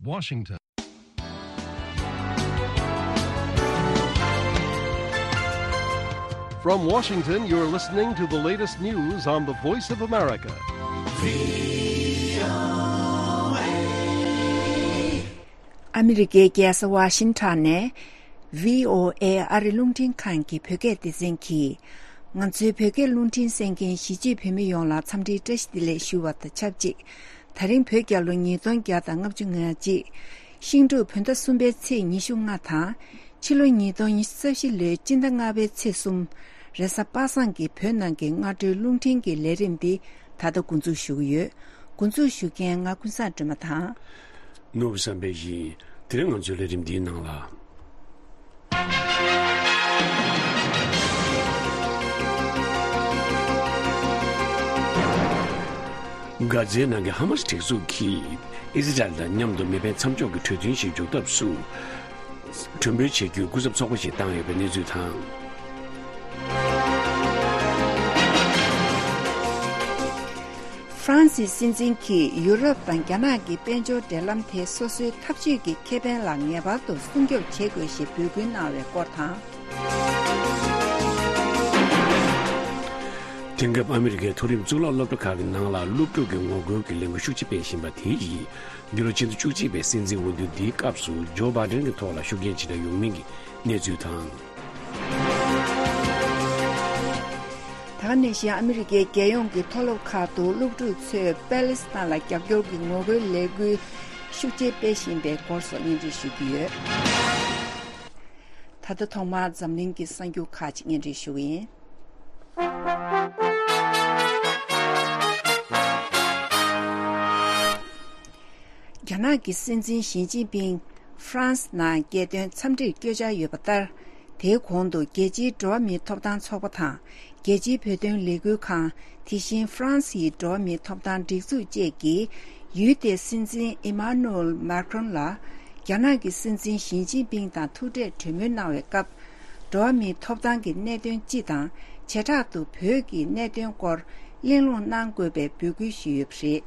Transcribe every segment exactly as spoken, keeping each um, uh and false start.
Washington. From Washington, you're listening to the latest news on the Voice of America. ཨ་མི་རི་ཀའི་རྒྱལ་ས་ཝ་ཤིང་ཊོན་ནས་བྷི་ཨོ་ཨེ་ཨ་རི་རླུང་འཕྲིན་ཁང་གི་བོད་སྐད་སྡེ་ཚན་གྱིས། ང་ཚོའི་བོད་སྐད་རླུང་འཕྲིན་གསན་མཁན་གཞིས་བྱེས་བོད་མི་ཡོངས་ལ་འཚམས་འདྲིའི་བཀྲ་ཤིས་བདེ་ལེགས་ཞུ་བ་དང་ཆབས་ཅིག་དེ་རིང་བོད་རྒྱལ་ལོ་ཉིས་སྟོང་བརྒྱ་དང་ལྔ་བཅུ་ང་གཅིག་ཤིང་འབྲུག་བོད་ཟླ་གསུམ་པའི་ཚེས་ཉི་ཤུ་ལྔ་དང་། ཕྱི་ལོ་ཉིས་སྟོང་ཉི་ཤུ་རྩ་བཞི་ལོའི་སྤྱི་ཟླ་ལྔ་པའི་ཚེས་གསུམ། རེས་གཟའ་པ་སངས་ཀྱི་བོད་ནང་གི་སྔ་དྲོའི་རླུང་འཕྲིན་གྱི་ལས་རིམ་འདི་ད་ལྟ་འགོ་འཛུགས་ཞུ་གི་ཡོད། འགོ་འཛུགས་ཞུ་མཁན་ང་ཀུན་བཟང་སྒྲོལ་མ་དང་། ནོར་བུ་བསམ་འཕེལ་ཡིན། དེ་རིང་ང་ཚོའི་ལས་རིམ་འདིའི་ནང་ལ། གྷ་ཛའི་ནང་གི་ཧ་མ་སི་སྒྲིག་འཛུགས་ཀྱིས་ཨི་ཟི་རལ་དང་མཉམ་དུ་མེ་འཕེན་མཚམས་འཇོག་གི་གྲོས་མཐུན་ཞིག་འཇོག་ཐབས་སུ་གྲོས་མོལ་བྱེད་རྒྱུའི་སྐུ་ཚབ་ཚོགས་པ་ཞིག་བཏང་ཡོད་པའི་གནས་ཚུལ་དང་། ཧྥ་རན་སིའི་སྲིད་འཛིན་གྱིས་ཡུ་རོབ་དང་རྒྱ་ནག་གི་དཔལ་འབྱོར་འབྲེལ་ལམ་དེ་སོ་སོའི་འཐབ་ཇུས་ཀྱི་ཁེ་ཕན་ལ་ངེས་པར་དུ་སྲུང་སྐྱོབ་བྱེད་དགོས་ཞེས་འབོད་སྐུལ་གནང་བའི་སྐོར་དང་། དེང་སྐབས་ཨ་མི་རི་ཀའི་མཐོ་རིམ་གཙུག་ལག་སློབ་གྲྭ་ཁག་གི་ནང་ལ་སློབ་ཕྲུག་གི་ངོ་རྒོལ་གྱི་ལས་འགུལ་ཤུགས་ཆེ་སྤེལ་བཞིན་པ་དེ་ཡིས། འདི་ལོ་ཕྱི་ཟླ་བཅུ་གཅིག་པའི་སྲིད་འཛིན་འོས་བསྡུ་འདིའི་སྐབས་སུ་ཇོ་བྷའི་ཌེན་གྱི་ཐོག་ལ་ཤུགས་རྐྱེན་ཇི་འདྲ་ཡོང་མིན་གྱི་གནས་ཚུལ་དང་། ད་ག་ནང་བཞིན་ཨ་མི་རི་ཀའི་རྒྱལ་ཡོངས་ཀྱི་མཐོ་སློབ་ཁག་ཏུ་སློབ་ཕྲུག་ཚོས་པེ་ལི་སི་ཐན་ལ་རྒྱབ་སྐྱོར་གྱི་ངོ་རྒོལ་ལས་འགུལ་ཤུགས་ཆེ་སྤེལ་བཞིན་པའི་སྐོར་སོགས་སྙན་སྒྲོན་ཞུ་གི་ཡོད། ད་ལྟ་ཐོག་མར་འཛམ་གླིང་གི་གསར་འགྱུར་ཁག་ཅིག་སྙན་སྒྲོན་ཞུ་གི་ཡིན། རྒྱ་ནག་གི་སྲིད་འཛིན་ཞི་ཅིན་ཕིང་ཧྥ་རན་སི་ནང་རྒྱལ་དོན་འཚམས་འདྲིར་བསྐྱོད་འཆར་ཡོད་པ་ལྟར། དེའི་གོང་དུ་རྒྱལ་སྤྱིའི་འགྲོ་བ་མིའི་ཐོབ་ཐང་ཚོགས་པ་དང་། རྒྱལ་སྤྱིའི་བོད་དོན་ལས་འགུལ་ཁང་། དེ་བཞིན་ཧྥ་རན་སིའི་འགྲོ་བ་མིའི་ཐོབ་ཐང་སྒྲིག་འཛུགས་བཅས་ཀྱིས། ཡུལ་དེའི་སྲིད་འཛིན་ཨི་མཱ་ནུ་ཨེལ་མཱ་ཁྲོན་ལ། རྒྱ་ནག་གི་སྲིད་འཛིན་ཞི་ཅིན་ཕིང་དང་ཐུག་འཕྲད་གྲོས་མོལ་གནང་བའི་སྐབས། འགྲོ་བ་མིའི་ཐོབ་ཐང་གི་གནད་དོན་སྤྱི་དང་། བྱེ་བྲག་ཏུ་བོད་ཀྱི་གནད་དོན་སྐོར་གླེང་སློང་གནང་དགོས་པའི་འབོད་སྐུལ་ཞུས་ཡོད་པ་རེད།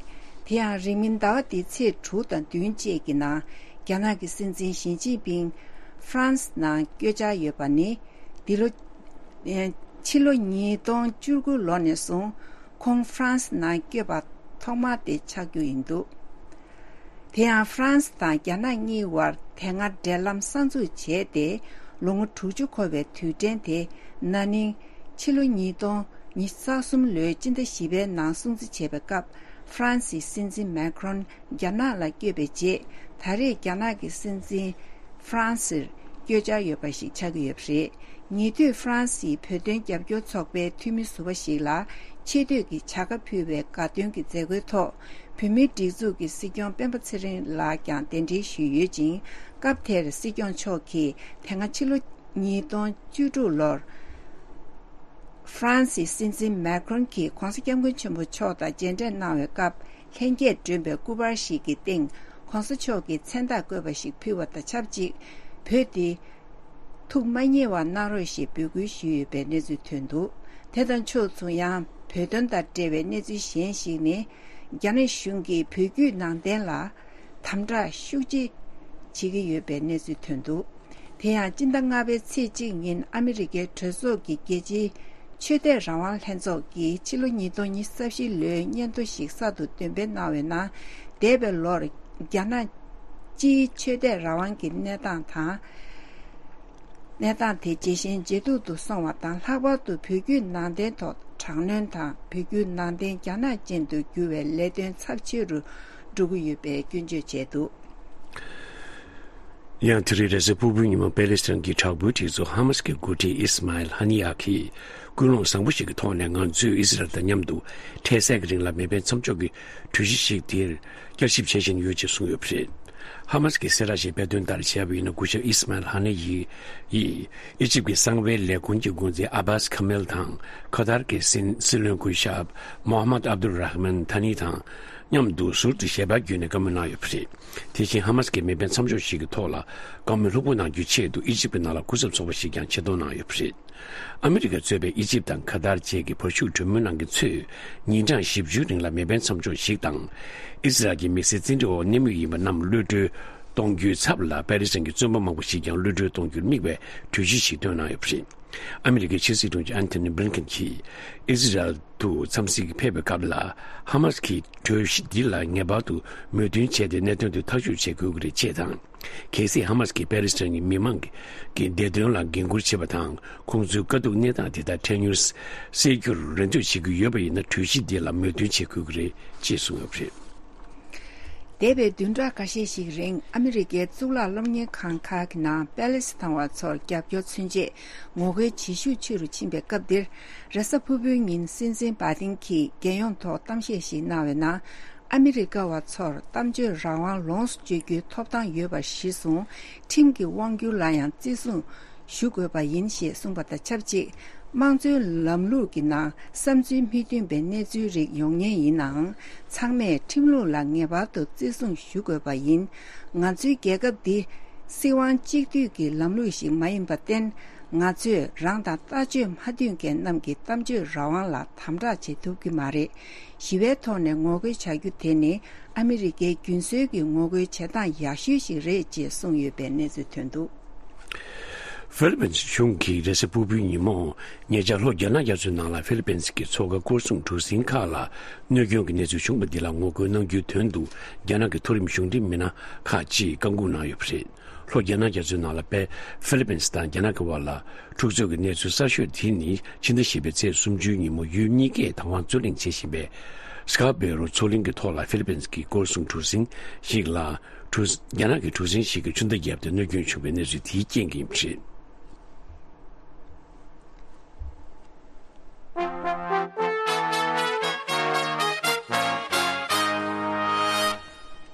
དེ་ཡང་རིང་མིན་ཟླ་བ་འདིའི་ཚེས་དྲུག་དང་བདུན་བཅས་ཀྱི་ནང་། རྒྱ་ནག་གི་སྲིད་འཛིན་ཞི་ཅིན་ཕིང་ཧྥ་རན་སི་ནང་བསྐྱོད་འཆར་ཡོད་པ་ནི། འདི་ལོ། ཕྱི་ལོ་ཉིས་སྟོང་བཅུ་དགུ་ལོ་ནས་བཟུང་། ཁོང་ཧྥ་རན་སི་ནང་བསྐྱོད་པ་ཐོག་མ་དེ་ཆགས་རྒྱུ་ཡིན་འདུག་དེ་ཡང་ཧྥ་རན་སི་དང་རྒྱ་ནག་གཉིས་བར་དེ་སྔ་འབྲེལ་ལམ་གསར་འཛུགས་བྱས་ཏེ། ལོ་ངོ་དྲུག་ཅུ་འཁོར་བའི་དུས་དྲན་དེ། ན་ནིང་ཕྱི་ལོ་ཉིས་སྟོང་ཉི་ཤུ་རྩ་གསུམ་ལོའི་སྤྱི་ཟླ་བཞི་པའི་ནང་སྲུང་བརྩི་བྱས་པའི་སྐབས། ཧྥ་རན་སིའི་སྲིད་འཛིན་མེ་ཁྲོན་རྒྱ་ནག་ལ་བསྐྱོད་པའི་རྗེས། ད་རེས་རྒྱ་ནག་གི་སྲིད་འཛིན་ཧྥ་རན་སིར་བསྐྱོད་འཆར་ཡོད་པ་ཞིག་ཆགས་ཀྱི་ཡོད་པ་རེད། ཉེ་དུས་ཧྥ་རན་སིའི་བོད་དོན་རྒྱབ་སྐྱོར་ཚོགས་པའི་འཐུས་མི་ཟུར་པ་ཞིག་ལ་ཆེ་བསྟོད་ཀྱི་བྱ་དགའ་ཕུལ་བའི་དགའ་སྟོན་གྱི་མཛད་སྒོའི་ཐོག་བོད་མིའི་སྒྲིག་འཛུགས་ཀྱི་སྲིད་སྐྱོང་སྤེན་པ་ཚེ་རིང་ལགས་ཀྱང་གདན་འདྲེན་ཞུས་ཡོད་ཅིང་། སྐབས་དེར་སྲིད་སྐྱོང་མཆོག་གིས་དེ་སྔ་ཕྱི་ལོ་ཉིས་སྟོང་བཅུ་དྲུག་ལོར། ཧྥ་རན་སིའི་སྲིད་འཛིན་མེ་ཁྲོན་གྱིས་༧གོང་ས་༧སྐྱབས་མགོན་ཆེན་པོ་མཆོག་དང་མཇལ་འཕྲད་གནང་བའི་སྐབས། ལྷན་རྒྱས་བསྒྲོན་པའི་སྐུ་པར་ཞིག་གི་སྟེང་༧གོང་ས་མཆོག་གི་མཚན་རྟགས་བཀོད་པ་ཞིག་ཕུལ་བ་དང་ཆབས་ཅིག་བོད་འདི་ཐུགས་མ་མཉེས་པ་གནང་རོགས་ཞེས་འབོད་སྐུལ་ཞུས་ཡོད་པའི་གནས་ཚུལ་ཐོན་འདུག་དེ་དང་ཕྱོགས་མཚུངས། ཡང་བོད་དོན་དང་འབྲེལ་བའི་གནས་ཚུལ་གཞན་ཞིག་ནི། རྒྱ་ནག་གཞུང་གིས་བོད་བརྒྱུད་ནང་བསྟན་ལ་དམ་དྲག་ཤུགས་ཆེ་བྱེད་ཀྱི་ཡོད་པའི་གནས་ཚུལ་ཐོན་འདུག་དེ་ཡང་སྤྱི་ཟླ་ལྔ་པའི་ཚེས་གཅིག་ཉིན་ཨ་མི་རི་ཀའི་གྲོས་ཚོགས་ཀྱི་རྒྱལ་སྤྱིའི་ཆོས་དད་རང་དབང་ལྷན་ཚོགས་ཀྱིས་ཕྱི་ལོ་ཉིས་སྟོང་ཉི་ཤུ་རྩ་བཞི་ལོའི་སྙན་ཐོ་ཞིག་གསར་དུ་འདོན་སྤེལ་གནང་བའི་ནང་། འདས་པའི་ལོར་རྒྱ་ནག་སྤྱིའི་ཆོས་དད་རང་དབང་གི་གནས་སྟངས་དང་། གནས་སྟངས་དེ་ཇེ་ཞན་ཇེ་སྡུག་ཏུ་སོང་བ་དང་། ལྷག་པར་དུ་བོད་བརྒྱུད་ནང་བསྟན་ཐོག་དྲག་གནོན་དང་། བོད་བརྒྱུད་ནང་བསྟན་རྒྱ་ནག་ཅན་དུ་བསྒྱུར་བའི་ལས་དོན་ཚབས་ཆེ་རུ་འགྲོ་གི་ཡོད་པའི་སྐྱོན་བརྗོད་བྱས་འདུག་ཡང་དེ་རིང་རེས་གཟའ་ཕུར་བུའི་ཉིན་མོ་པེ་ལེ་སི་ཐན་གྱི་དྲག་པོའི་སྒྲིག་འཛུགས་ཧ་མ་སི་ཀྱི་འགོ་ཁྲིད་ཨིས་མཱ་ཨེལ་ཧ་ནི་ཡ་གིས་ཀུན་སློང་བཟང་པོ་ཞིག་གི་ཐོག་ནས་ང་ཚོས་ཨི་སི་རལ་དང་མཉམ་དུ་འཕྲལ་སེལ་གྱི་རིང་ལ་མེ་འཕེན་མཚམས་འཇོག་གི་གྲོས་གཞི་ཞིག་དེར་བསྐྱར་ཞིབ་བྱེད་བཞིན་ཡོད་ཅེས་གསུངས་ཡོད་པ་རེད། ཧ་མ་སི་གི་གསལ་བསྒྲགས་ཤིག་སྤེལ་དོན་ལྟར་བྱས་པ་ཡིན་ན། སྐུ་ཞབས་ཨིས་མཱ་ཨེལ་ཧ་ནི་ཡི་ཡིས་ཨི་ཇིབ་ཀྱི་གསང་བའི་ལས་ཁུངས་ཀྱི་འགོ་འཛིན་ཨ་བྷ་སི་ཁ་མེལ་དང་། ཁ་ཐར་གྱི་སྲིད་སྲིད་བློན་སྐུ་ཞབས་མོ་ཧ་མད་ཨབ་དུལ་ར་ཧ་མན་ཐ་ནི་དང་། མཉམ་དུ་ཟུར་དུ་ཞལ་པར་བརྒྱུད་ནས་བཀའ་མོལ་གནང་ཡོད་པ་རེད། དེ་བཞིན་ཧ་མ་སི་ཀའི་མེ་འཕེན་མཚམས་འཇོག་ཞིག་གི་ཐོག་ལ་བཀའ་མོལ་ལྷུག་པོ་གནང་རྒྱུའི་ཆེད་དུ་ཨི་ཇིབ་ཀྱི་ནང་ལ་སྐུ་ཚབ་ཚོགས་པ་ཞིག་ཀྱང་ཆེད་གཏོང་གནང་ཡོད་པ་རེད། ཨ་མི་རི་ཀ་གཙོས་པའི་ཨི་ཇིབ་དང་ཁ་ཏར་བཅས་ཀྱི་བར་བཞུགས་གྲོས་མོལ་གནང་མཁན་ཚོས་ཉིན་གྲངས་བཞི་བཅུའི་རིང་ལ་མེ་འཕེན་མཚམས་འཇོག་ཞིག་དང་། ཨི་སི་རལ་གྱི་དམིགས་བསལ་བཙན་ཁྲིམས་འོག་གནས་མུས་ཡིན་པ་རྣམས་གློད་གྲོལ་གཏོང་རྒྱུའི་ཚབ་ལ་པེ་རི་སི་གི་བཙོན་པ་མང་པོ་ཞིག་ཀྱང་གློད་གྲོལ་གཏོང་རྒྱུར་དམིགས་པའི་གྲོས་གཞི་ཞིག་བཏོན་གནང་ཡོད་པ་རེད། ཨ་མི་རི་ཀའི་ཕྱི་སྲིད་དྲུང་ཆེ་ཨན་ཐོ་ནི་བྷི་ལིན་ཁེན་གྱིས་ཨི་སི་རལ་དུ་འཚམས་གཟིགས་ཕེབས་པའི་སྐབས་ལ། ཧ་མ་སི་ཀྱི་གྲོས་གཞི་འདི་ལ་ངེས་པར་དུ་མོས་མཐུན་བྱས་ཏེ་གནད་དོན་དེ་ཐག་གཅོད་བྱེད་དགོས་ཀྱི་རེད་ཅེས་དང་། གལ་སྲིད་ཧ་མ་སི་ཀྱིས་པེ་ལེ་སི་ཐན་གྱི་མི་མང་གི་བདེ་དོན་ལ་འགན་འཁུར་བྱེད་པ་དང་། ཁོང་ཚོའི་དཀའ་སྡུག་གནས་སྟངས་དེ་དག་འཕྲལ་མྱུར་སེལ་རྒྱུར་རེ་འདོད་བྱེད་ཀྱི་ཡོད་པ་ཡིན་ན། གྲོས་གཞི་འདི་ལ་མོས་མཐུན་བྱེད་དགོས་ཀྱི་རེད་ཅེས་གསུངས་ཡོད་པ་རེད། འདས་པའི་བདུན་ཕྲག་ཁ་ཤས་ཤིག་རིང་ཨ་མི་རི་ཀའི་གཙུག་ལག་སློབ་གཉེར་ཁང་ཁག་གི་ནང་པེ་ལེ་སི་ཐན་བ་ཚོར་རྒྱབ་སྐྱོར་མཚོན་ཆེད་ངོ་རྒོལ་བྱེད་ཤུགས་ཆེ་རུ་ཕྱིན་པའི་སྐབས་འདིར། རེས་གཟའ་ཕུར་བུའི་ཉིན་སྲིད་འཛིན་བྷ་དིན་གྱིས་རྒྱལ་ཡོངས་ཐོག་གཏམ་བཤད་ཞིག་གནང་བའི་ནང་། ཨ་མི་རི་ཀ་བ་ཚོར་གཏམ་བརྗོད་རང་དབང་ལོངས་སུ་སྤྱོད་རྒྱུའི་ཐོབ་ཐང་ཡོད་པ་གཞིར་བཟུང་། ཁྲིམས་ཀྱི་དབང་སྒྱུར་ལ་ཡང་བརྩི་སྲུང་ཞུ་དགོས་པ་ཡིན་ཞེས་གསུངས་པ་དང་ཆབས་ཅིག་དམངས་གཙོའི་ལམ་ལུགས་ཀྱི་ནང་བསམ་ཚུལ་མི་མཐུན་པའི་གནས་ཚུལ་རིགས་ཡོང་ཉེན་ཡིན་ནའང་། ཚང་མས་ཁྲིམས་ལུགས་ལ་ངེས་པར་དུ་བརྩི་སྲུང་ཞུ་དགོས་པ་ཡིན། ང་ཚོའི་རྒྱལ་ཁབ་འདི་སྲིད་དབང་གཅིག་སྡུད་ཀྱི་ལམ་ལུགས་ཤིག་མ་ཡིན་པར་བརྟེན། ང་ཚོས་རང་དང་ལྟ་སྤྱོད་མ་མཐུན་མཁན་རྣམས་ཀྱི་གཏམ་བརྗོད་རང་དབང་ལ་དམ་དྲག་བྱེད་ཐུབ་ཀྱི་མ་རེད། ཞི་བའི་ཐོག་ནས་ངོ་རྒོལ་བྱ་རྒྱུ་དེ་ནི་ཨ་མི་རི་ཀའི་རྒྱུན་སྲོལ་གྱི་ངོ་རྒོལ་བྱེད་སྟངས་ཡག་ཤོས་ཤིག་རེད་ཅེས་གསུངས་ཡོད་པའི་གནས་ཚུལ་ཐོན་འདུག། ཧྥི་ལི་པིན་གཞུང་གིས་རེས་གཟའ་ཕུར་བུའི་ཉིན་མོ་ཉེ་ཆར་ལྷོ་རྒྱ་ནག་རྒྱ་མཚོའི་ནང་ལ་ཧྥི་ལི་པིན་གྱི་མཚོ་ཁ་སྐོར་སྲུང་གྲུ་གཟིངས་ཁག་ལ་གནོད་སྐྱོན་གྱི་གནས་ཚུལ་བྱུང་བ་འདི་ལ་ངོ་རྒོལ་གནང་རྒྱུའི་དོན་དུ་རྒྱ་ནག་གི་མཐོ་རིམ་གཞུང་འབྲེལ་མི་སྣ་ཁག་ཅིག་བཀག་འགོག་གནང་ཡོད་པ་རེད། ལྷོ་རྒྱ་ནག་རྒྱ་མཚོའི་ནང་ལ་པེ་ཧྥི་ལི་པིན་དང་རྒྱ་ནག་གི་བར་ལ་འཁྲུག་རྩོད་ཀྱི་གནས་ཚུལ་གསར་ཤོས་དེ་ནི་ཕྱི་ཟླ་བཞི་པའི་ཚེས་སུམ་ཅུའི་ཉིན་མོ་ཡུལ་གཉིས་ཀས་བདག་དབང་རྩོད་གླེང་བྱེད་བཞིན་པའི་སི་ཀར་བེ་རོ་མཚོ་གླིང་གི་ཐོག་ལ་ཧྥི་ལི་པིན་གྱི་སྐོར་སྲུང་གྲུ་གཟིངས་ཤིག་ལ་གྲུ་རྒྱ་ནག་གི་གྲུ་གཟིངས་ཤིག་གིས་ཆུ་མདའ་བརྒྱབ་སྟེ་གནོད་སྐྱོན་བྱུང་བའི་གནས་ཚུལ་དེའི་རྐྱེན་གྱིས་ཡིན་པ་རེད།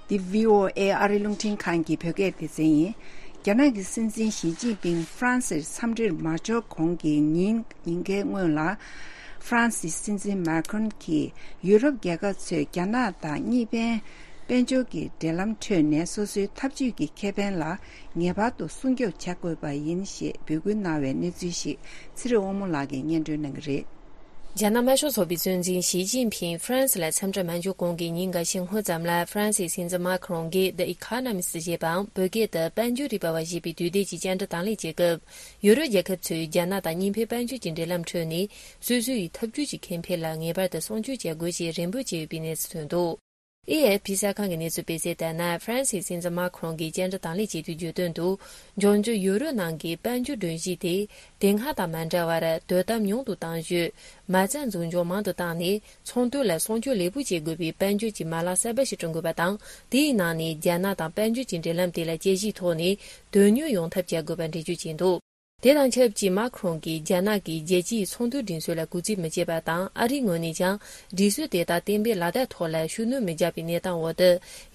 འདི་བྷི་ཨོ་ཨེ་ཨ་རི་རླུང་འཕྲིན་ཁང་གི་བོད་སྐད་སྡེ་ཚན་ཡིན། རྒྱ་ནག་གི་སྲིད་འཛིན་ཞི་ཅིན་ཕིང་ཧྥ་རན་སིར་འཚམས་འདྲིར་མ་འབྱོར་གོང་གི་ཉིན་ཉིན་འགའི་སྔོན་ལ། ཧྥ་རན་སིའི་སྲིད་འཛིན་མཱ་ཁྲོན་གྱིས་ཡུ་རོབ་རྒྱལ་ཁབ་ཚོས་རྒྱ་ནག་དང་གཉིས་ཕན་དཔལ་འབྱོར་གྱི་འབྲེལ་ལམ་ཁྲོད་ནས་སོ་སོའི་འཐབ་ཇུས་ཀྱི་ཁེ་ཕན་ལ་ངེས་པར་དུ་སྲུང་སྐྱོབ་བྱ་དགོས་པ་ཡིན་ཞེས་འབོད་སྐུལ་གནང་བའི་གནས་ཚུལ་ཞིག་ཚེ་རིང་དབང་མོ་ལགས་ཀྱིས་སྙན་སྒྲོན་གནང་གི་རེད། རྒྱ་ནག་དམར་ཤོག་ཚོགས་པའི་གཙོ་འཛིན་ཞི་ཅིན་ཕིང་ཧྥ་རན་སི་ལ་འཚམས་འདྲིར་མ་འབྱོར་གོང་གི་ཉིན་འགའ་ཤས་སྔོན་ཙམ་ལ། ཧྥ་རན་སིའི་སྲིད་འཛིན་མཱ་ཁི་རོང་གིས་The Economist ཞེས་པའམ་བོད་སྐད་དུ་དཔལ་འབྱོར་རིག་པ་བ་ཞེས་པའི་དུས་དེབ་ཀྱི་བཅར་འདྲི་དང་ལེན་བྱེད་སྐབས། ཡུ་རོབ་རྒྱལ་ཁབ་ཚོས་རྒྱ་ནག་དང་གཉིས་ཕན་དཔལ་འབྱོར་གྱི་འབྲེལ་ལམ་ཁྲོད་ནས་སོ་སོ་ཡི་འཐབ་ཇུས་ཀྱི་ཁེ་ཕན་ལ་ངེས་པར་དུ་སྲུང་སྐྱོབ་བྱེད་དགོས་ཞེས་རེ་འབོད་བྱས་ཡོད་པའི་གནས་ཚུལ་ཐོན་འདུག། ཨེ་ཨེ་ཕི་གསར་ཁང་གི་གནས་ཚུལ་སྤེལ་གསལ་ལྟར་ན། ཧྥ་རན་སིའི་སྲིད་འཛིན་མཱ་ཁི་རོང་གིས་བཅར་འདྲི་དང་ལེན་བྱེད་དུས་བརྗོད་དོན་དུ། འབྱུང་འགྱུར་ཡུ་རོབ་ནང་གི་དཔལ་འབྱོར་སྒྲོམ་གཞི་དེ་དེ་སྔ་དང་མ་འདྲ་བར་དོ་དམ་ཉུང་དུ་གཏང་རྒྱུ། མ་རྩ་འཛུགས་འཇོག་མང་དུ་བཏང་ནས་ཚོང་དོན་ལ་སྲུང་སྐྱོབ་ལེགས་པོ་བྱེད་དགོས་པའི་དཔལ་འབྱོར་གྱི་མ་ལག་གསར་པ་ཞིག་བསྐྲུན་དགོས་པ་དང་། དེའི་ནང་ནས་རྒྱ་ནག་དང་དཔལ་འབྱོར་གྱི་འབྲེལ་ལམ་དེ་ལ་དཔྱད་གཞིའི་ཐོག་ནས་དོན་གཉེར་ཡོང་ཐབས་བྱ་དགོས་པ་འགྲེལ་བརྗོད་བྱས་འདུག། དེ་དང་ཆབས་ཅིག་མཱ་ཁི་རོང་གིས་རྒྱ་ནག་གིས་རྒྱལ་སྤྱིའི་ཚོང་དོན་སྒྲིག་སྲོལ་ལ་གུས་བརྩི་མི་བྱེད་པ་དང་། ཨ་རིའི་ངོས་ནས་ཀྱང་སྒྲིག་སྲོལ་དེ་དག་གཏན་འབེབས་ལག་བསྟར་ཐོག་ལ་ཤུགས་སྣོན་མི་རྒྱག་པའི་གནས་སྟངས་འོག་ཏུ།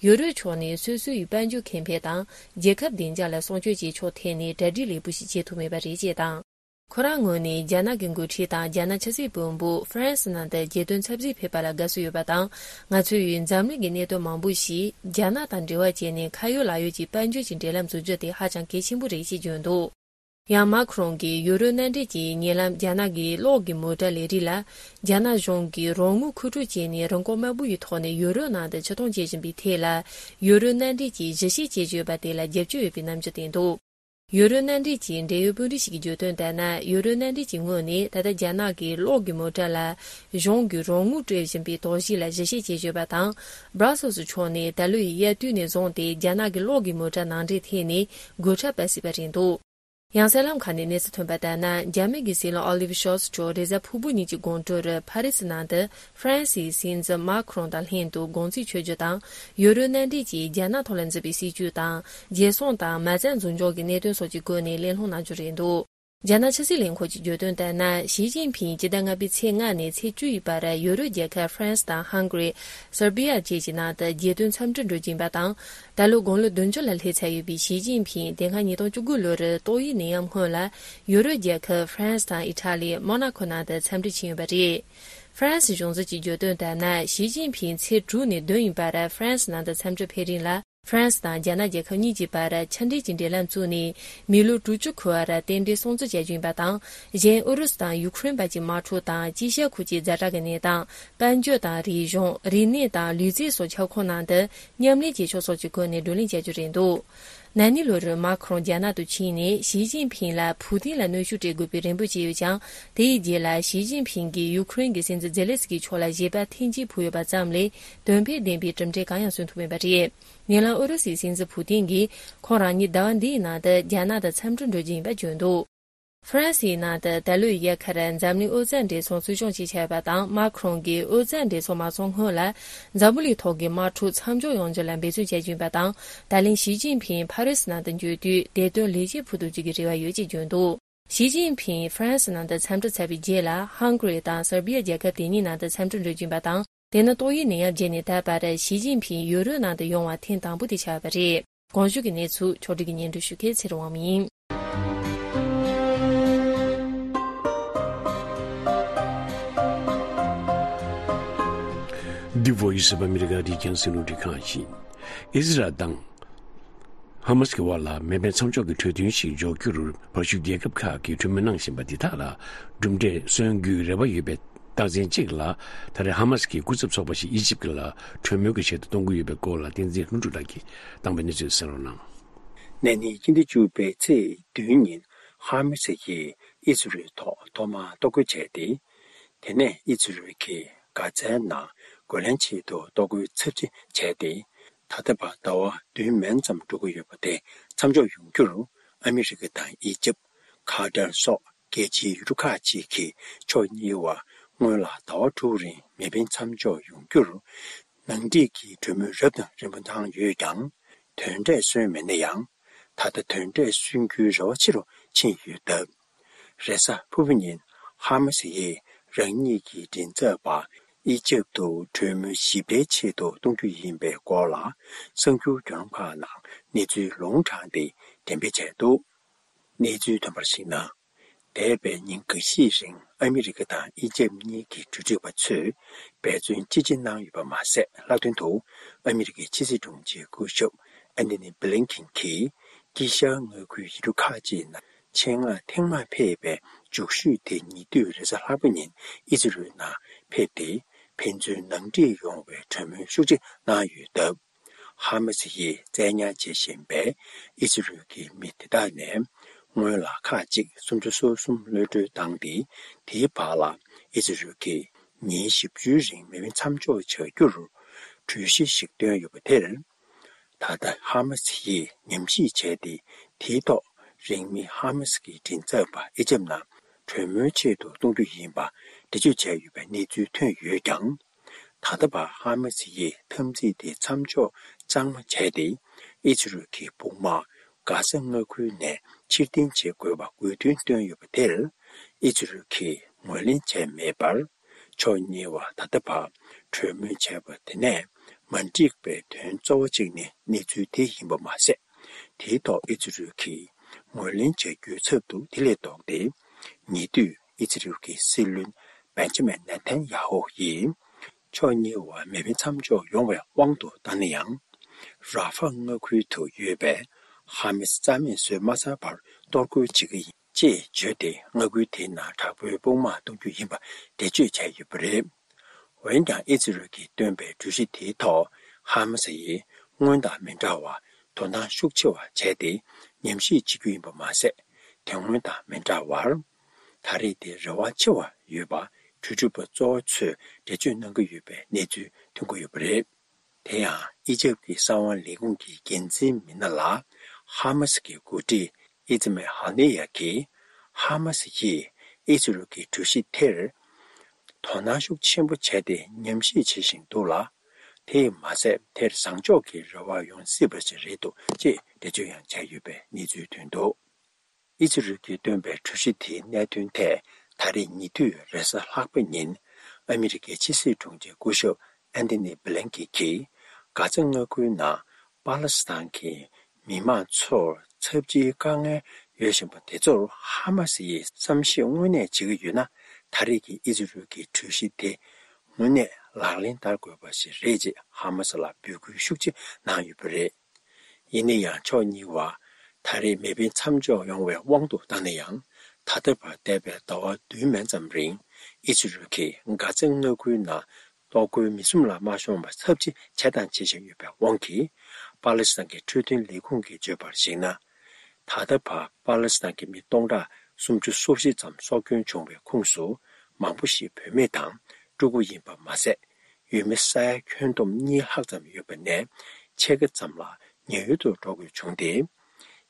ཡུ་རོབ་ཕྱོགས་ནས་སོ་སོའི་དཔལ་འབྱོར་ཁེ་ཕན་དང་རྒྱལ་ཁབ་བདེ་འཇགས་ལ་སྲུང་སྐྱོབ་བྱེད་ཕྱོགས་ཐད་ནས་གྲ་སྒྲིག་ལེགས་པོ་ཞིག་བྱེད་ཐུབ་མེད་པ་རེད་ཅེས་དང་། ཁོ་རང་ངོས་ནས་རྒྱ་ནག་གི་འགོ་ཁྲིད་དང་རྒྱ་ནག་ཕྱི་སྲིད་བློན་པོ་ཧྥ་རན་སི་ནང་དུ་རྒྱལ་དོན་འཚམས་གཟིགས་ཕེབས་པ་ལ་དགའ་བསུ་ཡོད་པ་དང་། ང་ཚོས་འཛམ་གླིང་གི་གནད་དོན་མང་པོ་ཞིག་རྒྱ་ནག་དང་འབྲེལ་བ་བྱས་ནས་ཁ་ཡོད་ལག་ཡོད་ཀྱི་དཔལ་འབྱོར་གྱི་འབྲེལ་ལམ་འཛུགས་རྒྱུ་དེ་ཧ་ཅང་གལ་ཆེན་པོ་རེད་ཅེས་བརྗོད་འདུག། ཡང་མཱ་ཁི་རོང་གིས་ཡུ་རོབ་མནའ་འབྲེལ་གྱི་ཉེ་ལམ་རྒྱ་ནག་གི་གློག་གི་མོ་ཊ་ལས་རིགས་ལ་རྒྱ་ནག་གཞུང་གིས་རོགས་དངུལ་མཁོ་སྤྲོད་བྱས་ནས་རིན་གོང་དམའ་པོ་ཡི་ཐོག་ནས་ཡུ་རོབ་ནང་དུ་ཕྱིར་གཏོང་བྱེད་བཞིན་པའི་ཐད་ལ། ཡུ་རོབ་མནའ་འབྲེལ་གྱིས་གཞི་བྱས་བྱས་ཡོད་པ་དེ་ལ་རྒྱབ་སྐྱོར་ཡོད་པའི་རྣམ་འགྱུར་བསྟན་འདུག། ཡུ་རོབ་མནའ་འབྲེལ་གྱི་འབྲེལ་ཡོད་དཔོན་རིགས་ཤིག་གིས་བརྗོད་དོན་ལྟར་ན། ཡུ་རོབ་མནའ་འབྲེལ་གྱི་ངོས་ནས་ད་ལྟ་རྒྱ་ནག་གི་གློག་གི་མོ་ཊ་ལ་གཞུང་གིས་རོགས་དངུལ་སྤྲོད་བཞིན་པའི་དོགས་གཞི་ལ་གཞི་བྱས་བྱས་ཡོད་པ་དང་། སྦྲ་སེལ་སི་ཕྱོགས་ནས་ད་ལོའི་དབྱར་དུས་ནས་བཟུང་སྟེ་རྒྱ་ནག་གི་གློག་གི་མོ་ཊ་ནང་འདྲེན་ཐད་ནས་སྒོ་ཁྲལ་སྤར་སྲིད་པ་རེད་འདུག། ཡང་གསར་ལམ་ཁག་ནས་གནས་ཚུལ་ཐོན་པ་ལྟར་ན། རྒྱ་མི་གི་སྲིད་བློན་ཨོ་ལིབ་ཤོལ་ཚ་མཆོག་རེས་གཟའ་ཕུར་བུ་ཉིན་གྱི་དགོང་དྲོར་ཕ་རི་སི་ནང་དུ་ཧྥ་རན་སིའི་སྲིད་འཛིན་མཱ་ཁི་རོང་དང་ལྷན་དུ་དགོང་ཚིགས་མཆོད་རྒྱུ་དང་། ཡུ་རོབ་མནའ་འབྲེལ་གྱིས་རྒྱ་ནག་ཐོག་ལ་འཛིན་པའི་སྲིད་བྱུས་དང་། རྒྱལ་སྲུང་དང་མ་རྩ་འཛུགས་འཇོག་གི་གནད་དོན་སོགས་ཀྱི་སྐོར་ནས་གླེང་སློང་གནང་རྒྱུ་རེད་འདུག། རྒྱ་ནག་ཕྱི་སྲིད་ལས་ཁུངས་ཀྱིས་བརྗོད་དོན་ལྟར་ན། ཞི་ཅིན་ཕིང་སྤྱི་ཟླ་ལྔ་པའི་ཚེས་ལྔ་ནས་ཚེས་བཅུ་ཡི་བར་ཡུ་རོབ་རྒྱལ་ཁབ་ཧྥ་རན་སི་དང་ཧང་གྷ་རི། སར་བྷི་ཡ་བཅས་ཀྱི་ནང་དུ་རྒྱལ་དོན་འཚམས་འདྲིར་འགྲོ་གི་ཡིན་པ་དང་། ད་ལོ་དགུང་ལོ་བདུན་ཅུ་ལ་སླེབས་ཚར་ཡོད་པའི་ཞི་ཅིན་ཕིང་དེ་སྔ་ཉིས་སྟོང་བཅུ་དགུ་ལོར་ཏོག་དབྱིབས་ནད་ཡམས་སྔོན་ལ་ཡུ་རོབ་རྒྱལ་ཁབ་ཧྥ་རན་སི་དང་ཨི་ཊ་ལི། མོ་ན་ཁོ་ནང་དུ་འཚམས་འདྲིར་ཕྱིན་ཡོད་པ་རེད། ཧྥ་རན་སི་གཞུང་འཛིན་གྱིས་བརྗོད་དོན་ལྟར་ན། ཞི་ཅིན་ཕིང་ཚེས་དྲུག་ནས་བདུན་ཡིན་པར་ཧྥ་རན་སི་ནང་དུ་འཚམས་འདྲིར་ཕེབས་རིང་ལ། ཧྥ་རན་སི་དང་རྒྱ་ནག་རྒྱལ་ཁབ་གཉིས་ཀྱི་བར་ཕྱི་འབྲེལ་གྱི་འབྲེལ་ལམ་བཙུགས་ནས། མི་ལོ་དྲུག་ཅུ་འཁོར་བར་རྟེན་འབྲེལ་སྲུང་བརྩི་བྱ་རྒྱུ་ཡིན་པ་དང་། གཞན་ཨུ་རུ་སུ་དང་ཡུ་ཁུ་རེན་བར་གྱི་དམག་འཁྲུག་དང་། ཅི་ཤ་ཁུལ་གྱི་ཛ་དྲག་གི་གནས་སྟངས། དཔལ་འབྱོར་དང་རིག་གཞུང་། རིག་གནས་དང་ལུས་རྩལ་སོགས་ཁྱབ་ཁོངས་ནང་དུ་མཉམ་ལས་བྱེད་ཕྱོགས་སོགས་ཀྱི་སྐོར་ནས་བགྲོ་གླེང་བྱ་རྒྱུ་རེད་འདུག་ན་ནིང་ལོར་མཱ་ཁུ་རོང་རྒྱ་ནག་ཏུ་ཕྱིན་ནས་ཞི་ཅིན་ཕིང་ལ་ཕུའུ་ཏིན་ལ་གནོན་ཤུགས་སྤྲད་དགོས་པའི་རེ་འབོད་བྱས་ཡོད་ཀྱང་། དེའི་རྗེས་ལ་ཞི་ཅིན་ཕིང་གིས་ཡུ་ཁུ་རེན་གྱི་སྲིད་འཛིན་ཛེ་ལེ་སི་ཀིའི་ཕྱོགས་ལ་བཞེད་པ་ཐེངས་གཅིག་ཕུལ་ཡོད་པ་ཙམ་ལས། དོན་ཕན་ལྡན་པའི་གྲུབ་འབྲས་གང་ཡང་སོན་ཐུབ་མེད་པ་རེད། ཉེ་ལམ་ཨུ་རུ་སུའི་སྲིད་འཛིན་ཕུའུ་ཏིན་གྱིས་ཁོང་རང་ཉིད་ཟླ་བ་འདིའི་ནང་དུ་རྒྱ་ནག་དང་འཚམས་འདྲིར་འགྲོ་རྒྱུ་ཡིན་པ་བརྗོད་འདུག་ཧྥ་རན་སིའི་ནང་དུ་ད་ལོའི་དབྱར་ཁར་འཛམ་གླིང་ཨོ་རྩལ་འགྲན་ཚོགས་འཚོགས་སྐྱོང་བྱེད་འཆར་ཡོད་པ་དང་། མཱ་ཁུ་རོང་གིས་ཨོ་རྩལ་འགྲན་ཚོགས་མ་འཚོགས་སྔོན་ལ་འཛམ་བུ་གླིང་ཐོག་གི་དམག་འཁྲུག་མཚམས་འཇོག་ཡོང་རྒྱུ་ལ་འབད་བརྩོན་བྱ་རྒྱུ་ཡིན་པ་དང་། ད་ལན་ཞི་ཅིན་ཕིང་ཕ་རི་སི་ནང་དུ་འབྱོར་དུས་བདེ་དོན་ལེགས་སྐྱེས་ཕུལ་ཐུབ་རྒྱུ་གི་རེ་བ་ཡོད་ཅེས་བརྗོད་འདུག་ཞི་ཅིན་ཕིང་ཧྥ་རན་སི་ནང་དུ་འཚམས་འདྲི་ཚར་བའི་རྗེས་ལ། ཧང་གྷ་རི་དང་སར་བྷི་ཡ་རྒྱལ་ཁབ་དེ་གཉིས་ནང་དུ་འཚམས་འདྲིར་འགྲོ་རྒྱུ་ཡིན་པ་དང་། དེ་ནི་ཏོག་དབྱིབས་ནད་ཡམས་རྗེས་ནས་ད་བར་ཞི་ཅིན་ཕིང་ཡུ་རོབ་ནང་དུ་ཡོང་བ་ཐེངས་དང་པོ་དེ་ཆགས་པ་རེད། གོང་ཞུས་ཀྱི་གནས་ཚུལ་ཕྱོགས་སྒྲིག་གིས་སྙན་སྒྲོན་ཞུ་མཁན་ཚེ་རིང་དབང་མོ་ཡིན། འདི་བོ་ཡི་སི་ཨོཕ་ཨ་མི་རི་ཀ་རི་ཁྱང་སེ་ལུང་འདྲི་ཁང་ཡིན། ཨི་ཟི་རལ་དང་ཧ་མ་སི་གི་དབར་ལ་མེ་འཕེན་མཚམས་འཇོག་གི་གྲོས་མཐུན་ཞིག་འཇོག་རྒྱུར་བར་ཞུགས་རྒྱལ་ཁབ་ཁག་གིས་གྲོས་མོལ་གནང་བཞིན་པ་འདི་དག་ལ་གྲུབ་འབྲས་སོན་རྒྱུའི་རེ་བ་ཡོད་པའི་རྟགས་མཚན་གཅིག་ལ། ད་རེས་ཧ་མ་སི་གི་སྐུ་ཚབ་ཚོགས་པ་ཞིག་ཨི་ཇིབ་ལ་གྲོས་མོལ་གྱི་ཆེད་དུ་གཏོང་གི་ཡོད་པའི་སྐོར་ལ་བསྟན་འཛིན་ལྷུན་གྲུབ་ལགས་ཀྱིས་བཏང་པའི་གནས་ཚུལ་གསན་རོགས་གནང་། ན་ནིང་སྤྱི་ཟླ་བཅུ་པའི་ཚེས་བདུན་ཉིན་ཧ་མ་སི་ཡིས་ཨི་ཟི་རལ་ཐོག་ཐོག་མར་གཏོར་རྒོལ་བྱས་ཏེ། དེ་ནས་ཨི་ཟི་རལ་གྱིས་གྷ་ཛའི་ནང་རྒོལ་ལན་ཆེད་དུ་གཏོར་རྒོལ་ཚབས་ཆེ་བྱས་ཏེ། ད་ལྟ་བར་ཟླ་བ་བདུན་མན་ཙམ་འགྲོ་གི་ཡོད་པ་དེ་མཚམས་འཇོག་ཡོང་རྒྱུར་ཨ་མི་རི་ཀ་དང་ཨི་ཇིབ། ཁ་ཏར་སོགས་རྒྱལ་སྤྱིའི་ཡུལ་གྲུ་ཁག་ཅིག་གིས་ཕྱོགས་གཉིས་བར་སྔོན་ལ་ཟླ་བ་དྲུག་རིང་མེ་འཕེན་མཚམས་འཇོག་ཡོང་རྒྱུར་ནང་འགྲིག་གི་གྲོས་མོལ་རབ་དང་རིམ་པ་གནང་ཡོད་ཀྱང་། དོན་འབྲས་སོན་མེད་ན་ཡང་། ད་ལྟ་དོན་འབྲས་སོན་རྒྱུའི་རེ་བ་ཆེ་རུ་ཕྱིན་ཡོད་སྟབས། རེས་གཟའ་ཕུར་བུ་ཉིན་ཧ་མ་སི་ཡིས་རང་ཉིད་ཀྱི་མགྲིན་ཚབ་པ་ཨི་ཇིབ་ཏུ་གྲོས་མོལ་ཞིབ་ཕྲའི་ཆེད་དུ་གཏོང་རྒྱུ་ཡིན་པའི་སྐོར་ལ་གསར་འགྱུར་བརྒྱུད་ལམ་ཁག་ནང་གནས་ཚུལ་ལུང་དྲངས་ཏེ་འགྲེམས་སྤེལ་བྱས་འདུག་གནས་ཚུལ་ཐོན་པར་གཞིགས་ན། འདས་པའི་ཉིན་འགའ་ཤས་རིང་ཨ་མི་རི་ཀ་དང་ཨི་ཇིབ་གཉིས་ཀྱི་འགོ་ཁྲིད་པ་ཚོས་འབད་བརྩོན་ཅི་ཆེ་གནང་ཡོད་པ་མ་ཟད། ལྷག་དོན་དུ་ཨ་མི་རི་ཀའི་ཕྱི་སྲིད་དྲུང་ཆེ་སྐུ་ཞབས་ཨན་ཐོ་ནི་བྷི་ལིན་ཁིན་གྱིས་དཀྱིལ་ཤར་མངའ་ཁུལ་ཡུལ་གྲུ་ཁག་ཅིག་ནང་ཆེད་མངགས་ཐེངས་མང་ཕེབས་པའི་མཇུག་ཤོས་དེ་ཉེ་དུས་རེས་གཟའ་ལྷག་པ་ཉིན་ཨི་ཟི་རལ་ནང་ཕེབས་ཏེ། ཕན་ཚུན་ནང་འགྲིག་ཡོང་བའི་གྲོས་མོལ་ཤུགས་ཆེ་གནང་ཡོད་སྟབས། ཧ་མ་སི་ཡིས་བཙན་ཉར་བྱེད་བཞིན་པའི་ཨི་ཟི་རལ་གྱི་མི་དེ་དག་ནས་སྔོན་ལ་ཁག་ཅིག་སུམ་ཅུ་སོ་གསུམ་གློད་གྲོལ་བཏང་སྟེ། དེའི་བར་ལ་ཨི་ཟི་རལ་གྱིས་ཉིན་བཞི་བཅུའི་རིང་མེ་འཕེན་མཚམས་འཇོག་བྱ་རྒྱུར་གྲོས་གཞི་ཞིག་བཏོན་ཡོད་པ་དེར། ད་ལྟ་ཧ་མ་སི་ཡིས་ཉམས་ཞིབ་བྱས་ཏེ། དེའི་ཐོག་རིང་མིན་ཧ་མ་སི་གི་མགྲིན་ཚབ་པ་ཨི་ཇིབ་ནང་གྲོས་མོལ་ཆེད་དུ་གཏོང་རྒྱུ་ཡིན་པ་འགྲེལ་བརྗོད་བྱས་ཡོད་པའི་གནས་ཚུལ་ཐོན་ཡོད་ཀྱང་། ད་ལྟ་བར་ཧ་མ་སི་ཡིས་འཐབ་འཛིང་དེ་མཚམས་འཇོག་གཙང་མ་བྱས་ཏེ། ཨི་ཛི་རལ་གྱི་དཔུང་དམག་གྷ་ས་མངའ་ཁུལ་ནས་ཕྱིར་འཐེན་བྱེད་དགོས་པ་དགོས་འདུན་བཏོན་ཡོད་པ་དེར། ཨི་ཛི་རལ་གྱིས་ངོས་ལེན་བྱས་མེད་པར། ཕྱོགས་གཉིས་བར་ད་ལྟ་བར་གྲོས་མོལ་བྱས་པ་དེ་ནས་མ་འགྲིག་པའི་དོན་གཙོ་བོ་གཅིག་ནི་གནས་ཚུལ་དེ་ཡིན་པ་མ་ཟད། དེའི་ཐོག་ཨི་ཛི་རལ་གྱིས་ངོས་ལེན་བྱ་རྒྱུའི་ཚབ་ཏུ་དེ་ལས་ལྡོག་སྟེ། ཉེ་དུས་ཨི་ཛི་རལ་གྱི་སྲིད་བློན་བེན་ཇ་མིན་ནེ་ཐན་ཡ་ཧུ་ཡིས། ཕྱོགས་གཉིས་བར་མེ་འཕེན་མཚམས་འཇོག་ཡོང་བའི་དབང་དུ་བཏང་ན་ཡང་། ར་ཧྥ་མངའ་ཁུལ་དུ་ཡོད་པའི་ཧ་མ་སི་རྩ་མེད་བཟོས་མ་ཚར་བར་གཏོར་རྒོལ་བྱེད་ཀྱི་ཡིན་ཅེས་བརྗོད་དེ། མངའ་ཁུལ་དེའི་ནང་དྲག་པོའི་དཔུང་དམག་གཏོང་རྒྱུ་ཡིན་པ་འགྲེལ་བརྗོད་བྱས་ཡོད་པ་རེད། འོན་ཀྱང་ཨི་ཛི་རལ་གྱིས་བཏོན་པའི་གྲོས་གཞི་དེའི་ཐོག་ཧ་མ་སི་ཡིས་སྔོན་དང་མི་འདྲ་བར་དོ་སྣང་ཤུགས་ཆེ་བ་བྱས་ཏེ་ཉམས་ཞིབ་བྱེད་རྒྱུ་ཡིན་པ་མ་ཟད། དེ་སྔོན་དང་མི་འདྲ་བར། ད་རེས་དེ་རེ་བ་ཆེ་བ་ཡོད་པ་གྲོས་སྒྲུབ་པ་གཙོ་བོ་ཚོས་འགྲེལ་བརྗོད་གནང་གི་ཡོད་པའི་གནས་ཚུལ་ཐོན་གྱི་ཡོད་པ་རེད། དེ་ཡང་ཨི་ཇིབ་ཀྱི་གསང་བ་ལས་ཁུངས་ཀྱི་འགན་འཛིན་མི་སྣ་ལ་ཧ་མ་སི་གི་འགོ་ཁྲིད་ཨི་ཛི་མེ་ཧ་ནི་ཡ་གིས། ཧ་མ་སི་ཡིས་ཨི་ཛི་རལ་གྱི་གྲོས་གཞི་དེར་དོ་སྣང་ཤུགས་ཆེན་པོ་བྱས་ཏེ་ཉམས་ཞིབ་བྱེད་བཞིན་འདུག་ལ། དེས་མ་ཟད། དེར་བཟང་ཕྱོགས་ཀྱི་རེ་བ་ཡོང་སྲིད་པ་ཞིག་རེད་འདུག་ཅེས་འགྲེལ་བརྗོད་ཡང་བྱས་ཡོད་པའི་གནས་ཚུལ་ཐོན་འདུག་ཨི་ཛི་རལ་གྱིས་བཏོན་པའི་གྲོས་གཞི་དེའི་གནད་དོན་ཐད། ད་རེས་ཉེ་དུས་རེས་གཟའ་ལྷག་པ་ཉིན་ཨ་མི་རི་ཀའི་ཕྱི་སྲིད་དྲུང་ཆེ་སྐུ་ཞབས་ཨན་ཐི་ནི་བྷི་ལན་ཀིན་གྱིས་གྷ་ཛ་མངའ་ཁུལ་ནང་པ་ལི་སི་ཐན་གྱི་མི་མང་ཚོར་ཚབས་ཆེའི་དཀའ་ངལ་ཡོད་བཞིན་པ་དེ་ཚོར་ཧ་མ་སི་ཡིས་བསམ་ཤེས་དངོས་གནས་བྱེད་ཀྱི་ཡོད་ན། ད་རེས་ཀྱི་ཨི་ཛི་རལ་གྱི་གྲོས་གཞི་དེ་དངོས་གནས་ལག་ལེན་བསྟར་དགོས་པ་ཞིག་རེད་ཅེས་ཧ་མ་སི་ལ་འབོད་སྐུལ་ཤུགས་ཆེ་གནང་ཡོད་པ་རེད། ཡིན་ན་ཡང་ཕྱོགས་གཉིས་བར་ད་རེས་མེ་འཕེན་མཚམས་འཇོག་ཡོང་བའི་དབང་དུ་བཏང་ན་ཡང་། ད་ལྟ་བར་འདས་པའི་ཟླ་བ་བདུན་མན་ཙམ་རིང་ཨི་ཛི་རལ་གྱིས་གྷ་ཛའི་མངའ་ཁུལ་ནང་གཏོར་རྒོལ་མིང་གསུམ་ལ་མ་ཤོང་བར་ཚབས་ཆེ་བྱས་དང་བྱེད་བཞིན་ཡོད་པའི་དབང་གིས། པ་ལེ་སི་ཐན་གྱི་འཕྲོད་བསྟེན་ལས་ཁུངས་ཀྱིས་བརྗོད་པར་གཞིགས་ན། ད་ལྟ་བར་པ་ལེ་སི་ཐན་གྱི་མི་སྟོང་ཕྲག་སུམ་ཅུ་སོ་བཞི་ཙམ་སྲོག་སྐྱོན་བྱུང་བའི་ཁོངས་སུ། མང་པོ་ཞིག་བུད་མེད་དང་ཕྲུ་གུ་ཡིན་པ་མ་ཟད། ཡུལ་མི་ས་ཡ་ཁྱོན་བསྡོམས་གཉིས་ལྷག་ཙམ་ཡོད་པ་ནས་ཕྱེད་ཀ་ཙམ་ལ་ཉེན་གཡོལ་དུ་འགྲོ་དགོས་བྱུང་སྟེ།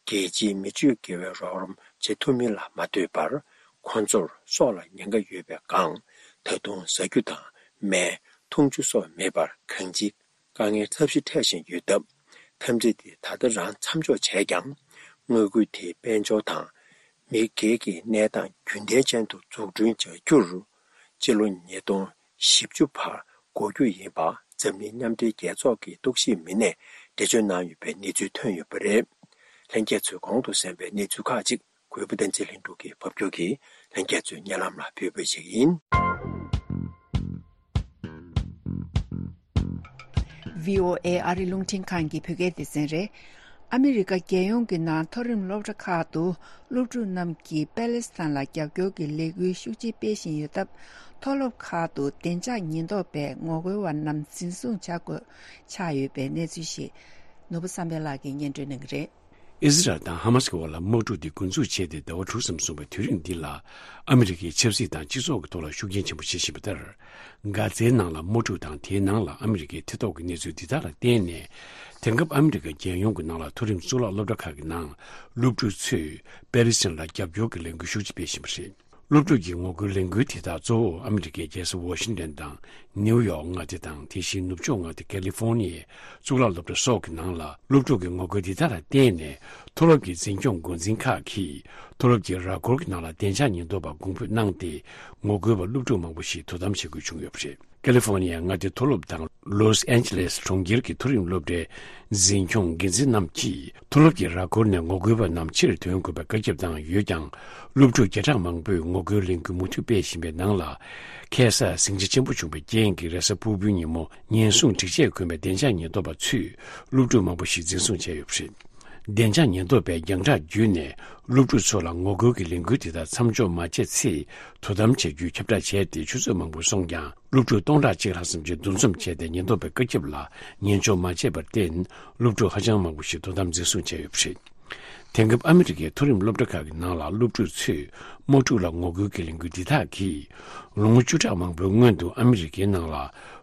རྒྱལ་སྤྱིའི་མི་སྤྱོད་དགེ་བའི་རོགས་རམ་བྱེད་ཐུབ་མིན་ལ་མ་ལྟོས་པར། ཁོང་ཚོར་སྲོག་ལ་ཉེན་ཁ་ཡོད་པའི་སྒང་། ད་དུང་ཟ་རྒྱུ་དང་། སྨན། འཐུང་ཆུ་སོགས་མེད་པར་གང་ཅིའི་དཀའ་ངལ་ཚབས་ཆེ་འཕྲད་བཞིན་ཡོད་སྟབས། འཐབ་འཛིང་དེ་ད་ལྟ་རང་མཚམས་འཇོག་བྱས་ཀྱང་། མངའ་ཁུལ་དེའི་དཔལ་འབྱོར་དང་། མི་སྒེར་གྱི་གནས་སྟངས་རྒྱུན་ལྡན་ཅན་དུ་འཛུགས་སྐྲུན་བྱ་རྒྱུར། སྤྱི་ལོ་ཉིས་སྟོང་བཞི་བཅུ་བར་འགོར་རྒྱུ་ཡིན་པ། འཛམ་གླིང་མཉམ་འབྲེལ་རྒྱལ་ཚོགས་ཀྱི་རྟོག་ཞིབ་མི་སྣས་འགྲེལ་བརྗོད་གནང་ཡོད་པའི་གནས་ཚུལ་ཐོན་ཡོད་པ་རེད། ལྷན་རྒྱས་ཚོས་གོང་དུ་གསན་པའི་གནས་ཚུལ་ཁག་ཅིག་གུས་པ་བསྟན་འཛིན་ལྷུན་གྲུབ་ཀྱིས་ཕབ་སྒྱུར་གྱིས་ལྷན་རྒྱས་ཚོའི་སྙན་ལམ་ལ་ཕུལ་བ་ཞིག་ཡིན། ཝི་ཨོ་ཨེ་ཨ་རི་རླུང་འཕྲིན་ཁང་གི་བོད་སྐད་སྡེ་ཚན་རེད། ཨ་མི་རི་ཀ་རྒྱལ་ཡོངས་ཀྱི་ནང་མཐོ་རིམ་སློབ་གྲྭ་ཁག་ཏུ་སློབ་ཕྲུག་རྣམས་ཀྱིས་པེ་ལེ་སི་ཐན་ལ་རྒྱབ་སྐྱོར་གྱི་ལས་འགུལ་ཤུགས་ཆེ་སྤེལ་བཞིན་ཡོད་སྟབས། མཐོ་སློབ་ཁག་ཏུ་བདེ་འཇགས་ཉེན་རྟོག་པས་ངོ་རྒོལ་བ་རྣམས་འཛིན་བཟུང་བྱ་དགོས་ཆགས་ཡོད་པའི་གནས་ཚུལ་ཞིག་ནོར་བུ་བསམ་འཕེལ་ལགས་ཀྱིས་སྙན་སྒྲོན་གནང་གི་རེད། ཨི་ཟི་རལ་དང་ཧ་མ་སི་གི་བར་ལ་དམག་འཁྲུག་འདི་འགོ་འཛུགས་བྱས་ཏེ་ཟླ་བ་དྲུག་ཙམ་སོང་བའི་དུས་རིང་འདི་ལ། ཨ་མི་རི་ཀའི་ཆབ་སྲིད་དང་སྤྱི་ཚོགས་ཀྱི་ཐོག་ལ་ཤུགས་རྐྱེན་ཆེན་པོ་བྱེད་བཞིན་པ་ལྟར། གྷ་ཛའི་ནང་ལ་དམག་འཁྲུག་དང་། དེའི་ནང་ལ་ཨ་མི་རི་ཀའི་མཐིལ་རྟོགས་ཀྱི་གནས་ཚུལ་འདི་དག་ལ་བརྟེན་ནས། དེང་སྐབས་ཨ་མི་རི་ཀ་རྒྱལ་ཡོངས་ཀྱི་ནང་ལ་མཐོ་རིམ་གཙུག་ལག་སློབ་གྲྭ་ཁག་གི་ནང་སློབ་ཕྲུག་ཚོས་པེ་ལི་སི་ཐན་ལ་རྒྱབ་སྐྱོར་གྱི་ལས་འགུལ་ཤུགས་ཆེ་སྤེལ་བཞིན་པ་རེད། སློབ་ཕྲུག་གི་ངོ་རྒོལ་ལས་འགུལ་དེ་དག་གཙོ་བོ་ཨ་མི་རི་ཀའི་རྒྱལ་ས་ཝ་ཤིང་ཏན་དང་ནིའུ་ཡོག་མངའ་སྡེ་དང་། དེ་བཞིན་ནུབ་ཕྱོགས་མངའ་སྡེ་ཀ་ལི་ཧྥོ་ནི་ཡའི་གཙུག་ལག་སློབ་གྲྭ་སོགས་ཀྱི་ནང་ལ་སློབ་ཕྲུག་གི་ངོ་རྒོལ་འདི་དག་ལ་བརྟེན་ནས། མཐོ་སློབ་ཀྱི་འཛིན་སྐྱོང་འགོ་འཛིན་ཁག་གིས་མཐོ་སློབ་ཀྱི་ར་སྐོར་གྱི་ནང་ལ་བདེ་འཇགས་ཉེན་རྟོག་པ་དགོངས་འབུད་གནང་སྟེ། ངོ་རྒོལ་བ་སློབ་ཕྲུག་མང་པོ་ཞིག་དོ་དམ་བྱེད་དགོས་བྱུང་ཡོད་པ་རེད། ཀ་ལི་ཧྥོ་ནི་ཡའི་མངའ་སྡེ་མཐོ་སློབ་དང་། ལོས་ཨན་ཇི་ལེས་གྲོང་ཁྱེར་གྱི་མཐོ་རིམ་སློབ་གྲྭའི་འཛིན་སྐྱོང་འགན་འཛིན་རྣམས་ཀྱིས། མཐོ་སློབ་ཀྱི་ར་སྐོར་ནས་ངོ་རྒོལ་བ་རྣམས་ཕྱིར་ཐོན་དགོས་པའི་བཀའ་ཁྱབ་བཏང་ཡོད་ཀྱང་། སློབ་ཕྲུག་བརྒྱ་ཕྲག་མང་པོས་ངོ་རྒོལ་ལས་འགུལ་མུ་མཐུད་སྤེལ་བཞིན་པའི་ནང་ལ། ཁ་སང་ཟིང་ཆ་ཆེན་པོ་བྱུང་བའི་རྐྱེན་གྱིས། རེས་གཟའ་ཕུར་བུའི་ཉིན་མོ་ཉེན་སྲུང་སྒྲིག་ཆས་གོན་པའི་བདེ་འཇགས་ཉེན་རྟོག་པ་ཚོས་སློབ་ཕྲུག་མང་པོ་ཞིག་འཛིན་བཟུང་བྱས་ཡོད་པ་རེད། བདེ་འཇགས་ཉེན་རྟོག་པས་རྒྱང་བསྒྲགས་བརྒྱུད་ནས་སློབ་ཕྲུག་ཚོ་ལ་ངོ་རྒོལ་གྱི་ལས་འགུལ་དེ་དག་མཚམས་འཇོག་མ་བྱས་ཚེ་དོ་དམ་བྱ་རྒྱུའི་ཁྱབ་བསྒྲགས་བྱས་ཏེ། ཆུ་ཚོད་མང་པོ་སོང་ཀྱང་། སློབ་ཕྲུག་སྟོང་ཕྲག་གཅིག་ལྷག་ཙམ་གྱིས་འདུ་འཛོམས་བྱས་ཏེ། ཉེན་རྟོག་པའི་བཀའ་ཁྱབ་ལ་ཉན་འཇོག་མ་བྱས་པར་བརྟེན། སློབ་ཕྲུག་ཧ་ཅང་མང་པོ་ཞིག་དོ་དམ་འཛིན་བཟུང་བྱས་ཡོད་པ་རེད། དེང་སྐབས་ཨ་མི་རི་ཀའི་མཐོ་རིམ་སློབ་གྲྭ་ཁག་གི་ནང་ལ་སློབ་ཕྲུག་ཚོས་དམག་འཁྲུག་ལ་ངོ་རྒོལ་གྱི་ལས་འགུལ་འདི་དག་གིས། ལོ་ངོ་བཅུ་ཕྲག་མང་པོའི་སྔོན་དུ་ཨ་མི་རི་ཀའི་ནང་ལ་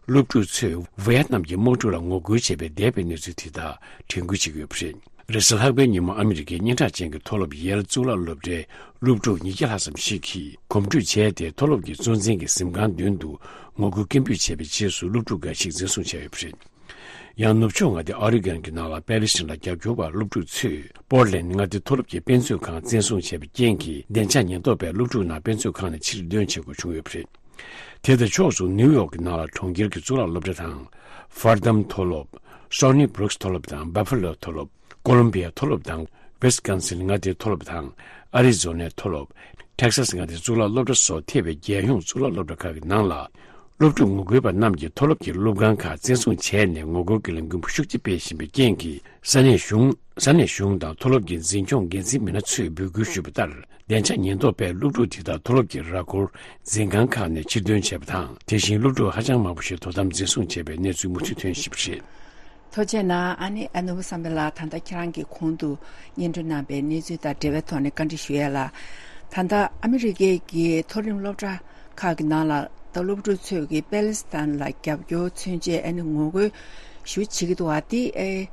སློབ་ཕྲུག་ཚོས་ཝི་ཡེད་ནམ་གྱི་དམག་འཁྲུག་ལ་ངོ་རྒོལ་བྱས་པའི་འདས་པའི་གནས་ཚུལ་དེ་དག་དྲན་སྐུལ་བྱེད་ཀྱི་ཡོད་པ་རེད། རེས་གཟའ་ལྷག་པའི་ཉིན་མོ་ཨ་མི་རི་ཀའི་སྙན་གྲགས་ཅན་གྱི་མཐོ་སློབ་ཡེལ་གཙུག་ལག་སློབ་གྲྭའི་སློབ་ཕྲུག་ཉིས་བརྒྱ་ལྷག་ཙམ་ཞིག་གིས་གོམ་བགྲོད་བྱས་ཏེ། མཐོ་སློབ་ཀྱི་གཙོ་འཛིན་གྱི་གཟིམ་ཁང་མདུན་དུ་ངོ་རྒོལ་སྐད་འབོད་བྱས་པའི་རྗེས་སུ། སློབ་ཕྲུག་འགའ་ཞིག་འཛིན་བཟུང་བྱས་ཡོད་པ་རེད། ཡང་ནུབ་ཕྱོགས་མངའ་སྡེ་ཨོ་རི་གོན་གྱི་ནང་ལ་པེ་ལི་སི་ཐན་ལ་རྒྱབ་སྐྱོར་བ་སློབ་ཕྲུག་ཚོས་པོར་ལེན་མངའ་སྡེའི་མཐོ་སློབ་ཀྱི་དཔེ་མཛོད་ཁང་བཙན་བཟུང་བྱས་པའི་རྐྱེན་གྱིས། བདེ་འཇགས་ཉེན་རྟོག་པས་སློབ་ཕྲུག་རྣམས་དཔེ་མཛོད་ཁང་ནས་ཕྱིར་འདོན་བྱེད་དགོས་བྱུང་ཡོད་པ་རེད། དེ་དང་ཕྱོགས་སུ། ནིའུ་ཡོག་གི་ནང་ལ་གྲོང་ཁྱེར་གྱི་གཙུག་ལག་སློབ་གྲྭ་དང་། ཧྥར་དམ་མཐོ་སློབ། སོ་ནི་བྷྲུག་སི་མཐོ་སློབ་དང་། བྷ་ཕ་ལོ་མཐོ་སློབ། ཀོ་ལོམ་བི་ཡ་མཐོ་སློབ་དང་། ཝི་སི་ཀོན་སིན་མངའ་སྡེའི་མཐོ་སློབ་དང་། ཨ་རི་ཛོ་ནའི་མཐོ་སློབ། ཐེག་སཱ་སི་མངའ་སྡེའི་གཙུག་ལག་སློབ་གྲྭ་སོགས་ཐེ་བའི་རྒྱལ་ཡོངས་གཙུག་ལག་སློབ་གྲྭ་ཁག་གི་ནང་ལ། སློབ་ཕྲུག་ངོ་རྒོལ་པ་རྣམས་ཀྱིས་མཐོ་སློབ་ཀྱི་སློབ་ཁང་ཁག་བཙན་བཟུང་བྱས་ནས། ངོ་རྒོལ་གྱི་ལས་འགུལ་ཤུགས་ཆེ་སྤེལ་བཞིན་པའི་རྐྱེན་གྱིས། ས་གནས་གཞུང་། ས་གནས་གཞུང་དང་མཐོ་སློབ་ཀྱི་འཛིན་སྐྱོང་འགན་འཛིན་མི་སྣ་ཚོས་འབོད་སྐུལ་ཞུས་པ་ལྟར། བདེ་འཇགས་ཉེན་རྟོག་པས་སློབ་ཕྲུག་དེ་དག་མཐོ་སློབ་ཀྱི་ར་སྐོར་འཛིན་ཁང་ཁག་ནས་ཕྱིར་འདོན་བྱས་པ་དང་། དེ་བཞིན་སློབ་ཕྲུག་ཧ་ཅང་མང་པོ་ཞིག་དོ་དམ་འཛིན་བཟུང་བྱས་པའི་གནས་ཚུལ་མུ་མཐུད་ཐོན་བཞིན་པ་རེད། ཐུགས་རྗེ་གནང་། ཨ་ནི་ཨ་ནུ་བསམ་འཕེལ་ལགས། ད་ལྟ་ཁྱེད་རང་གིས་གོང་དུ་སྙན་སྒྲོན་གནང་བའི་གནས་ཚུལ་དང་འབྲེལ་བའི་ཐོག་ནས་བཀའ་འདྲི་ཞུ་ཡས་ལ། ད་ལྟ་ཨ་མི་རི་ཀའི་གི་མཐོ་རིམ་སློབ་གྲྭ་ཁག་གི་ནང་ལ་ད་སློབ་ཕྲུག་ཚོས་ཀྱི་པེ་ལེ་སི་ཐན་ལ་རྒྱབ་སྐྱོར་མཚོན་ཆེད། ཨ་ནི་ངོ་རྒོལ་ཞུ་བྱེད་ཀྱི་འདུག་བ། དེ་ཨེ་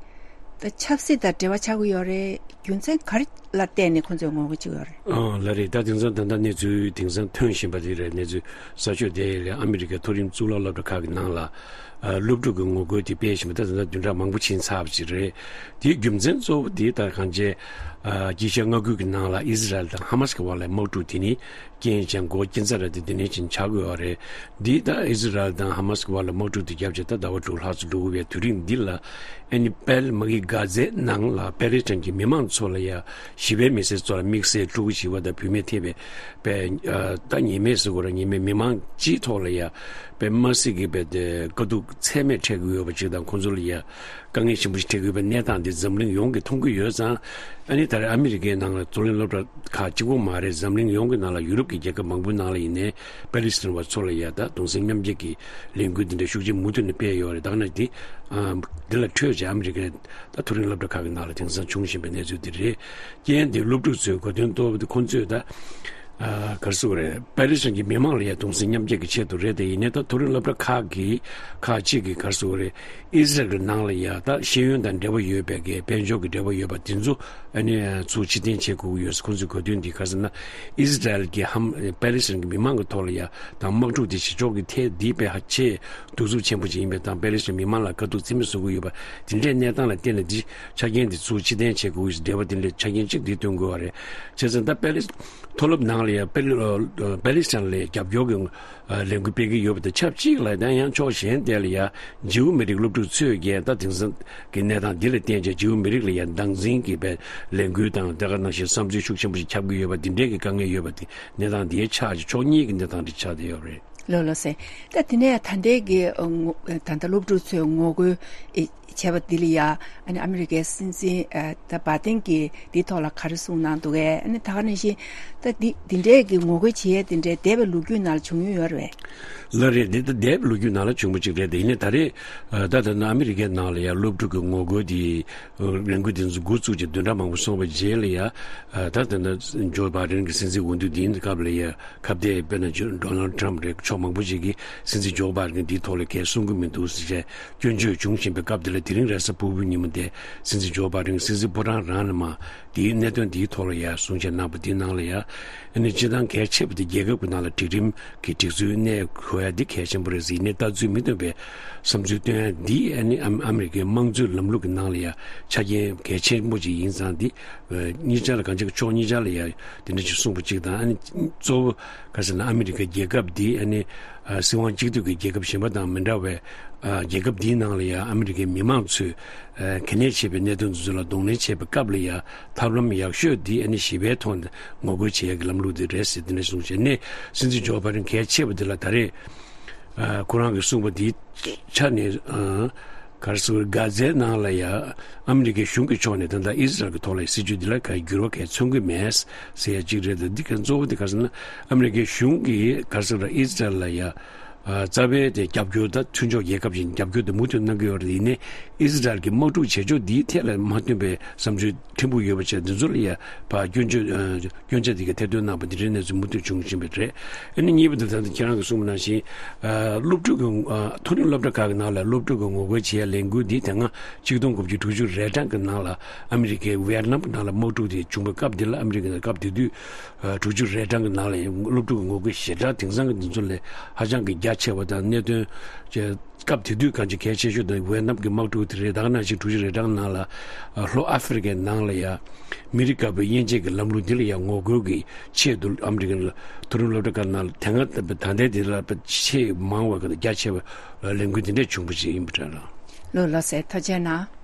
ད་ཆབ་སྲིད་དང་འབྲེལ་བ་ཆགས་ཀྱི་ཡོད་རེད། རྒྱུ་མཚན་ག་རེ་ལ་བརྟེན་ནས་ཁོང་ཚོས་ངོ་རྒོལ་བྱེད་ཀྱི་ཡོད་རེད། ཨང་། ལགས་རེད། ད་དེང་སང་ད་ལྟ་གནས་ཚུལ་དེང་སང་ཐོན་བཞིན་པ་དེ་རེད། གནས་ཚུལ་གསར་ཤོས་དེ་ལ་ཨ་མི་རི་ཀའི་མཐོ་རིམ་གཙུག་ལག་སློབ་གྲྭ་ཁག་གི་ནང་ལ་ ཨ། སློབ་ཕྲུག་གི་ངོ་རྒོལ་དེ་སྤེལ་བཞིན་པ་ད་ད་ལྟ་བདུན་ཕྲག་མང་པོ་ཕྱིན་ཚར་བ་ཅིག་རེད། དེའི་རྒྱུ་མཚན་གཙོ་བོ་དེ་ད་གང་ཅི། ཨ། དཀྱིལ་ཤར་མངའ་ཁུལ་གྱི་ནང་ལ་ཨི་ཟི་རལ་དང་ཧ་མ་སི་གི་བར་ལ་དམག་འཁྲུག་དེ་ནི་རྐྱེན་ཅན་འགོ་དཀྱིལ་ཚ་ར་དེ་དེ་ནས་ཅིག་ཆགས་དགོས་པ་རེད། འདི་ད་ཨི་ཟི་རལ་དང་ཧ་མ་སི་གི་བར་ལ་དམག་འཁྲུག་དེ་བརྒྱབ་བྱས་ད་ཟླ་བ་དྲུག་ལྷག་ཙམ་འགྲོ་གི་ཡོད་པའི་དུས་རིང་འདི་ལ། ཨ་ནི་པེལ་མ་གི་གྷ་ཛའི་ནང་ལ་པེ་ལེ་སི་ཐན་གྱི་མི་མང་ཚོ་ལ་ཡ་ཞི་བའི་མི་སེར་ཚོ་ལ་དམིགས་བསལ་ཕྲུ་གུ་བྱིས་པ་དང་བུད་མེད་ཐེ་བའི་པའི་ཨ་ད་ཉེས་མེད་ཟེར་དགོས་ར། ཉེས་མེད་མི་མང་སྤྱིའི་ཐོག་ལ་ཡ་པའི་མ་སི་གི་པའི་དེ་དཀའ་སྡུག་ཚད་མེད་འཕྲད་ཀྱི་ཡོད་པ་ཅིག་དང་ཁོང་ཚོ་ལ་ཡ་དཀའ་ངལ་ཆེན་པོ་ཞིག་འཕྲད་ཀྱི་ཡོད་པའི་གནས་སྟངས་འདི་འཛམ་གླིང་ཡོངས་ཀྱིས་མཐོང་གི་ཡོད་ཙང་། ཨ་ནི་ད་རེས་ཨ་མི་རི་ཀའི་ནང་ལ་མཐོ་རིམ་སློབ་གྲྭ་ཁག་གཅིག་པོ་མ་རེད། འཛམ་གླིང་ཡོངས་ཀྱི་ནང་ལ་ཡུ་རོབ་ཀྱི་རྒྱལ་ཁབ་མང་པོའི་ནང་ལ་ཡིན་ནའི་པེ་ལི་སི་ཐན་བ་ཚོ་ལ་ཡ་ད་གདུང་སེམས་མཉམ་སྐྱེད་ཀྱི་ལས་འགུལ་འདི་འདྲ་ཤུགས་ཆེན་མུ་མཐུད་ནས་སྤེལ་ཡོད་རེད། ད་ག་ནང་འདི་ཨ་འདི་ལ་འཕྲོས་བྱས་ཨ་མི་རི་ཀའི་ད་མཐོ་རིམ་སློབ་གྲྭ་ཁག་གི་ནང་ལ་དེང་སང་བྱུང་བཞིན་པའི་གནས་ཚུལ་འདི་རེད། རྐྱེན་འདི་སློབ་ཕྲུག་ཚོའི་གོ་དོན་གཏོར་བ་འདི་ཁོང་ཚོས་ད་ཨ་ག་རེ་ཟེར་དགོས་རེད། པེ་ལི་སི་ཐན་གྱི་མི་མང་ལ་ཡ་གདུང་སེམས་མཉམ་སྐྱེད་ཀྱི་ཆེད་དུ་རེད། དེ་ཡིན་ནའི་ད་མཐོ་རིམ་སློབ་གྲྭ་ཁག་གི་ཁག་ཅིག་གིས་ག་རེ་ཟེར་དགོས་རེད། ཨི་ཟི་རལ་གྱི་ནང་ལ་ཡ་ད་ཤེས་ཡོན་དང་འབྲེལ་བ་ཡོད་པའི་གི་དཔལ་འབྱོར་གྱི་འབྲེལ་བ་ཡོད་པ་དེ་ཚོ་ཨ་ནི་ཚུར་ཕྱིར་འཐེན་བྱེད་དགོས་ཀྱི་ཡོད། ཁོང་ཚོའི་གོ་དོན་འདི་ག་རེ་ཟེར་ན། ཨི་ཟི་རལ་གྱི་ཧམ་པེ་ལི་སི་ཐན་གྱི་མི་མང་གི་ཐོག་ལ་ཡ་དང་དམག་འཁྲུག་དེ་བྱེད་ཕྱོགས་ཀྱི་ཐད་འདི་དཔེ་ཧ་ཅང་གདུག་རྩུབ་ཆེན་པོ་ཅིག་ཡིན་པ་དང་པེ་ལི་སི་ཐན་མི་མང་ལ་དཀའ་སྡུག་ཚད་མེད་བཟོ་གི་ཡོད་པ་དེ་འདྲའི་གནས་སྟངས་ལ་བརྟེན་ནས་འདི་ཆ་རྐྱེན་འདི་ཚུར་ཕྱིར་འཐེན་བྱེད་དགོས་ཀྱི་འབྲེལ་བ་དེ་འདྲའི་ཆ་རྐྱེན་གཅིག་འདི་སྟོན་དགོས་པ་རེད། བྱས་ཙང་ད་པེ་ལི་མཐོ་སློབ་ནང་ལ་ཡ་པེ་ལི་པེ་ལི་སི་ཐན་ལ་རྒྱབ་སྐྱོར་གྱི་ལས་འགུལ་སྤེལ་གྱི་ཡོད་པ་དང་ཆབས་ཅིག་ལ་ད་ཡང་ཕྱོགས་གཞན་དེ་ལ་ཡ་ཇིའུ་མི་རིགས་སློབ་ཕྲུག་ཚོས་ཀྱང་ད་དེང་སང་གི་གནས་སྟངས་འདི་ལ་བརྟེན་བྱས་ཇིའུ་མི་རིགས་ལ་ཡ་སྟངས་འཛིན་གྱི་པའི་ལས་འགུལ་དང་དེ་ག་ནང་བཞིན་བསམ་ཚུལ་ཤུགས་ཆེན་པོ་ཞིག་ཁྱབ་ཀྱི་ཡོད་པ་འདི་འདྲའི་གི་དཀའ་ངལ་ཡོད་པ་དེ་གནས་སྟངས་འདིའི་ཆ་ཕྱོགས་གཉིས་ཀྱི་གནས་སྟངས་འདི་ཆགས་བསྡད་ཡོད་རེད། ལགས་ལགས་སེ། ད་དེ་ནས་ད་ལྟའི་གི་ཨ་ངོ་ད་ལྟ་སློབ་ཕྲུག་ཚོས་ངོ་རྒོལ་ཨེ་བྱས་པ་འདི་ལ་ཡ་ཨ་ནི་ཨ་མི་རི་ཀའི་སྲིད་འཛིན་ཨ་ད་བྷ་དེན་གྱིས་འདི་ཐོག་ལ་ག་རེ་གསུངས་གནང་འདུག་གས། ཨ་ནི་ད་ག་ནང་བཞིན་ད་འདི་འདི་འདྲའི་གི་ངོ་རྒོལ་བྱེད་ཡས་དེ་འདྲའི་འདས་པའི་ལོ་རྒྱུས་ནང་ལ་བྱུང་མྱོང་ཡོད་རེད། ལགས་རེད། འདི་ད་འདས་པའི་ལོ་རྒྱུས་ནང་ལ་བྱུང་བ་ཅིག་རེད་དེ། ཡིན་ནའི་ད་རེས་ད་ད་ནང་ཨ་མི་རི་ཀའི་ནང་ལ་ཡ་སློབ་ཕྲུག་གི་ངོ་རྒོལ་འདི་ལས་འགུལ་འདི་ཚོ་འགོ་བཙུགས་ཀྱི་བདུན་ཕྲག་མང་པོ་སོང་བའི་རྗེས་ལ་ཡ་ད་ད་ད་ཇོ་བྷ་དན་གྱི་སྲིད་འཛིན་འོས་བསྡུ་འདིའི་སྐབས་ལ་ཡ་ཁ་གཏད་དཔེར་ན་ཇོ་ཌོ་ནལ་ཊམ་རེད། ཕྱོགས་མང་པོ་ཅིག་གིས་སྲིད་འཛིན་ཇོ་བྷ་དན་འདིའི་ཐོག་ལ་གས་གསུང་གི་མི་འདུག་ཟེར་བྱས་སྐྱོན་བརྗོད་བྱུང་བཞིན་པའི་སྐབས་འདི་ལ་དེ་རིང་རེས་གཟའ་ཕུར་བུའི་ཉིན་མོ་དེ་སྲིད་འཛིན་ཇོ་བྷ་དན་སྲིད་འཛིན་ཕོ་བྲང་རང་ནས་མ་དེའི་གནད་དོན་དེའི་ཐོག་ལ་ཡ་གསུང་བཤད་གནང་པ་དེའི་ནང་ལ་ཡ་ཨ་ནི་སྤྱིར་བཏང་གལ་ཆེ་བ་དེ་རྒྱལ་ཁབ་ཀྱི་ནང་ལ་སྒྲིག་ཁྲིམས་ཀྱི་སྒྲིག་སྲོལ་གནས་དགོས་ཡ་འདི་གལ་ཆེན་པོ་རེད་ཟེར། ཡིན་ནའི་ལྟ་ཚུལ་མི་མཐུན་པའི་བསམ་ཚུལ་བཏོན་ཡ་འདི་ཨ་ནི་ཨ་ཨ་མི་རི་ཀའི་དམངས་གཙོའི་ལམ་ལུགས་ཀྱི་ནང་ལ་ཡ་ཆ་རྐྱེན་གལ་ཆེན་པོ་ཅིག་ཡིན་ཙང་འདི་གཉིས་ཆ་ལ་གང་ཅི་ཕྱོགས་གཉིས་ཆ་ལ་ཡ་དེ་འདྲ་ཅིག་གསུངས་པ་ཅིག་དང་། ཨ་ནི་གཙོ་བོ་ག་ཟེར་ན་ཨ་མི་རི་ཀའི་རྒྱལ་ཁབ་འདི་ཨ་ནི་ཨ་སྲིད་དབང་གཅིག་སྡུད་ཀྱི་རྒྱལ་ཁབ་གཞན་པ་དང་མི་འདྲ་བའི་ཨ་རྒྱལ་ཁབ་འདིའི་ནང་ལ་ཡ་ཨ་མི་རི་ཀའི་མི་མང་ཚོས་ཨ་གལ་གནད་ཆེ་བའི་གནད་དོན་དེ་ཚོ་ལ་གདོང་ལེན་བྱེད་པའི་སྐབས་ལ་ཡ་ཐབས་ལམ་ཡག་ཤོས་འདི་ཨ་ནི་ཞི་བའི་ཐོག་ནས་ངོ་རྒོལ་བྱེད་ཡག་གི་ལམ་ལུགས་འདི་རེད་ཟེར་དེ་འདྲ་གསུངས་བྱས་ནས་སྲིད་འཛིན་ཇོ་བྷ་དན་གལ་ཆེ་བ་འདི་ལ་ད་རེས་ཨ་ཁོ་རང་གིས་གསུངས་པ་འདིའི་ཆ་ནས་ཨ་ག་རེ་ཟེར་གྷ་ཛའི་ནང་ལ་ཡ་ཨ་མི་རི་ཀའི་གཞུང་གི་ཕྱོགས་ནས་ད་ལྟ་ཨི་ཟི་རལ་གྱི་ཐོག་ལ་སྲིད་ཇུས་འདི་ལ་ག་འགྱུར་བ་གས་མཚོན་གྱི་མེད་ཟེར་ཡ་གཅིག་རེད། ད་འདི་ག་གཙོ་བོ་འདི་ག་ཟེར་ན་ཨ་མི་རི་ཀའི་གཞུང་གིས་ག་རེ་ཟེར་ཨི་ཟི་རལ་ལ་ཡ་ཨ་རྩ་བའི་དེ་རྒྱབ་སྐྱོར་ད་མཐུན་ཕྱོགས་རྒྱལ་ཁབ་ཅིག་རྒྱབ་སྐྱོར་དེ་མུ་མཐུད་གནང་གི་ཡོད་རེད། ཡིན་ནའི་ཨི་ཟི་རལ་གྱི་དམག་འཁྲུག་བྱེད་ཕྱོགས་འདིའི་ཐད་ལ་མ་མཐུན་པའི་བསམ་ཚུལ་ཕྲན་བུ་ཡོད་པ་བྱས་འདི་ཚོ་ལ་ཡ་ཕར་སྐྱོན་བརྗོད་ཨ་སྐྱོན་ཆ་དེ་ག་ཐེར་འདོན་གནང་པ་འདི་འདྲའི་གནས་ཚུལ་མུ་མཐུད་བྱུང་བཞིན་པ་རེད། ཨ་ནི་གཉིས་པ་དེ་ད་ལྟ་ཁྱེད་རང་གིས་གསུངས་པ་ནང་བཞིན་ཨ་སློབ་ཕྲུག་གི་ཨ་མཐོ་རིམ་སློབ་གྲྭ་ཁག་གི་ནང་ལ་སློབ་ཕྲུག་གི་ངོ་རྒོལ་བྱེད་ཡ་ལས་འགུལ་འདི་དེ་སྔ་ཆིག་སྟོང་དགུ་བརྒྱ་དྲུག་ཅུ་རེ་གྲངས་ཀྱི་ནང་ལ་ཨ་མི་རི་ཀའི་ཝི་ཡེད་ནམ་གྱི་ནང་ལ་དམག་འཁྲུག་དེ་བྱུང་བའི་སྐབས་འདི་ལ་ཨ་མི་རི་ཀའི་སྐབས་དེ་དུས་ཨ་དྲུག་ཅུ་རེ་གྲངས་ཀྱི་ནང་ལ་ཡང་སློབ་ཕྲུག་གི་ངོ་རྒོལ་ཞེ་དྲག་དེང་སང་གི་འདི་ཚོ་ལས་ཧ་ཅང་གི་རྒྱ་ཆེ་བ་དང་གནད་དོན་ཅེས་སྐབས་དེ་དུས་གང་ཅི་གལ་ཆེ་ཤོས་དེ་ཝེ་ནམ་གྱི་དམག་འཁྲུག་དེ་རེད། ད་ག་ནང་བཞིན་དྲུག་ཅུ་རེ་གྲངས་ནང་ལ་ཨ་ལྷོ་ཨ་ཧྥེ་རི་ཀའི་ནང་ལ་ཡ་མི་རིགས་དཀར་པོའི་དབྱེ་འབྱེད་ཀྱི་ལམ་ལུགས་འདི་ལ་ཡ་ངོ་རྒོལ་གྱི་ཆེད་དུ་ཨ་མི་རི་ཀའི་མཐོ་རིམ་སློབ་གྲྭ་ཁག་ནང་ལ་དེ་སྔ་ད་ལྟའི་དེ་ལ་ཆེས་མང་བ་གི་རྒྱ་ཆེ་བ་ལས་འགུལ་འདི་འདྲས་བྱུང་བ་ཞིག་ཡིན་པ་འདྲ་ལ། ལོ་ལོ་ཟེར་ཐུགས་རྗེ་གནང་།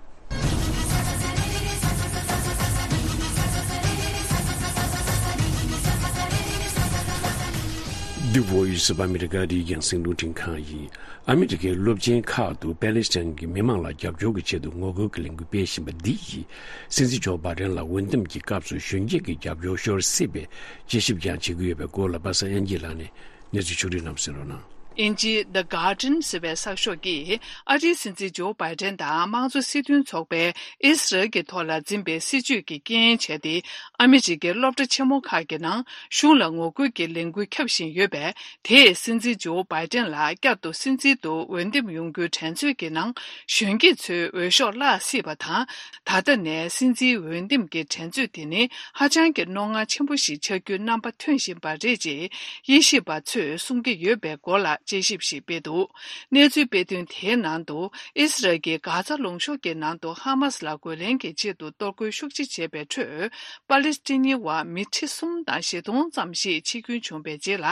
The Voice of America རིགས་རྒྱང་སྲིང་རླུང་འཕྲིན་ཁང་ཡིན། ཨ་མི་རི་ཀའི་སློབ་ཆེན་ཁག་ཏུ་པེ་ལེ་སི་ཐན་གྱི་མི་མང་ལ་རྒྱབ་སྐྱོར་གྱི་ཆེད་དུ་ངོ་རྒོལ་གྱི་ལས་འགུལ་སྤེལ་བཞིན་པ་འདི་ཡིས་སྲིད་འཛིན་ཇོ་བྷ་དན་ལ་འོས་འདེམས་ཀྱི་སྐབས་སུ་གཞོན་སྐྱེས་ཀྱི་རྒྱབ་སྐྱོར་ཤོར་སྲིད་པའི་དཔྱད་ཞིབ་ཀྱང་བྱེད་ཀྱི་ཡོད་པའི་སྐོར་ལ་པ་སངས་དབྱངས་སྐྱིད་ལགས་ནས་གནས་ཚུལ་ཕྱོགས་བསྒྲིགས་གནང་སོང་རོགས་གནང་། དབྱིན་ཇིའི་The Guardian ཟེར་བའི་གསར་ཤོག་གིས་ཨ་རིའི་སྲིད་འཛིན་ཇོ་བྷའི་ཏན་དང་དམངས་གཙོ་སྲིད་དོན་ཚོགས་པས་ཨི་སི་རལ་གྱི་ཐོག་ལ་འཛིན་པའི་སྲིད་བྱུས་ཀྱི་རྐྱེན་བྱས་ཏེ། ཨ་མི་རི་ཀའི་སློབ་གྲྭ་ཆེན་མོ་ཁག་གི་ནང་གཞུང་ལ་ངོ་རྒོལ་གྱི་ལས་འགུལ་ཁྱབ་བཞིན་ཡོད་པས། དེས་སྲིད་འཛིན་ཇོ་བྷའི་ཏན་ལ་བསྐྱར་དུ་སྲིད་འཛིན་དུ་འོས་འདེམས་ཡོང་རྒྱུའི་འགྲན་རྩོད་ཀྱི་ནང་གཞོན་སྐྱེས་ཚོའི་འོས་ཤོག་བརླག་སྲིད་པ་དང་། ད་ལྟ་ནས་སྲིད་འཛིན་འོས་འདེམས་ཀྱི་འགྲན་རྩོད་དེ་ནི་ཧ་ཅང་གི་རྣོ་ངར་ཆེན་པོ་ཞིག་ཆགས་རྒྱུའི་རྣམ་པ་ཐོན་བཞིན་པ་རེད་ཅེས་དབྱེ་ཞིབ་པ་ཚོས་གསུང་གི་ཡོད་པའི་སྐོར་ལ་ དཔྱད་ཞིབ་ཞིག་སྤེལ་འདུག་གནས་ཚུལ་སྤེལ་དོན་དེའི་ནང་དུ། ཨི་སི་རལ་གྱིས་གྷ་ཛ་ལུང་གཤོང་གི་ནང་དུ་ཧ་མ་སི་ལ་རྒོལ་ལན་གྱི་ཆེད་དུ་གཏོར་རྒོལ་ཤུགས་ཆེ་བྱས་པའི་ཁྲོད། པ་ལི་སི་ཐི་ནིའི་བར་མི་ཁྲི་གསུམ་དང་བཞི་སྟོང་ཙམ་ཞིག་འཆི་སྐྱོན་བྱུང་བའི་རྗེས་ལ།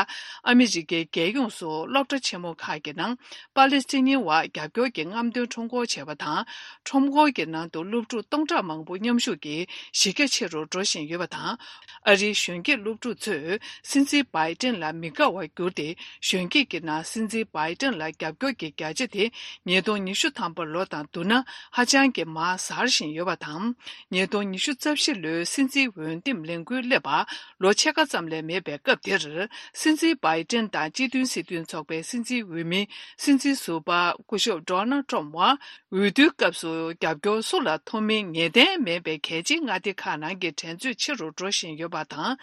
ཨ་མི་རི་ཀའི་རྒྱལ་ཡོངས་སུ་སློབ་གྲྭ་ཆེན་མོ་ཁག་གི་ནང་པ་ལི་སི་ཐི་ནིའི་བར་རྒྱབ་སྐྱོར་གྱི་རྔམ་སྟོན་ཁྲོམ་སྐོར་བྱས་པ་དང་། ཁྲོམ་སྐོར་གྱི་ནང་དུ་སློབ་ཕྲུག་སྟོང་ཕྲག་མང་པོ་མཉམ་ཞུགས་ཀྱིས་གཞི་རྒྱ་ཆེ་རུ་འགྲོ་བཞིན་ཡོད་པ་དང་། ཨ་རིའི་གཞོན་སྐྱེས་སློབ་ཕྲུག་ཚོས་སྲིད་འཛིན་བྷའི་ཏན་ལ་མི་དགའ་བར་གྱུར་ཏེ། གཞོན་སྐྱེས་ཀྱི་ནང་སྲིད་འཛིན་བྷའི་ཏན་ལ་རྒྱབ་སྐྱོར་གྱི་བརྒྱ་ཆ་དེ་ཉིས་སྟོང་ཉི་ཤུ་ཐམ་པ་ལོ་དང་བསྡུར་ན་ཧ་ཅང་གི་མར་གཟར་བཞིན་ཡོད་པ་དང་། ཉིས་སྟོང་ཉི་ཤུ་རྩ་བཞི་ལོའི་སྲིད་འཛིན་འོས་འདེམས་ལས་འགུལ་སླེབས་པ་ལོ་ཕྱེད་ཀ་ཙམ་ལས་མེད་པའི་སྐབས་དེར། སྲིད་འཛིན་བྷའི་ཏན་དང་སྤྱི་མཐུན་སྲིད་དོན་ཚོགས་པའི་སྲིད་འཛིན་འོས་མི་སྲིད་འཛིན་ཟུར་པ་སྐུ་ཞབས་ཌོ་ནལ་ཊམ་བར། འོས་བསྡུའི་སྐབས་སུ་རྒྱབ་སྐྱོར་སུ་ལ་ཐོབ་མིན་ངེས་གཏན་མེད་པའི་གལ་ཆེའི་མངའ་སྡེ་ཁག་ནང་གི་འགྲན་རྩོད་ཆེ་རུ་འགྲོ་བཞིན་ཡོད་པ་དང་།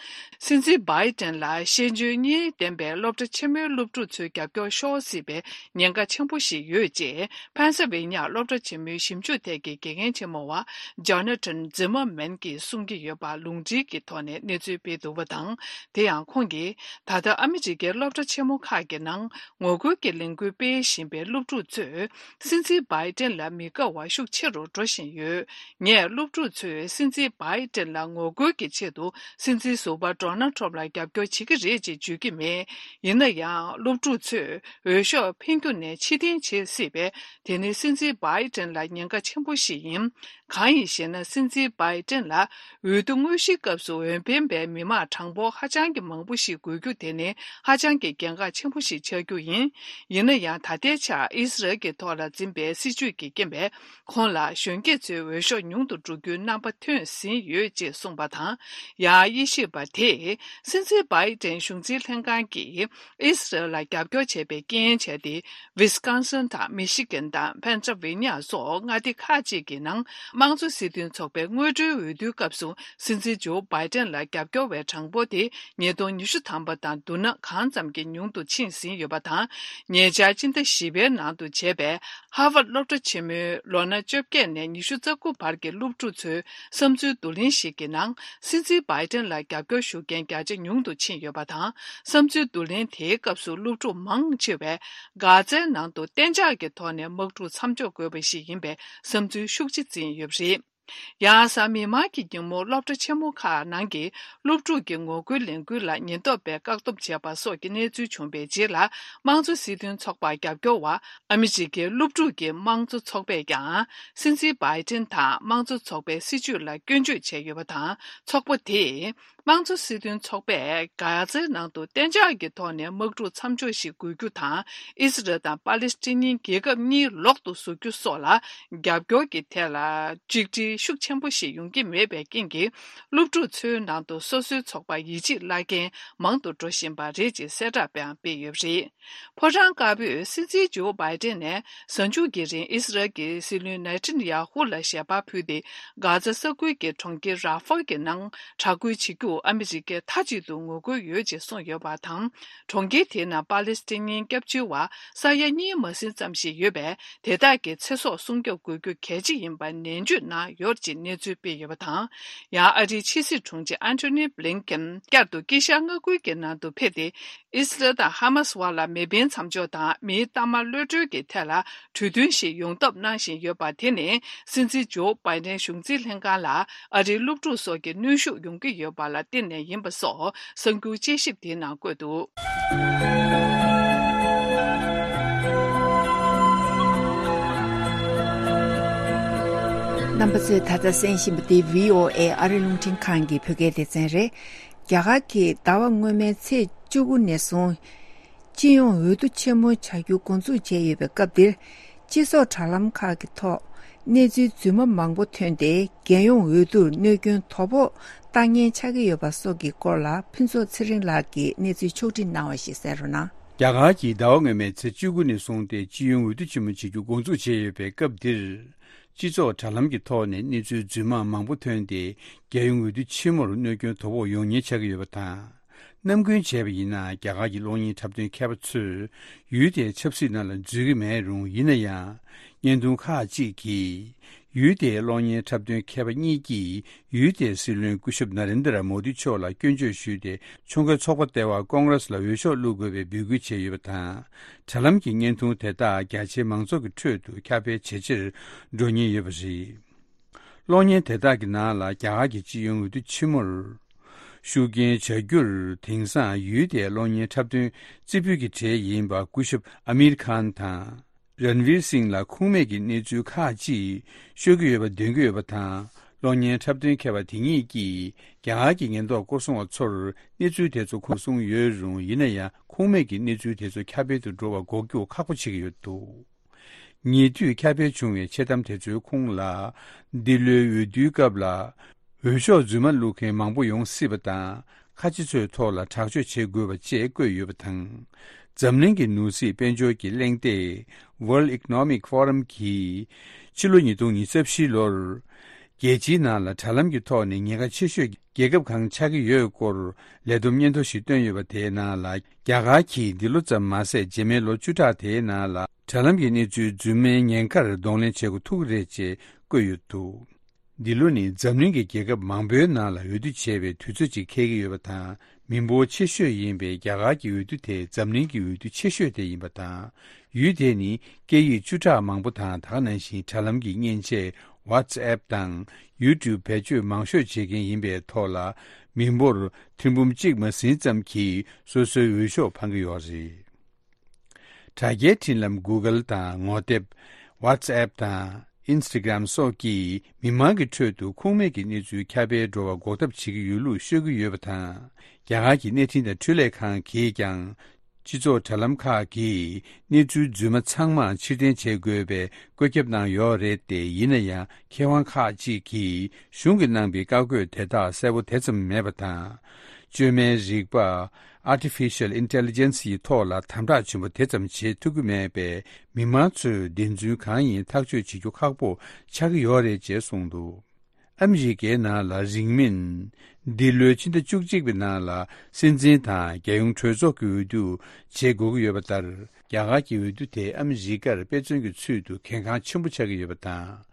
སྲིད་འཛིན་བྷའི་ཏན་ལ་ཤེས་འཇོན་གཉིས་ལྡན་པའི་སློབ་གྲྭ་ཆེན་མོའི་སློབ་ཕྲུག་ཚོའི་རྒྱབ་སྐྱོར་ཤོར་སྲིད་པའི་ཉེན་ཁ་ཆེན་པོ་ཞིག་ཡོད་ཅེས། ཕན་སི་ཝེ་ནི་ཡ་སློབ་གྲྭ་ཆེན་མོའི་ཞིབ་འཇུག་ཐད་ཀྱི་དགེ་རྒན་ཆེན་མོ་བ་ཇོ་ན་ཐན་ཛི་མར་མན་གྱིས་གསུང་གི་ཡོད་པ་ལུང་འདྲེན་གྱི་ཐོག་ནས་གནས་ཚུལ་སྤེལ་འདུག་པ་དང་། དེ་ཡང་ཁོང་གིས། ད་ལྟ་ཨ་མི་རི་ཀའི་སློབ་གྲྭ་ཆེན་མོ་ཁག་གི་ནང་ངོ་རྒོལ་གྱི་ལས་འགུལ་སྤེལ་བཞིན་པའི་སློབ་ཕྲུག་ཚོས། སྲིད་འཛིན་བྷའི་ཏན་ལ་མི་དགའ་བ་ཤུགས་ཆེ་རུ་འགྲོ་བཞིན་ཡོད། ངས་སློབ་ཕྲུག་ཚོས་སྲིད་འཛིན་བྷའི་ཏན་ལ་ངོ་རྒོལ་གྱི་ཆེད་དུ་སྲིད་འཛིན་ཟུར་པ་ཌོ་ནལ་ཊམ་ལ་རྒྱབ་སྐྱོར་བྱེད་ཀྱི་རེད་ཅེས་བརྗོད་ཀྱི་མེད། ཡིན་ན་ཡང་སློབ་ཕྲུག་ཚོས་འོས་ཤོག་འཕེན་རྒྱུ་ནས་ཕྱིར་འཐེན་བྱེད་སྲིད་པས། དེ་ནི་སྲིད་འཛིན་བྷའི་ཏན་ལ་ཉེན་ཁ་ཆེན་པོ་ཞིག་ཡིན། གང་ཡིན་ཞེ་ན། སྲིད་འཛིན་བྷའི་ཏན་ལ་འོས་བསྡུ་དངོས་གཞིའི་སྐབས་སུ་འོས་འཕེན་པའི་མི་མང་གྲངས་འབོར་ཧ་ཅང་གི་མང་པོ་ཞིག་དགོས་རྒྱུ་དེ་ནི་ཧ་ཅང་གི་གལ་འགངས་ཆེན་པོ་ཞིག་ཆགས་རྒྱུ་ཡིན། ཡིན་ན་ཡང་ད་ལྟའི་ཆར་ཨི་སི་རལ་གྱི་ཐོག་ལ་འཛིན་པའི་སྲིད་བྱུས་ཀྱི་རྐྱེན་པས། ཁོང་ལ་གཞོན་སྐྱེས་ཚོའི་འོས་ཤོག་ཉུང་དུ་འགྲོ་རྒྱུའི་རྣམ་པ་ཐོན་ཟིན་ཡོད་ཅེས་གསུངས་པ་དང་། ཡང་དབྱེ་ཞིབ་པ་དེས་སྲིད་འཛིན་བྷའི་ཏན་གཞུང་འཛིན་ལྷན་ཁང་གིས། ཨི་སི་རལ་ལ་རྒྱབ་སྐྱོར་བྱས་པའི་རྐྱེན་བྱས་ཏེ། ཝི་སི་ཀོན་སིན་དང་མི་ཤི་གན་དང་ཕེན་སི་ལ་ཝེ་ནི་ཡ་སོགས་མངའ་སྡེ་ཁག་ཅིག་གི་ནང་དམངས་གཙོ་སྲིད་དོན་ཚོགས་པའི་སྔོན་འགྲོའི་འོས་བསྡུའི་སྐབས་སུ་སྲིད་འཛིན་ཇོ་བྷའི་ཏན་ལ་རྒྱབ་སྐྱོར་བའི་གྲངས་འབོར་དེ་ཉིས་སྟོང་ཉི་ཤུ་ཐམ་པ་དང་བསྡུར་ན་གང་ཙམ་གྱིས་ཉུང་དུ་ཕྱིན་ཟིན་ཡོད་པ་དང་། ཉེ་ཆར་སྤྱི་ཟླ་བཞི་པའི་ནང་དུ་བྱས་པའི་ཧར་ཝརཌ་སློབ་གྲྭ་ཆེན་མོའི་ལོ་ན་བཅོ་བརྒྱད་ནས་ཉི་ཤུ་རྩ་དགུ་བར་གྱི་སློབ་ཕྲུག་ཚོའི་བསམ་ཚུལ་བསྡུ་ལེན་ཞིག་གི་ནང་། སྲིད་འཛིན་བྷའི་ཏན་ལ་རྒྱབ་སྐྱོར་ཞུ་མཁན་བརྒྱ་ཆ་ཉུང་དུ་ཕྱིན་ཡོད་པ་དང་། བསམ་ཚུལ་བསྡུ་ལེན་དེའི་སྐབས་སུ་སློབ་ཕྲུག་མང་ཆེ་བས་གྷ་ཛའི་ནང་དུ་གཏན་འཇགས་ཀྱི་ཐོག་ནས་དམག་འཁྲུག་མཚམས་འཇོག་དགོས་པ་ཞིག་ཡིན་པའི་བསམ་ཚུལ་ཤུགས་ཆེ་འཛིན་ཡོད་པ་རེད། ཡང་གཟའ་མིག་དམར་གྱི་ཉིན་མོ་སློབ་གྲྭ་ཆེན་མོ་ཁག་ནང་གི་སློབ་ཕྲུག་གི་ངོ་རྒོལ་ལས་འགུལ་ལ་ཉེན་རྟོག་པས་བཀག་སྡོམ་བྱས་པ་སོགས་ཀྱི་གནས་ཚུལ་བྱུང་བའི་རྗེས་ལ། དམངས་གཙོ་སྲིད་དོན་ཚོགས་པར་རྒྱབ་སྐྱོར་བ་ཨ་མི་རི་ཀའི་སློབ་ཕྲུག་གི་དམངས་གཙོ་ཚོགས་པས་ཀྱང་། སྲིད་འཛིན་བྷའི་ཏན་དང་དམངས་གཙོ་ཚོགས་པའི་སྲིད་བྱུས་ལ་སྐྱོན་བརྗོད་བྱས་ཡོད་པ་དང་། ཚོགས་པ་དེས། དམངས་གཙོ་སྲིད་དོན་ཚོགས་པས་གྷ་ཛའི་ནང་དུ་གཏན་འཇགས་ཀྱི་ཐོག་ནས་དམག་འཁྲུག་མཚམས་འཇོག་ཞིག་དགོས་རྒྱུ་དང་། ཨི་སི་རལ་དང་པ་ལི་སི་ཐན་རྒྱལ་ཁབ་གཉིས་ལོག་ཏུ་བཟོ་རྒྱུ་སོགས་ལ་རྒྱབ་སྐྱོར་གྱི་ཐད་ལ་གཅིག་སྒྲིལ་ཤུགས་ཆེན་པོ་ཞིག་ཡོང་གི་མེད་པའི་རྐྱེན་གྱིས། སློབ་ཕྲུག་ཚོའི་ནང་དུ་སོ་སོའི་ཚོགས་པར་ཡིད་ཆེས་བརླག་མཁན་མང་དུ་འགྲོ་བཞིན་པ་རེད་ཅེས་གསལ་བསྒྲགས་སྤེལ་ཡོད་པ་རེད། ཕོ་བྲང་དཀར་པོས་སྲིད་འཛིན་ཇོ་བྷའི་ཏན་ནས་གཟའ་མཇུག་གི་རིང་ཨི་སི་རལ་གྱི་སྲིད་བློན་ནེ་ཐན་ཡ་ཧུ་ལ་ཞལ་པར་ཕུལ་ཏེ། གྷ་ཛ་ས་ཁུལ་གྱི་གྲོང་ཁྱེར་ར་ཧྥ་གྱི་ནང་དྲག་རྒོལ་བྱེད་རྒྱུར་ཨ་མི་རི་ཀས་མཐའ་གཅིག་ཏུ་ངོ་རྒོལ་ཡོད་ཅེས་གསུངས་ཡོད་པ་དང་། གྲོང་ཁྱེར་དེའི་ནང་པ་ལི་སི་ཐན་ཉིན་སྐྱབས་བཅོལ་བ་ས་ཡ་གཉིས་མ་ཟིན་ཙམ་ཞིག་ཡོད་པས། དེ་དག་གི་ཚེ་སྲོག་སྲུང་སྐྱོབ་དགོས་རྒྱུ་གལ་ཆེ་ཡིན་པར་ནན་བརྗོད་གནང་ཡོད་ཅེས་གནས་ཚུལ་སྤེལ་ཡོད་པ་དང་། ཡང་ཨ་རིའི་ཕྱི་སྲིད་དྲུང་ཆེ་ཨན་ཐོ་ནི་བྷི་ལིན་ཀེན་བསྐྱར་དུ་དཀྱིལ་ཤར་མངའ་ཁུལ་གྱི་ནང་དུ་ཕེབས་ཏེ། ཨི་སི་རལ་དང་ཧ་མ་སི་བར་ལ་མེ་འཕེན་མཚམས་འཇོག་དང་མིའི་གཏའ་མ་གློད་གྲོལ་གྱི་ཐད་ལ་གྲོས་མཐུན་ཞིག་ཡོང་ཐབས་གནང་བཞིན་ཡོད་པ། དེ་ནི་སྲིད་འཛིན་ཇོ་བྷའི་ཏན་གཞུང་འཛིན་ལྷན་ཁང་ལ་ཨ་རིའི་སློབ་ཕྲུག་སོགས་ཀྱི་གནོན་ཤུགས་ཡོང་གི་ཡོད་པ་ལ་བརྟེན་ནས་ཡིན་པ་སོགས་གསར་འགྱུར་དཔྱད་ཞིབ་དེའི་ནང་བཀོད་འདུག་རྣམ་པ་ཚོས་ད་ལྟ་གསན་བཞིན་པ་འདི་བྷི་ཨོ་ཨེ་ཨ་རི་རླུང་འཕྲིན་ཁང་གི་བོད་སྐད་སྡེ་ཚན་རེད། རྒྱ་གར་གྱིས་ཟླ་བ་སྔོན་མའི་ཚེས་བཅུ་དགུ་ནས་བཟུང་། སྤྱི་ཡོངས་འོས་བསྡུ་ཆེན་མོ་བྱ་རྒྱུ་འགོ་འཛུགས་བྱས་ཡོད་པའི་སྐབས་འདིར། སྤྱི་ཚོགས་དྲ་ལམ་ཁག་གི་ཐོག་གནས་ཚུལ་རྫུན་མ་མང་པོ་ཐོན་ཏེ། རྒྱལ་ཡོངས་འོས་བསྡུར་གནོད་སྐྱོན་དོ་ཕོག་བཏང་ཉེན་ཆགས་ཀྱི་ཡོད་པ་སོགས་ཀྱི་སྐོར་ལ། ཕུན་ཚོགས་ཚེ་རིང་ལགས་ཀྱིས་གནས་ཚུལ་ཕྱོགས་སྒྲིག་གནང་བ་ཞིག་གསན་རོགས་གནང་། རྒྱ་གར་གྱིས་ཟླ་བ་སྔོན་མའི་ཚེས་བཅུ་དགུ་ནས་བཟུང་སྟེ། སྤྱི་ཡོངས་འོས་བསྡུ་ཆེན་མོ་བྱེད་རྒྱུ་འགོ་འཛུགས་བྱས་ཡོད་པའི་སྐབས་འདིར། སྤྱི་ཚོགས་དྲ་ལམ་གྱི་ཐོག་ནས་གནས་ཚུལ་རྫུན་མ་མང་པོ་ཐོན་ཏེ། རྒྱལ་ཡོངས་འོས་བསྡུ་ཆེན་མོར་གནོད་སྐྱོན་དོ་ཕོག་ཡོང་ཉེན་ཆགས་ཀྱི་ཡོད་པ་དང་། ནམ་རྒྱུན་བྱས་པ་ཡིན་ན། རྒྱ་གར་གྱི་གློག་བརྙན་འཁྲབ་སྟོན་མཁས་པ་ཚོས་ཡུལ་དེའི་ཆབ་སྲིད་ནང་ལ་འཛུལ་གྱི་མེད་རུང་། ཡིན་ན་ཡང་། བརྙན་ཐུང་ཁག་ཅིག་གིས། ཡུལ་དེའི་གློག་བརྙན་འཁྲབ་སྟོན་མཁས་པ་གཉིས་ཀྱིས་ཡུལ་དེའི་སྲིད་བློན་སྐུ་ཞབས་ན་རེན་དྲ་མོ་དི་མཆོག་ལ་སྐྱོན་བརྗོད་ཞུས་ཏེ། ཕྱོགས་འགལ་ཚོགས་པ་ལྟེ་བ་ཀོང་རེས་ལ་འོས་ཤོག་བླུག་དགོས་པའི་འབོད་སྐུལ་བྱས་ཡོད་པ་དང་། དྲ་ལམ་གྱི་བརྙན་ཐུང་དེ་དག་རྒྱ་ཆེའི་མང་ཚོགས་ཀྱི་ཁྲོད་དུ་ཁྱབ་སྤེལ་ཇེ་ཆེར་འགྲོ་ཉེན་ཡོད་པ་རེད། གློག་བརྙན་དེ་དག་གི་ནང་ལ་རྒྱ་གར་གྱི་སྤྱི་ཡོངས་འོས་བསྡུ་ཆེན་མོར། ཤུགས་རྐྱེན་བྱ་རྒྱུར་དེང་སང་ཡུལ་དེའི་གློག་བརྙན་འཁྲབ་སྟོན་རྩེ་ཕུད་ཀྱི་གྲས་ཡིན་པ་སྐུ་ཞབས་ཨ་མིར་ཁཱན་དང་། རན་ཝིར་སིང་ལ་ཁུངས་མེད་ཀྱི་གནས་ཚུལ་ཁག་ཅིག་ཤོད་ཀྱི་ཡོད་པ་འདོན་གྱི་ཡོད་པ་དང་། གློག་བརྙན་འཁྲབ་སྟོན་མཁས་པ་དེ་གཉིས་ཀྱིས་རྒྱ་གར་གྱི་ཉེན་རྟོག་སྐོར་སྲུང་བ་ཚོར་གནས་ཚུལ་དེ་ཚོ་ཁུངས་གསུངས་ཡོད་རུང་། ཡིན་ན་ཡང་ཁུངས་མེད་ཀྱི་གནས་ཚུལ་དེ་ཚོ་ཁྱབ་སྤེལ་དུ་འགྲོ་བ་འགོག་རྒྱུ་ཁག་པོ་བྱེད་ཀྱི་ཡོད་འདུག་ཉེ་དུས་ཁྱབ་སྤེལ་བྱུང་བའི་འཆལ་གཏམ་དེ་ཚོའི་ཁུངས་ལ། འདི་ལོའི་འོས་བསྡུའི་སྐབས་ལ་འོས་ཤོག་རྫུན་མ་བླུག་མཁན་མང་པོ་ཡོང་སྲིད་པ་དང་། ཁ་ཆེ་ཚོའི་ཐོག་ལ་དྲག་སྤྱོད་བྱེད་དགོས་པ་བཅས་བཀོད་ཡོད་པ་དང་། འཛམ་གླིང་གི་ནོར་སྲིད་དཔལ་འབྱོར་གྱི་གླེང་སྟེགས་World Economic Forum གྱིས་ཕྱི་ལོ་ཉིས་སྟོང་ཉི་ཤུ་རྩ་བཞི་ལོར། རྒྱལ་སྤྱིའི་ནང་ལ་དྲ་ལམ་གྱི་ཐོག་ནས་ཉེན་ཁ་ཆེ་ཤོས་རྒྱལ་ཁབ་གང་ཆགས་ཀྱི་ཡོད་སྐོར་ལས་བསྡོམས་སྙན་ཐོ་ཞིག་བཏོན་ཡོད་པ། དེའི་ནང་ལ་རྒྱ་གར་གྱིས་འདི་ལོ་ཙམ་མ་ཟད། རྗེས་མའི་ལོ་བཅུ་ཕྲག་དེའི་ནང་ལ་དྲ་ལམ་གྱི་གནས་ཚུལ་རྫུན་མའི་ཉེན་ཁར་གདོང་ལེན་བྱེད་འགོ་ཐུག་གི་རེད་ཅེས་བཀོད་ཡོད་འདུག་འདི་ལོ་ནི་འཛམ་གླིང་གི་རྒྱལ་ཁབ་མང་པོའི་ནང་ལ་འོས་བསྡུ་བྱེད་པའི་དུས་ཚོད་ཅིག་འཁེལ་གྱི་ཡོད་པ་དང་། མི་འབོར་ཆེ་ཤོས་ཡིན་པའི་རྒྱ་གར་གྱི་འོས་བསྡུ་དེ་འཛམ་གླིང་གི་འོས་བསྡུ་ཆེ་ཤོས་དེ་ཡིན་པ་དང་། ཡུལ་དེ་ནི་སྐད་ཡིག་བཅུ་ཕྲག་མང་པོ་དང་། ད་ག་ནང་བཞིན་དྲ་ལམ་གྱི་མཉེན་ཆས་WhatsApp དང་YouTube བེད་སྤྱོད་མང་ཤོས་བྱེད་མཁན་ཡིན་པའི་ཐོག་ལ། མི་འབོར་ཐེར་འབུམ་གཅིག་མ་ཟིན་ཙམ་གྱིས་སོ་སོའི་འོས་ཤོག་འཕང་གི་ཡོད་རེད། དྲ་རྒྱའི་འཕྲིན་ལམ་Google དང་ངོ་དེབ་WhatsApp དང་Instagram སོགས་ཀྱིས་མི་མང་གི་ཁྲོད་དུ་ཁུངས་མེད་ཀྱི་གནས་ཚུལ་ཁྱབ་སྤེལ་འགྲོ་བ་འགོག་ཐབས་བྱེད་ཀྱི་ཡོད་ལུགས་ཤོད་ཀྱི་ཡོད་པ་དང་། རྒྱ་གར་གྱི་གནས་འཕྲིན་དང་འཕྲུལ་ལས་ཁང་གིས་ཀྱང་། སྤྱི་ཚོགས་དྲ་ལམ་ཁག་གིས་གནས་ཚུལ་རྫུན་མ་ཚང་མ་ཕྱིར་འཐེན་བྱེད་དགོས་པའི་བཀོད་ཁྱབ་གནང་ཡོད་རེད་དེ། ཡིན་ན་ཡང་མཁས་དབང་ཁག་ཅིག་གིས་གཞུང་གིས་གནང་པའི་བཀའ་བཀོད་དེ་དག་གསལ་པོ་དེ་ཙམ་མེད་པ་དང་། བཅོས་མའི་རིག་པ། Artificial Intelligence ཡི་ཐོག་ལ་དམ་དྲག་ཆེན་པོ་དེ་ཙམ་བྱེད་ཐུབ་ཀྱི་མེད་པས། མི་མང་ཚོས་བདེན་རྫུན་གང་ཡིན་ཐག་གཅོད་བྱེད་རྒྱུ་ཁག་པོ་ཆགས་ཀྱི་ཡོད་རེད་ཅེས་གསུངས་འདུག་ཨ་མི་རི་ཀའི་ནང་ལ་རིང་མིན། འདི་ལོའི་ཕྱི་ཟླ་བཅུ་གཅིག་པའི་ནང་ལ་སྲིད་འཛིན་དང་རྒྱལ་ཡོངས་གྲོས་ཚོགས་ཀྱི་འོས་བསྡུ་བྱེད་དགོས་ཀྱི་ཡོད་པ་ལྟར། རྒྱ་གར་གྱི་འོས་བསྡུ་དེ་ཨ་མི་རི་ཀར་དཔེ་མཚོན་གྱི་ཚུལ་དུ་གལ་འགངས་ཆེན་པོ་ཆགས་ཀྱི་ཡོད་པ་དང་།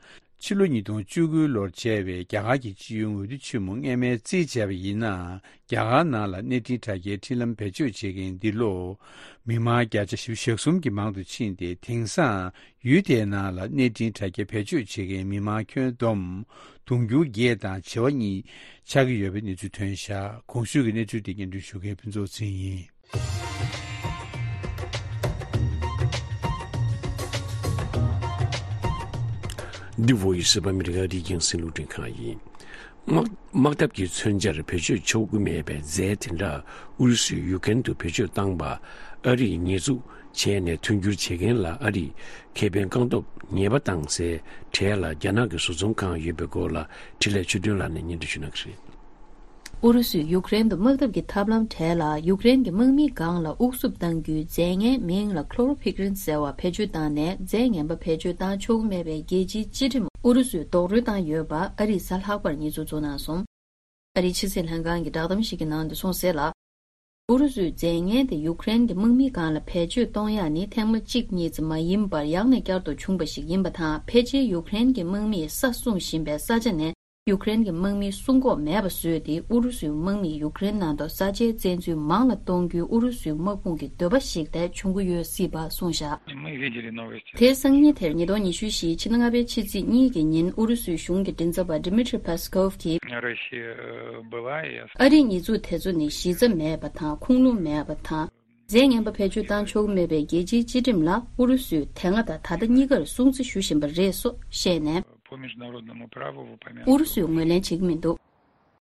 ཕྱི་ལོ་ཉིས་སྟོང་བཅུ་དགུ་ལོར་བྱས་པའི་རྒྱ་གར་གྱི་སྤྱི་ཡོངས་འོས་བསྡུ་ཆེན་མོ་སྔས་མའི་རྩིས་བྱས་པ་ཡིན་ན། རྒྱ་གར་ནང་ལ་གནས་འཕྲིན་དྲ་རྒྱའི་འཕྲིན་ལམ་བེད་སྤྱོད་བྱེད་མཁན་འདི་ལོ། མི་མང་བརྒྱ་ཆ་བཞི་བཅུ་ཞེ་གསུམ་གྱི་མང་དུ་ཕྱིན་ཏེ། དེང་སང་ཡུལ་དེའི་ནང་ལ་གནས་འཕྲིན་དྲ་རྒྱ་བེད་སྤྱོད་བྱེད་མཁན་མི་མང་ཁྱོན་བསྡོམས་དུང་ཕྱུར་བརྒྱད་དང་བྱེ་བ་གཉིས་ཆགས་ཀྱི་ཡོད་པའི་གནས་ཚུལ་ཐོན་བཞག་གོང་ཞུས་ཀྱི་གནས་ཚུལ་དེ་སྙན་སྒྲོན་ཞུ་མཁན་ཕུན་ཚོགས་ཚེ་རིང་ཡིན། འདི་བོད་ཡིག་གསར་པ་ཨ་མི་རི་ཀ་རིགས་རྒྱང་སྲིད་ལུགས་འཕྲིན་ཁང་ཡིན། དམག་དམག་འཐབ་ཀྱི་མཚོན་ཆར་བེད་སྤྱོད་ཆོག་གི་མེད་པའི་རྫས་དེ་འདྲ་ཨུ་རུ་སུས་ཡུ་ཀེ་རེན་དུ་བེད་སྤྱོད་བཏང་པ་ཨ་རིས་ཉེས་འཛུགས་བྱས་ནས་མཐུན་འགྱུར་བྱེད་མཁན་ལ་ཨ་རིས་ཁེ་ཕན་བཀག་སྡོམ་ཉེས་པ་བཏང་སའི་གྲས་ལ་རྒྱ་ནག་གི་བཟོ་ཚོང་ཁང་ཡོད་པའི་སྐོར་ལ་འཕྲིན་ལས་ཆོས་སྒྲོན་ལགས་ནས་སྙན་སྒྲོན་ཞུ་གནང་གི་རེད། ཨུ་རུ་སུས་ཡུཀ་རེན་དུ་དམག་འཐབ་ཀྱི་ཐབས་ལམ་གྲས་ལ་ཡུཀ་རེན་གྱི་དམག་མིའི་སྒང་ལ་དབུགས་སུབ་གཏང་རྒྱུའི་རྫས་ངན་མིང་ལ་ཁློ་རོ་ཕིག་རིན་ཟེར་བ་བེད་སྤྱོད་བཏང་ནས། རྫས་ངན་པ་བེད་སྤྱོད་བཏང་ཆོག་གི་མེད་པའི་རྒྱལ་སྤྱིའི་སྤྱི་ཁྲིམས་ཨུ་རུ་སུས་རྡོག་རོལ་བཏང་ཡོད་པ་ཨ་རིས་གཟའ་ལྷག་པར་ཉེས་འཛུགས་བྱུང་གནང་སོང་། ཨ་རིའི་ཕྱི་སྲིད་ལྷན་ཁང་གི་བསྒྲགས་གཏམ་ཞིག་གི་ནང་དུ་གསུངས་གསལ་ལ། ཨུ་རུ་སུས་རྫས་ངན་དེ་ཡུཀ་རེན་གྱི་དམག་མིའི་སྒང་ལ་བེད་སྤྱོད་གཏོང་ཡག་ནི་ཐེངས་མ་གཅིག་གཉིས་ཙམ་མ་ཡིན་པར་ཡང་ནས་བསྐྱར་དུ་བྱུང་བ་ཞིག་ཡིན་པ་དང་། ཕལ་ཆེར་ཡུཀ་རེན་གྱི་དམག་མིས་ས་སྲུང་བཞིན་པའི་ས་ཆ་ནས་ཡུཀ་རེན་གྱི་དམག་མིའི་སྲུང་འགོག་མེད་པ་བཟོས་ཏེ། ཨུ་རུ་སུའི་དམག་མིས་ཡུཀ་རེན་ནང་དུ་ས་ཆའི་བཙན་འཛུལ་མང་ལ་གཏོང་རྒྱུའི་ཨུ་རུ་སུའི་དམག་དཔུང་གི་འདོད་པ་ཞིག་དེ་བྱུང་གི་ཡོད་སྲིད་པ་གསུངས་བཞག་དེའི་སང་ཉིན་དེར་ཉིས་སྟོང་ཉི་ཤུ་བཞིའི་ཕྱི་ཟླ་ལྔ་པའི་ཕྱི་ཚེས་གཉིས་ཀྱི་ཉིན་ཨུ་རུ་སུའི་གཞུང་གི་མགྲིན་ཚབ་པ་Dmitry Peskov གིས། ཨ་རིའི་ཉེས་འཛུགས་དེ་ཚོ་ནི་གཞི་རྩ་མེད་པ་དང་ཁུངས་ལུང་མེད་པ་དང་། རྫས་ངན་པ་བེད་སྤྱོད་བཏང་ཆོག་གི་མེད་པའི་རྒྱལ་སྤྱིའི་སྤྱི་ཁྲིམས་ལ་ཨུ་རུ་སུས་དེ་སྔ་དང་ད་ལྟ་གཉིས་ཀར་སྲུང་བརྩི་ཞུ་བཞིན་པ་རེད་སོགས་བཤད་ནས། ཨུ་རུ་སུས་ངོས་ལེན་བྱེད་ཀྱི་མི་འདུག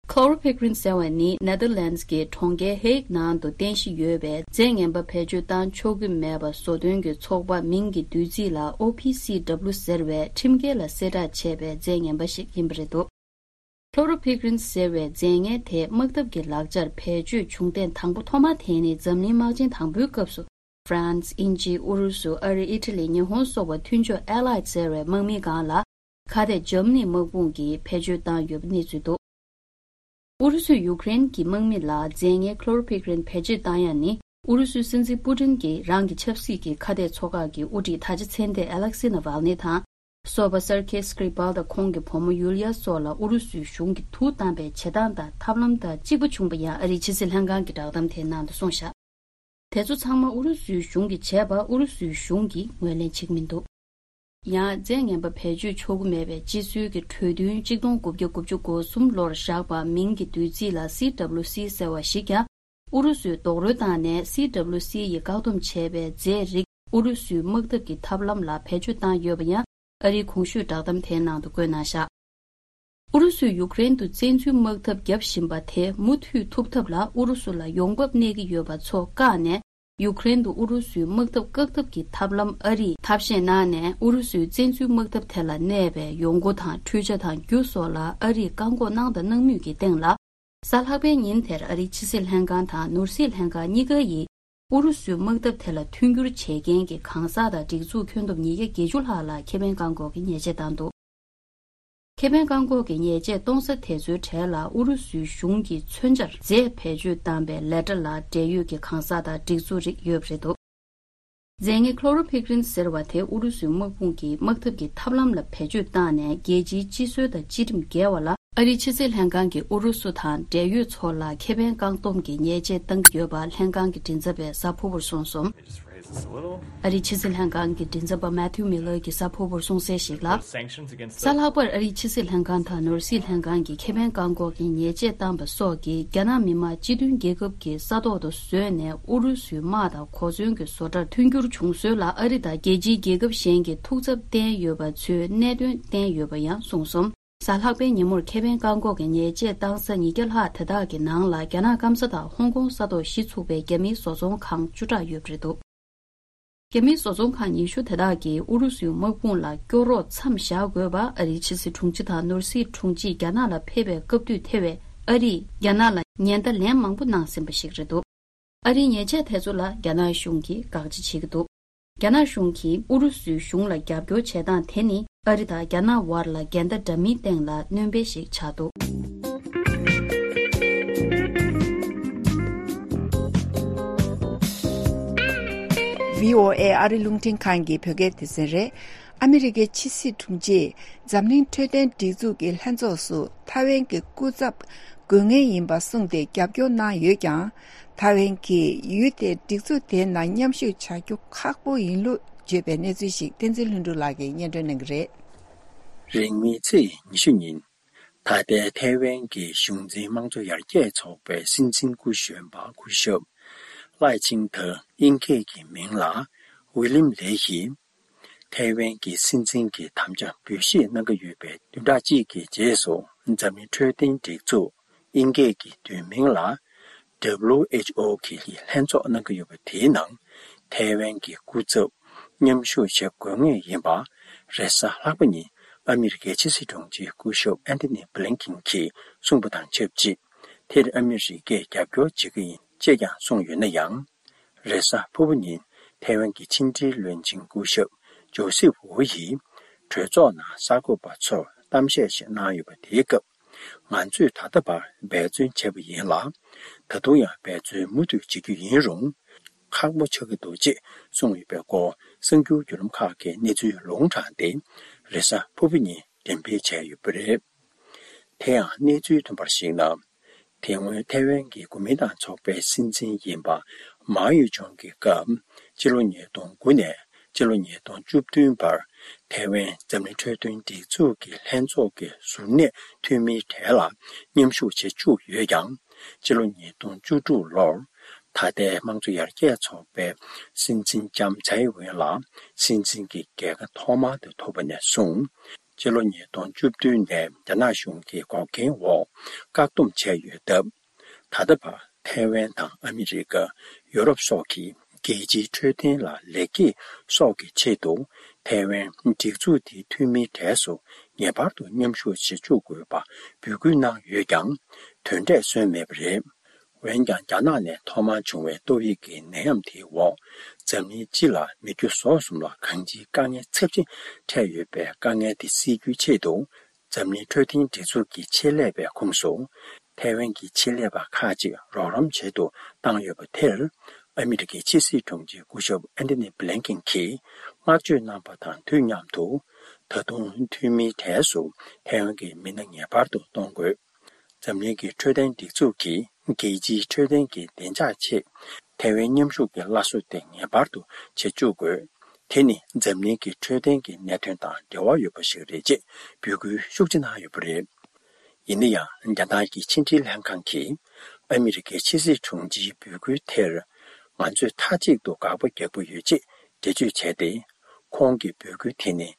Chlorpicrin ཟེར་བ་ནི་ནེ་དར་ལེན་ཌི་གི་གྲོང་ཁྱེར་ཧེག་ནང་དུ་རྟེན་གཞི་ཡོད་པའི་རྫས་ངན་པ་བེད་སྤྱོད་བཏང་ཆོག་གི་མེད་པ་བཟོ་དོན་གྱི་ཚོགས་པ་མིང་གི་བསྡུས་ཚིག་ལ་ཨོ་པི་སི་ཌབ་ལུ་ཟེར་བའི་ཁྲིམས་འགལ་ལ་གསལ་བསྒྲགས་བྱས་པའི་རྫས་ངན་པ་ཞིག་ཡིན་པ་རེད་འདུག Chlorpicrin ཟེར་བའི་རྫས་ངན་དེ་དམག་འཐབ་ཀྱི་ལག་ཆར་བེད་སྤྱོད་བྱུང་ཐེངས་དང་པོ་ཐོག་མ་དེ་ནི་འཛམ་གླིང་དམག་ཆེན་དང་པོའི་སྐབས་སུ། ཧྥ་རན་སི། དབྱིན་ཇི། ཨུ་རུ་སུ། ཨ་རི། ཨི་ཊ་ལི། ཉི་ཧོང་སོགས་པ་མཐུན་ཕྱོགས་Allied ཟེར་བའི་དམག་མིའི་སྒང་ལ། ཁ་གཏད་འཇར་མ་ནི་དམག་དཔུང་གིས་བེད་སྤྱོད་བཏང་ཡོད་པའི་གནས་ཚུལ་འདུག་ཨུ་རུ་སུས་ཡུཀ་རེན་གྱི་དམག་མི་ལ་རྫས་ངན་Chlorpicrin བེད་སྤྱོད་བཏང་ཡ་ནི། ཨུ་རུ་སུའི་སྲིད་འཛིན་པུ་ཏིན་གྱིས་རང་གི་ཆབ་སྲིད་ཀྱི་ཁ་གཏད་ཚོགས་ཁག་གི་དབུ་ཁྲིད་ད་ཆ་མཚན་བདེ་Alexei Navalny དང་། སོགས་པ་སར་ཁེ་སི་སྐྲི་པཱལ་དང་ཁོང་གི་བུ་མོ་ཡུལ་ཡ་སོགས་ལ་ཨུ་རུ་སུའི་གཞུང་གིས་དུག་བཏང་པའི་བྱེད་སྟངས་དང་ཐབས་ལམ་དང་གཅིག་པ་བྱུང་པ་ཡང་ཨ་རིའི་ཕྱི་སྲིད་ལྷན་ཁང་གི་བསྒྲགས་གཏམ་དེའི་ནང་དུ་གསུངས་བཞག་དེ་ཚོ་ཚང་མ་ཨུ་རུ་སུའི་གཞུང་གིས་བྱས་པ་ཨུ་རུ་སུའི་གཞུང་གིས་ངོས་ལེན་བྱེད་ཀྱི་མི་འདུག་ཡང་རྫས་ངན་པ་བེད་སྤྱོད་ཆོག་གི་མེད་པའི་སྤྱི་སྲོལ་གྱི་གྲོས་མཐུན་གཅིག་སྟོང་དགུ་བརྒྱ་དགུ་བཅུ་གོ་གསུམ་ལོར་བཞག་པ་མིང་གི་བསྡུས་ཚིག་ལ་སི་ཌབ་ལུ་སི་ཟེར་བ་ཞིག་ཀྱང་ཨུ་རུ་སུས་རྡོག་རོལ་བཏང་ནས་སི་ཌབ་ལུ་སི་ཡིས་བཀག་སྡོམ་བྱས་པའི་རྫས་རིགས་ཨུ་རུ་སུའི་དམག་འཐབ་ཀྱི་ཐབས་ལམ་ལ་བེད་སྤྱོད་བཏང་ཡོད་པ་ཡང་ཨ་རིའི་གོང་ཞུས་བསྒྲགས་གཏམ་དེའི་ནང་དུ་བཀོད་གནང་བཞག་ཨུ་རུ་སུས་ཡུཀ་རེན་དུ་བཙན་འཛུལ་དམག་འཐབ་བརྒྱབ་བཞིན་པ་དེ་མུ་མཐུད་ཐུབ་ཐབས་ལ་ཨུ་རུ་སུ་ལ་ཡོང་འབབ་གནས་ཀྱི་ཡོད་པ་ཚོ་བཀག་ནས། ཡུཀ་རེན་དུ་ཨུ་རུ་སུའི་དམག་འཐབ་བཀག་ཐབས་ཀྱི་ཐབས་ལམ་ཨ་རིས་ཐབས་ཤེས་གནང་ནས། ཨུ་རུ་སུའི་བཙན་འཛུལ་དམག་འཐབ་དེ་ལ་གནས་པའི་ཡོང་སྒོ་དང་འཕྲུལ་ཆ་དང་རྒྱུ་སོགས་ལ་ཨ་རིས་བཀག་འགོག་གནང་དང་གནང་མུས་ཀྱི་སྟེང་ལ། གཟའ་ལྷག་པའི་ཉིན་དེར་ཨ་རིའི་ཕྱི་སྲིད་ལྷན་ཁང་དང་ནོར་སྲིད་ལྷན་ཁང་གཉིས་ཀ་ཡིས། ཨུ་རུ་སུའི་དམག་འཐབ་དེ་ལ་མཐུན་འགྱུར་བྱེད་མཁན་གྱི་གང་ཟག་དང་སྒྲིག་འཛུགས་ཁྱོན་བསྡོམས་ཉིས་བརྒྱ་བརྒྱད་ཅུ་ལྷག་ལ་ཁེ་ཕན་བཀག་འགོག་གི་ཉེས་ཆད་བཏང་འདུག་ཁེ་ཕན་བཀག་འགོག་གི་ཉེས་ཆད་གཏོང་ས་དེ་ཚོའི་གྲས་ལ་ཨུ་རུ་སུའི་གཞུང་གིས་མཚོན་ཆར་རྫས་བེད་སྤྱོད་བཏང་པའི་ལས་གྲྭ་ལ་འབྲེལ་ཡོད་ཀྱི་གང་ཟག་དང་སྒྲིག་འཛུགས་རིགས་ཡོད་པ་རེད་འདུག་རྫས་ངན་ཁློ་རོ་ཕིག་རིན་ཟེར་བ་དེ་ཨུ་རུ་སུའི་དམག་དཔུང་གིས་དམག་འཐབ་ཀྱི་ཐབས་ལམ་ལ་བེད་སྤྱོད་བཏང་ནས་རྒྱལ་སྤྱིའི་སྤྱི་སྲོལ་དང་སྤྱི་ཁྲིམས་འགལ་བ་ལ། ཨ་རིའི་ཕྱི་སྲིད་ལྷན་ཁང་གིས་ཨུ་རུ་སུ་དང་འབྲེལ་ཡོད་ཚོ་ལ་ཁེ་ཕན་བཀག་སྡོམ་གྱི་ཉེས་ཆད་གཏང་གི་ཡོད་པ་ལྷན་ཁང་གི་མགྲིན་ཚབ་པས་གཟའ་ཕུར་བུར་གསུངས་སོང་། ཨ་རིའི་ཕྱི་སྲིད་ལྷན་ཁང་གི་མགྲིན་ཚབ་པ་མེ་ཐིའུ་མི་ལར་གྱིས་གཟའ་ཕུར་བུར་གསུངས་གསལ་ཞིག་ལ། གཟའ་ལྷག་པར་ཨ་རིའི་ཕྱི་སྲིད་ལྷན་ཁང་དང་ནོར་སྲིད་ལྷན་ཁང་གིས་ཁེ་ཕན་བཀག་འགོག་གི་ཉེས་ཆད་བཏང་པ་སོགས་ཀྱིས་རྒྱ་ནག་མི་དམངས་སྤྱི་མཐུན་རྒྱལ་ཁབ་ཀྱི་ས་ཐོག་ཏུ་བཟོས་ནས་ཨུ་རུ་སུའི་དམག་དང་གོ་མཚོན་གྱི་བཟོ་གྲྭར་མཐུན་འགྱུར་བྱུང་སྲོལ་ལ་ཨ་རི་དང་རྒྱལ་སྤྱིའི་རྒྱལ་ཁབ་གཞན་གྱིས་ཐུགས་འཚབ་བསྟན་ཡོད་པ་ཚོའི་གནད་དོན་བསྟན་ཡོད་པ་ཡང་གསུངས་སོང་། གཟའ་ལྷག་པའི་ཉིན་མོར་ཁེ་ཕན་བཀག་འགོག་གི་ཉེས་ཆད་བཏང་ས་ཉིས་བརྒྱ་ལྷག་དེ་དག་གི་ནང་ལ་རྒྱ་ནག་སྐམ་ས་དང་ཧོང་ཀོང་ས་ཐོག་གཞི་ཚུགས་པའི་རྒྱ་མིའི་བཟོ་ཚོང་ཁང་བཅུ་ཕྲག་ཡོད་པ་རེད་འདུག་རྒྱ་མིའི་བཟོ་ཚོང་ཁང་ཉི་ཤུ་དེ་དག་གིས་ཨུ་རུ་སུའི་དམག་དཔུང་ལ་སྐྱོ་རོགས་མཚམས་བཞག་དགོས་པ་ཨ་རིའི་ཕྱི་སྲིད་དྲུང་ཆེ་དང་ནོར་སྲིད་དྲུང་ཆེས་རྒྱ་ནག་ལ་ཕེབས་པའི་སྐབས་དུས་ཐེ་བས་ཨ་རིས་རྒྱ་ནག་ལ་ཉེན་བརྡ་ལན་མང་པོ་གནང་ཟིན་པ་ཞིག་རེད་འདུག་ཨ་རིའི་ཉེས་ཆད་དེ་ཚོ་ལ་རྒྱ་ནག་གཞུང་གིས་དགག་བྱ་བྱེད་ཀྱི་འདུག་རྒྱ་ནག་གཞུང་གིས་ཨུ་རུ་སུའི་གཞུང་ལ་རྒྱབ་སྐྱོར་བྱེད་སྟངས་དེ་ནི་ཨ་རི་དང་རྒྱ་ནག་དབར་ལ་འགལ་ཟླ་འདྲ་མིན་སྟེང་ལ་སྣོན་པ་ཞིག་ཆགས་འདུག་བྷི་ཨོ་ཨེ་ཨ་རི་རླུང་འཕྲིན་ཁང་གི་བོད་སྐད་སྡེ་ཚན་རེད། ཨ་མི་རི་ཀའི་ཕྱི་སྲིད་དྲུང་ཆེས་འཛམ་གླིང་འཕྲོད་བསྟེན་སྒྲིག་འཛུགས་ཀྱི་ལྷན་ཚོགས་སུ་ཐའེ་ཝན་གྱི་སྐུ་ཚབ་དགོས་ངེས་ཡིན་པ་གསུངས་ཏེ་རྒྱབ་སྐྱོར་གནང་ཡོད་ཀྱང་། ཐའེ་ཝན་གྱིས་ཡུལ་དེ་སྒྲིག་འཛུགས་དེའི་ནང་མཉམ་ཞུགས་བྱ་རྒྱུ་ཁག་པོ་ཡིན་ལུགས་བརྗོད་པའི་གནས་ཚུལ་ཞིག་བསྟན་འཛིན་ལྷུན་གྲུབ་ལགས་ཀྱིས་སྙན་སྒྲོན་གནང་གི་རེད། རིང་མིན་ཚེས་ཉི་ཤུ་ཉིན། ད་ལྟའི་ཐའེ་ཝན་གྱི་གཞུང་འཛིན་དམངས་གཙོ་ཡར་རྒྱས་ཚོགས་པའི་སྲིད་འཛིན་སྐུ་གཞོན་པ་སྐུ་ཞབས་ལའེ་ཆིང་ཐེ། དབྱིན་སྐད་ཀྱི་མིང་ལ་ཝི་ལིམ་ལེ་ཡིས། ཐའེ་ཝན་གྱི་སྲིད་འཛིན་གྱི་དམ་བཅའ་འབུལ་བཞེས་གནང་གི་ཡོད་པའི་བདུན་ཕྲག་གཅིག་གི་རྗེས་སུ། འཛམ་གླིང་འཕྲོད་བསྟེན་སྒྲིག་འཛུགས། དབྱིན་སྐད་ཀྱི་བསྡུས་མིང་ལ། W H O གི་ལྷན་ཚོགས་གནང་གི་ཡོད་པ་དེའི་ནང་། ཐའེ་ཝན་གྱི་སྐུ་ཚབ་མཉམ་ཞུགས་བྱེད་དགོས་ངེས་ཡིན་པ། རེས་གཟའ་ལྷག་པ་ཉིན་ཨ་མི་རི་ཀའི་ཕྱི་སྲིད་དྲུང་ཆེ་སྐུ་ཞབས་ཨན་ཐོ་ནི་བྷི་ལིན་ཀིན་གྱིས་གསུངས་པ་དང་ཆབས་ཅིག་དེར་ཨ་མི་རི་ཀས་རྒྱབ་སྐྱོར་བྱེད་ཀྱི་ཡིན་ཅེས་ཀྱང་གསུངས་ཡོད་ན་ཡང་། རེས་གཟའ་ཕུར་བུ་ཉིན་ཐའེ་ཝན་གྱི་ཕྱི་འབྲེལ་བློན་ཆེན་སྐུ་ཞབས་ཇོ་སེབ་ཝུ་ཡིས་གྲོས་ཚོགས་ནང་གསར་འགོད་པ་ཚོར་གཏམ་བཤད་ཞིག་གནང་ཡོད་པ་དེའི་སྐབས། ང་ཚོས་ད་ལྟ་བར་འབད་བརྩོན་བྱས་པ་ཡིན་ལ། ད་དུང་ཡང་འབད་བརྩོན་མུ་མཐུད་བྱེད་རྒྱུ་ཡིན་རུང་། ཁག་པོ་ཆགས་ཀྱི་འདུག་ཅེས་གསུངས་ཡོད་པའི་སྐོར་གསར་འགྱུར་བརྒྱུད་ལམ་ཁག་གིས་གནས་ཚུལ་ལུང་དྲངས་ཏེ། རེས་གཟའ་ཕུར་བུ་ཉིན་འགྲེམས་སྤེལ་བྱས་ཡོད་པ་རེད། དེ་ཡང་གནས་ཚུལ་ཐོན་པར་གཞིགས་ན། དེ་སྔོན་ཐའེ་ཝན་གྱི་གོ་མིན་ཏང་ཚོགས་པའི་སྲིད་འཛིན་ཡིན་པ་མའོ་ཡུ་ཅུང་གི་སྐབས། སྤྱི་ལོ་ཉིས་སྟོང་དགུ་ནས་སྤྱི་ལོ་ཉིས་སྟོང་བཅུ་བདུན་བར། ཐའེ་ཝན་འཛམ་གླིང་འཕྲོད་བསྟེན་སྒྲིག་འཛུགས་ཀྱི་ལྷན་ཚོགས་ཀྱི་ཟུར་གནས་འཐུས་མིའི་གྲས་ལ་མཉམ་ཞུགས་བྱེད་བཅུག་ཡོད་ཀྱང་། སྤྱི་ལོ་ཉིས་སྟོང་བཅུ་དྲུག་ལོར། ད་ལྟའི་དམངས་གཙོ་ཡར་རྒྱས་ཚོགས་པའི་སྲིད་འཛིན་ལྕམ་ཚའེ་ཝེན་ལ་སྲིད་འཛིན་གྱི་རྒྱལ་ཁ་ཐོག་མར་དུ་ཐོབ་པ་ནས་བཟུང་། སྤྱི་ལོ་ཉིས་སྟོང་བཅུ་བདུན་ནས་རྒྱ་ནག་གཞུང་གི་འགོག་རྐྱེན་འོག་བཀག་སྡོམ་བྱས་ཡོད་སྟབས། ད་ལྟ་བར་ཐའེ་ཝན་དང་ཨ་མི་རི་ཀ། ཡོ་རོབ་སོགས་ཀྱིས་རྒྱལ་སྤྱིའི་འཕྲོད་བསྟེན་ལ་ལེགས་སྐྱེས་སོགས་ཀྱི་ཆེད་དུ་ཐའེ་ཝན་སྒྲིག་འཛུགས་དེའི་འཐུས་མིའི་གྲས་སུ་ངེས་པར་དུ་མཉམ་ཞུགས་བྱེད་བཅུག་དགོས་པ་འབོད་སྐུལ་གནང་ཡོད་ཀྱང་། དོན་འབྲས་སོན་མེད་པ་རེད། འོན་ཀྱང་། རྒྱ་ནག་ནས་ཐོག་མར་བྱུང་བའི་ཏོག་དབྱིབས་ཀྱི་ནད་ཡམས་དེའི་འོག་འཛམ་གླིང་སྤྱི་ལ་མི་རྒྱུ་ཟོག་གསུམ་ལ་གང་ཅིའི་དཀའ་ངལ་ཚབས་ཆེན་འཕྲད་ཡོད་པའི་དཀའ་ངལ་དེ་སེལ་རྒྱུའི་ཆེད་དུ། འཛམ་གླིང་འཕྲོད་བསྟེན་སྒྲིག་འཛུགས་ཀྱི་ཆེད་ལས་པའི་ཁོངས་སུ། ཐའེ་ཝན་གྱི་ཆེད་ལས་པ་ཁག་ཅིག་རོགས་རམ་བྱེད་དུ་བཏང་ཡོད་པ་དེར། ཨ་མི་རི་ཀའི་ཕྱི་སྲིད་དྲུང་ཆེ་སྐུ་ཞབས་ཨན་ཐོ་ནི་བྷི་ལིན་ཀིན་གྱིས་བསྔགས་བརྗོད་གནང་པ་དང་དུས་མཉམ་དུ། ད་དུང་འཐུས་མིའི་གྲས་སུ་ཐའེ་ཝན་གྱི་མི་སྣ་ངེས་པར་དུ་གཏོང་དགོས། འཛམ་གླིང་གི་འཕྲོད་བསྟེན་སྒྲིག་འཛུགས་ཀྱིས་རྒྱལ་སྤྱིའི་འཕྲོད་བསྟེན་གྱི་བདེ་འཇགས་ཆེད་ཐའེ་ཝན་མཉམ་ཞུགས་ཀྱི་སླར་གསོ་དེ་ངེས་པར་དུ་བྱེད་བཅུག་དགོས། དེ་ནི་འཛམ་གླིང་གི་འཕྲོད་བསྟེན་གྱི་གནད་དོན་དང་འབྲེལ་བ་ཡོད་པ་ཞིག་རེད་ཅེས་འབོད་སྐུལ་ཤུགས་ཆེ་གནང་ཡོད་པ་རེད། ཡིན་ན་ཡང་རྒྱ་ནག་གི་ཕྱི་འབྲེལ་ལྷན་ཁང་གིས་ཨ་མི་རི་ཀའི་ཕྱི་སྲིད་དྲུང་ཆེའི་འབོད་སྐུལ་དེར་ང་ཚོས་མཐའ་གཅིག་ཏུ་དགག་པ་རྒྱག་གི་ཡོད་ཅེས་འགྲེལ་བརྗོད་བྱས་ཏེ། ཁོང་གི་འབོད་སྐུལ་དེ་ནི་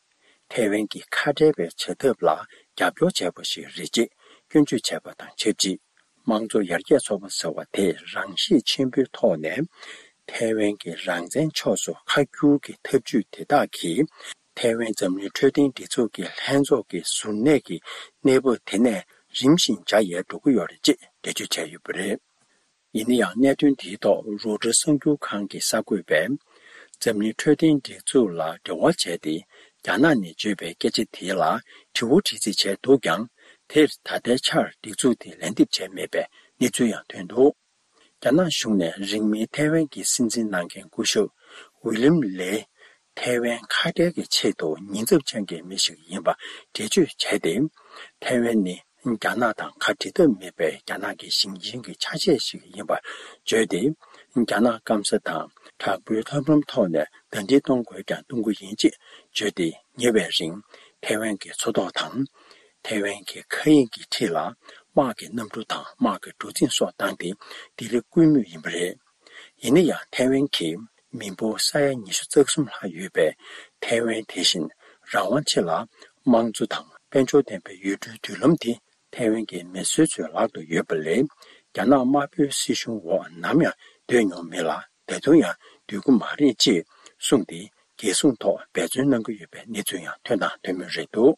ཐའེ་ཝན་གྱི་ཁ་བྲལ་བའི་བྱ་ཐབས་ལ་རྒྱབ་སྐྱོར་བྱས་པ་ཞིག་རེད་ཅེས་སྐྱོན་བརྗོད་བྱས་པ་དང་ཆབས་ཅིག་དམངས་གཙོ་ཡར་རྒྱས་ཚོགས་པ་ཟེར་བ་དེས་རང་ཤེད་ཆེན་པོའི་ཐོག་ནས་ཐའེ་ཝན་གྱི་རང་བཙན་ཕྱོགས་སུ་ཁ་བསྒྱུར་གྱི་ཐབས་ཇུས་དེ་དག་གིས་ཐའེ་ཝན་འཛམ་གླིང་འཕྲོད་བསྟེན་སྒྲིག་འཛུགས་ཀྱི་ལྷན་ཚོགས་ཀྱི་ཟུར་གནས་ཀྱི་གནས་བབ་དེ་ནས་རིམ་བཞིན་འཇགས་ཡལ་འགྲོ་གི་ཡོད་རེད་ཅེས་འགྲེལ་བརྗོད་བྱས་ཡོད་པ་རེད། ཡིན་ན་ཡང་གནད་དོན་དེའི་ཐོག་རོའི་ཊར་གསར་འགྱུར་ཁང་གི་གསར་འགོད་པས། འཛམ་གླིང་འཕྲོད་བསྟེན་སྒྲིག་འཛུགས་ལ་འབྲེལ་བ་བྱས་ཏེ། རྒྱ་ནག་ནས་བརྗོད་པའི་སྐད་ཆ་དེ་ལ་དྲི་བ་དྲི་རྩིས་བྱས་འདུག་ཀྱང་། དེར་ད་ལྟའི་ཆར་སྒྲིག་འཛུགས་དེས་ལན་འདེབས་བྱས་མེད་པའི་གནས་ཚུལ་ཡང་ཐོན་འདུག་རྒྱ་ནག་གཞུང་ནས་རིང་མིན་ཐའེ་ཝན་གྱི་སྲིད་འཛིན་གནང་མཁན་སྐུ་ཞབས་ཝི་ལིམ་ལེ། ཐའེ་ཝན་ཁ་བྲལ་གྱི་ཆེད་དུ་ཉེན་ཚབས་ཅན་གྱི་མི་ཞིག་ཡིན་པ་འགྲེལ་བརྗོད་བྱས་ཏེ། ཐའེ་ཝན་ནི་རྒྱ་ནག་དང་ཁ་འབྲལ་ཐབས་མེད་པའི་རྒྱ་ནག་གི་ཞིང་ཆེན་གྱི་ཆ་ཤས་ཤིག་ཡིན་པར་བརྗོད་དེ། རྒྱ་ནག་སྐམ་ས་དང་དྲག་པོའི་ཐབས་ལམ་ཐོག་ནས་ཟླ་སྒྲིལ་གཏོང་དགོས་ཀྱང་གཏོང་གི་ཡིན་ཅེས་བརྗོད་དེ། ཉེ་བའི་རིང་ཐའེ་ཝན་གྱི་མཚོ་ཐོག་དང་། ཐའེ་ཝན་གྱི་མཁའ་དབྱིངས་ཀྱི་འཁྲིས་ལ་དམག་གི་གནམ་གྲུ་དང་དམག་གི་གྲུ་གཟིངས་སོགས་བཏང་སྟེ་ལྡི་ལི་བསྐུལ་མུས་ཡིན་པ་རེད། ཡིན་ན་ཡང་ཐའེ་ཝན་གྱི་མི་འབོར་ས་ཡ་ཉི་ཤུ་རྩ་གསུམ་ལྷག་ཡོད་པའི་ཐའེ་ཝན་དེ་བཞིན་རང་དབང་ཆེ་ལ་དམངས་གཙོ་དང་དཔལ་འབྱོར་ལྡན་པའི་ཡུལ་གྲུའི་མདུན་ལམ་དེ་ཐའེ་ཝན་གྱི་མི་སེར་ཚོའི་ལག་ཏུ་ཡོད་པ་ལས། རྒྱ་ནག་དམར་པོའི་སྲིད་གཞུང་འོག་ནམ་ཡང་སྡོད་མྱོང་མེད་ལ། ད་དུང་ཡང་སྡོད་ཀྱི་མ་རེད་ཅེས་གསུངས་ཏེ། རྒྱལ་སྲུང་ཐོག་འབད་བརྩོན་གནང་གི་ཡོད་པའི་གནས་ཚུལ་ཡང་ཐོན་དང་ཐོན་མུས་རེད་འདུག་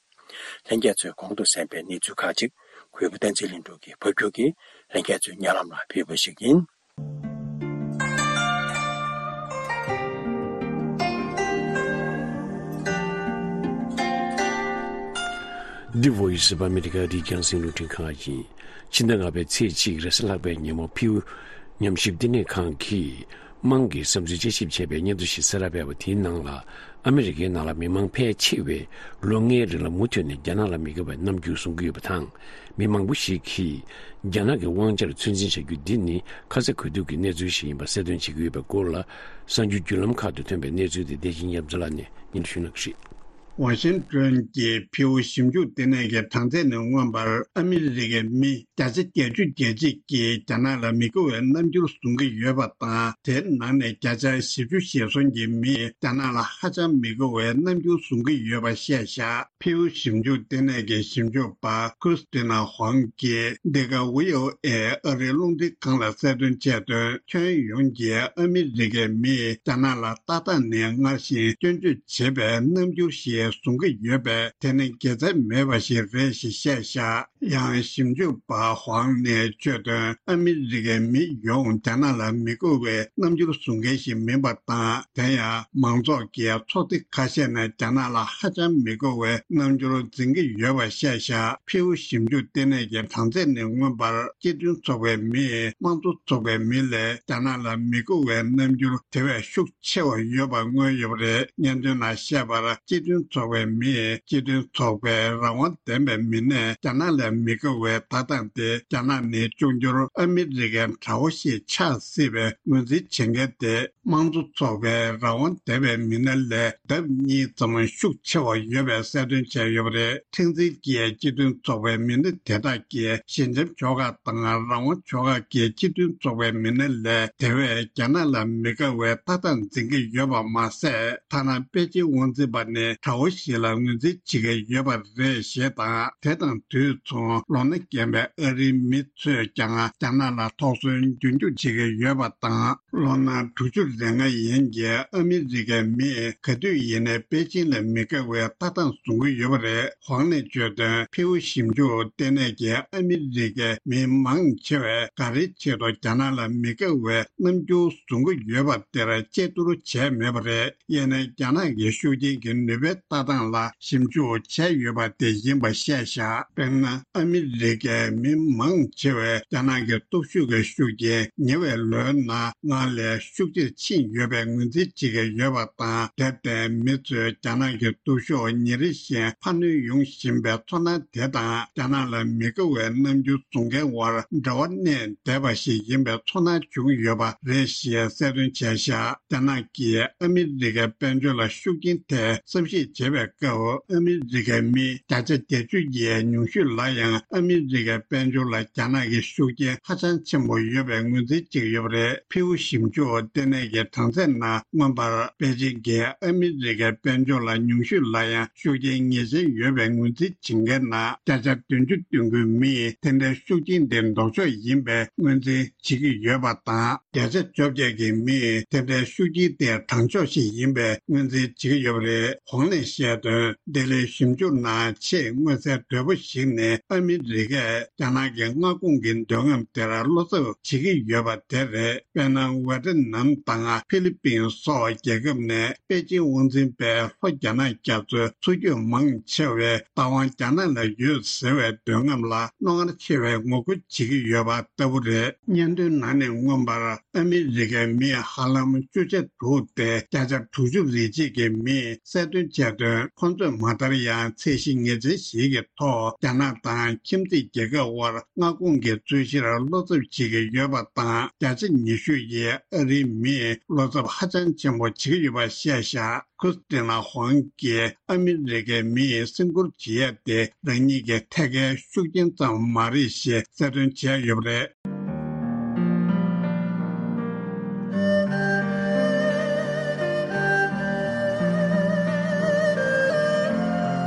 ལྷན་རྒྱས་ཚོས་གོང་དུ་གསན་པའི་གནས་ཚུལ་ཁག་ཅིག་གུས་པ་བསྟན་འཛིན་ལྷུན་གྲུབ་ཀྱིས་ཕབ་སྒྱུར་གྱིས་ལྷན་རྒྱས་ཚོའི་སྙན་ལམ་ལ་ཕུལ་བ་ཞིག་ཡིན། འདི་Voice of America རི་རྒྱང་སྲིང་རླུང་འཕྲིན་ཁང་ཡིན། ཕྱི་ཟླ་ལྔ་པའི་ཚེས་གཅིག་རེས་གཟའ་ལྷག་པའི་ཉིན་མོ་ཕིའུ་ཉམས་ཞིབ་བསྟི་གནས་ཁང་གིས་དམངས་ཀྱི་བསམ་ཚུལ་དཔྱད་ཞིབ་བྱས་པའི་སྙན་ཐོ་ཞིག་གསལ་བསྒྲགས་སྤེལ་བ་དེའི་ནང་ལ། ཨ་མི་རི་ཀའི་ནང་ལ་མི་མང་ཕལ་ཆེ་བས་ལོ་ལྔའི་རིང་ལ་མུ་མཐུད་ནས་རྒྱ་ནག་ལ་མི་དགའ་བའི་རྣམ་འགྱུར་བཟུང་གི་ཡོད་པ་དང་། མི་མང་པོ་ཞིག་གིས་རྒྱ་ནག་གི་དབང་ཆར་ཚོད་འཛིན་བྱ་རྒྱུ་འདི་ནི་ཁ་ཚ་དགོས་གཏུགས་ཀྱི་གནས་ཚུལ་ཞིག་ཡིན་པ་གསལ་སྟོན་བྱེད་ཀྱི་ཡོད་པའི་སྐོར་ལ། གསར་འགྱུར་བརྒྱུད་ལམ་ཁག་ཏུ་ཐོན་པའི་གནས་ཚུལ་དེ་བདེ་ཆེན་ཉི་མ་ལགས་ནས་སྙན་ཞུ་གནང་གི་རེད། ཝ་ཤིང་ཏོན་གྱི་ཕིའུ་ཞིབ་འཇུག་ལྟེ་གནས་ཀྱི་གྲངས་ཚད་ནས་མངོན་པར་ཨ་མི་རི་ཀའི་མི་བརྒྱ་ཆ་བརྒྱད་ཅུ་གྱ་གཅིག་གིས་རྒྱ་ནག་ལ་མི་དགའ་བའི་རྣམ་འགྱུར་བཟུང་གི་ཡོད་པ་དང་། དེའི་ནང་ནས་བརྒྱ་ཆ་བཞི་བཅུ་ཞེ་གསུམ་གྱི་མིས་རྒྱ་ནག་ལ་ཧ་ཅང་མི་དགའ་བའི་རྣམ་འགྱུར་བཟུང་གི་ཡོད་པ་བཤད་བཞག་ཕིའུ་ཞིབ་འཇུག་ལྟེ་གནས་ཀྱི་ཞིབ་འཇུག་པ་ཁུ་སི་ཏི་ན་ཧུང་གིས་འདི་ག་ཝི་ཨོ་ཨེ་ཨ་རིའི་རླུང་འཕྲིན་ཁང་ལ་གསལ་སྟོན་བྱས་དོན། ཁྱོན་ཡོངས་ཀྱི་ཨ་མི་རི་ཀའི་མིས་རྒྱ་ནག་ལ་ལྟ་སྟངས་ནི་སྔར་བཞིན་སྐྱོན་བརྗོད་བྱེད་པའི་རྣམ་འགྱུར་ཞིག་བཟུང་གི་ཡོད་པས། དེ་ནི་དགེ་མཚན་མེད་པ་ཞིག་རེད་ཞེས་བཤད་བཞག་ཡང་ཞིབ་འཇུག་པ་ཧུང་ནས་བརྗོད་དོན། ཨ་མི་རི་ཀའི་མི་ཡོངས་རྒྱ་ནག་ལ་མི་དགའ་བའི་རྣམ་འགྱུར་བཟུང་མཁན་ཞིག་མིན་པ་དང་། དེ་ཡང་མང་ཚོགས་ཀྱི་ཚོགས་སྡེ་ཁ་ཤས་ནས་རྒྱ་ནག་ལ་ཧ་ཅང་མི་དགའ་བའི་རྣམ་འགྱུར་འཛིན་གྱི་ཡོད་པ་བཤད་བཞག་ཕིའུ་ཞིབ་འཇུག་ལྟེ་གནས་ཀྱི་གྲངས་ཚད་ནས་མངོན་པར་སྤྱི་མཐུན་ཚོགས་པའི་མིས་དམངས་གཙོ་ཚོགས་པའི་མི་ལས་རྒྱ་ནག་ལ་མི་དགའ་བའི་རྣམ་འགྱུར་དེ་བས་ཤུགས་ཆེ་བ་ཡོད་པ་མངོན་ཡོད་པ་རེད། སྙན་ཐོའི་ནང་བཤད་པར། སྤྱི་མཐུན་ཚོགས་པའི་མིས་སྤྱི་མཐུན་ཚོགས་པའི་རང་དབང་ལྡན་པའི་མི་སྣས་རྒྱ་ནག་ལ་མི་དགའ་བའི་ལྟ་སྟངས་དེ་རྒྱ་ནག་ནི་འབྱུང་འགྱུར་ཨ་མི་རི་ཀའི་དགྲ་བོ་ཞིག་ཆགས་སྲིད་པའི་ངོས་འཛིན་བྱེད་མཁན་དེ། དམངས་གཙོ་ཚོགས་པའི་རང་དབང་ལྡན་པའི་མི་སྣ་ལས་ལྡབ་གཉིས་ཙམ་ཤུགས་ཆེ་བ་ཡོད་པའི་གསལ་སྟོན་བྱས་ཡོད་པ་རེད། ཁྲིམས་འཛིན་གྱིས་སྤྱི་མཐུན་ཚོགས་པའི་མི་སྣ་དེ་དག་གིས་ཞི་འཇམ་ཕྱོགས་ཁག་དང་རང་དབང་ཕྱོགས་ཁག་གི་སྤྱི་མཐུན་ཚོགས་པའི་མི་སྣ་ལས་དེ་བས་རྒྱ་ནག་ལ་མི་དགའ་བའི་ལྟ་སྟངས་འཛིན་གྱི་ཡོད་པ་མ་ཟད། ཐ་ན་པེ་ཅིན་དབང་འཛིན་པ་ནི་དགྲ་བོ་ཞིག་ལ་ངོས་འཛིན་བྱེད་ཀྱི་ཡོད་པ་རེད་ཞེས་དང་། དེ་དང་དུས་མཚུངས་ལོ་ན་རྒན་པའི་ཨ་རིའི་མི་ཚོས་ཀྱང་རྒྱ་ནག་ལ་དོགས་ཟོན་རྒྱུན་འཁྱོངས་བྱེད་ཀྱི་ཡོད་པ་དང་། ལོ་ན་དྲུག་ཅུ་རེ་ལྔ་ཡན་གྱི་ཨ་མི་རི་ཀའི་མིས་ག་དུས་ཡིན་ནའི་པེ་ཅིན་ལ་མི་དགའ་བའི་ལྟ་སྟངས་བཟུང་གི་ཡོད་པ་རེད། ཧུང་ནས་བརྗོད་དོན། ཕིའུ་ཞིབ་འཇུག་ལྟེ་གནས་ཀྱིས་ཨ་མི་རི་ཀའི་མི་མང་ཆེ་བས་ག་རེའི་ཆེད་དུ་རྒྱ་ནག་ལ་མི་དགའ་བའི་རྣམ་འགྱུར་བཟུང་གི་ཡོད་པ་དེར་དཔྱད་བསྡུར་བྱས་མེད་པ་རེད། ཡིན་ནའི་རྒྱ་ནག་གི་ཤུགས་རྐྱེན་གྱི་ནུས་པའི་ ལྟ་སྟངས་ལ་ཞིབ་འཇུག་བྱས་ཡོད་པ་དེ་ཡིན་པ་བཤད་བཞག་དཔེར་ན། ཨ་མི་རི་ཀའི་མི་མང་ཆེ་བས་རྒྱ་ནག་གི་སྟོབས་ཤུགས་ཀྱི་ཤུགས་རྐྱེན་ཉེ་བའི་ལོའི་ནང་སྔར་ལས་ཤུགས་ཆེར་ཕྱིན་ཡོད་པའི་ངོས་འཛིན་བྱེད་ཀྱི་ཡོད་པ་དང་། དེར་བརྟེན། མི་ཚོས་རྒྱ་ནག་གི་སྟོབས་ཤུགས་ཉིན་རེ་བཞིན་འཕར་སྣོན་ཡོང་བཞིན་པའི་ཚོར་སྣང་དེ་དང་། རྒྱ་ནག་ལ་མི་དགའ་བའི་རྣམ་འགྱུར་བཟུང་མཁན་དབར་འབྲེལ་བ་གནས་བསྡད་པ་ཞིག་ཡིན་པའི་ཚོར་སྣང་བྱུང་ཡོད་པ་རེད་ཞེས་གསལ་སྟོན་བྱས་བཞག་རྒྱ་ནག་གིས་ཨ་མི་རི་ཀའི་དཔལ་འབྱོར་ལ་ཤུགས་རྐྱེན་ཐེབས་བསམ་གཞིག་བྱེད་པའི་སྐབས། ཨ་མི་རི་ཀའི་མི་བརྒྱ་ཆ་བརྒྱད་ཅུ་ཡི་ཉུང་ཤོས་ལ་ཡང་ཨ་མི་རི་ཀའི་དཔལ་འབྱོར་ལ་རྒྱ་ནག་གི་ཤུགས་རྐྱེན་ཧ་ཅང་ཆེན་པོ་ཡོད་པའི་ངོས་འཛིན་བྱེད་ཀྱི་ཡོད་པ་རེད། ཕིའུ་ཞིབ་འཇུག་ལྟེ་གནས་ཀྱི་གྲངས་ཚད་ནང་མངོན་པར། པེ་ཅིང་གིས་ཨ་མི་རི་ཀའི་དཔལ་འབྱོར་ལ་ཉུང་ཤོས་ལ་ཡང་ཤུགས་རྐྱེན་ངེས་ཅན་ཡོད་པའི་ངོས་འཛིན་བྱེད་མཁན་ནང་བརྒྱ་ཆ་བདུན་ཅུ་དོན་དགུའི་མིས་དེ་འདྲའི་ཤུགས་རྐྱེན་དེ་ལྡོག་ཕྱོགས་ཡིན་པའི་ངོས་འཛིན་བྱེད་ཀྱི་ཡོད་པ་དང་། བརྒྱ་ཆ་བཅོ་བརྒྱད་ཀྱི་མིས་དེ་འདྲའི་ཤུགས་རྐྱེན་དེ་དྲང་ཕྱོགས་ཤིག་ཡིན་པའི་ངོས་འཛིན་བྱེད་ཀྱི་ཡོད་པ་རེད། ཧོང་ལས་བཤད་དོན། ལྡི་ལིའི་ཞིབ་འཇུག་ནང་ཆེས་མངོན་གསལ་དོད་པོ་ཞིག་ནི། ཨ་མི་རི་ཀས་རྒྱ་ནག་གི་མངའ་ཁོངས་ཀྱི་མདུན་ལམ་དེར་བློ་འཚབ་བྱེད་ཀྱི་ཡོད་པ་དེ་རེད། དཔེར་ན། ཝེ་ཏི་ནམ་དང་ཧྥི་ལི་པིན་སོགས་རྒྱལ་ཁབ་ནས་པེ་ཅིང་དབང་འཛིན་པའི་ལྷོ་རྒྱ་ནག་རྒྱ་མཚོའི་མཚོ་རྒྱུད་མང་ཆེ་བའི་བདག་དབང་རྒྱ་ནག་ལ་ཡོད་ཟེར་བའི་མདུན་ལམ་ལ་རྣོ་ངར་ཆེ་བའི་ངོ་རྒོལ་བྱེད་ཀྱི་ཡོད་པ་ལྟ་བུ་རེད། སྙན་ཐོའི་ནང་ནས་མངོན་པར། ཨ་མི་རི་ཀའི་མི་ཧ་ལམ་བཅུ་ཆ་དྲུག་སྟེ་བརྒྱ་ཆ་དྲུག་ཅུ་རེ་གཅིག་གི་མིས་གསལ་སྟོན་བྱས་དོན། ཁོང་ཚོས་མ་མཐར་ཡང་ཚད་གཞི་ངེས་ཅན་ཞིག་གི་ཐོག་རྒྱ་ནག་དང་ཁྱིམ་མཚེས་རྒྱལ་ཁབ་དབར་མངའ་ཁོངས་ཀྱི་རྩོད་གཞིར་བློ་འཚབ་བྱེད་ཀྱི་ཡོད་པ་དང་། བརྒྱ་ཆ་ཉི་ཤུ་ཡིས་ཨ་རིའི་མིས་བློ་འཚབ་ཧ་ཅང་ཆེན་པོ་བྱེད་ཀྱི་ཡོད་པ་བཤད་བཞག་ཁུ་སི་ཏི་ན་ཧོང་གིས་ཨ་མི་རི་ཀའི་མིས་སེམས་ཁུར་བྱེད་ཡ་དེ་རང་ཉིད་ཀྱི་ཐད་ཀའི་ཤུགས་རྐྱེན་ཙམ་མ་རེད་ཞེས་གསལ་སྟོན་བྱས་ཡོད་པ་རེད།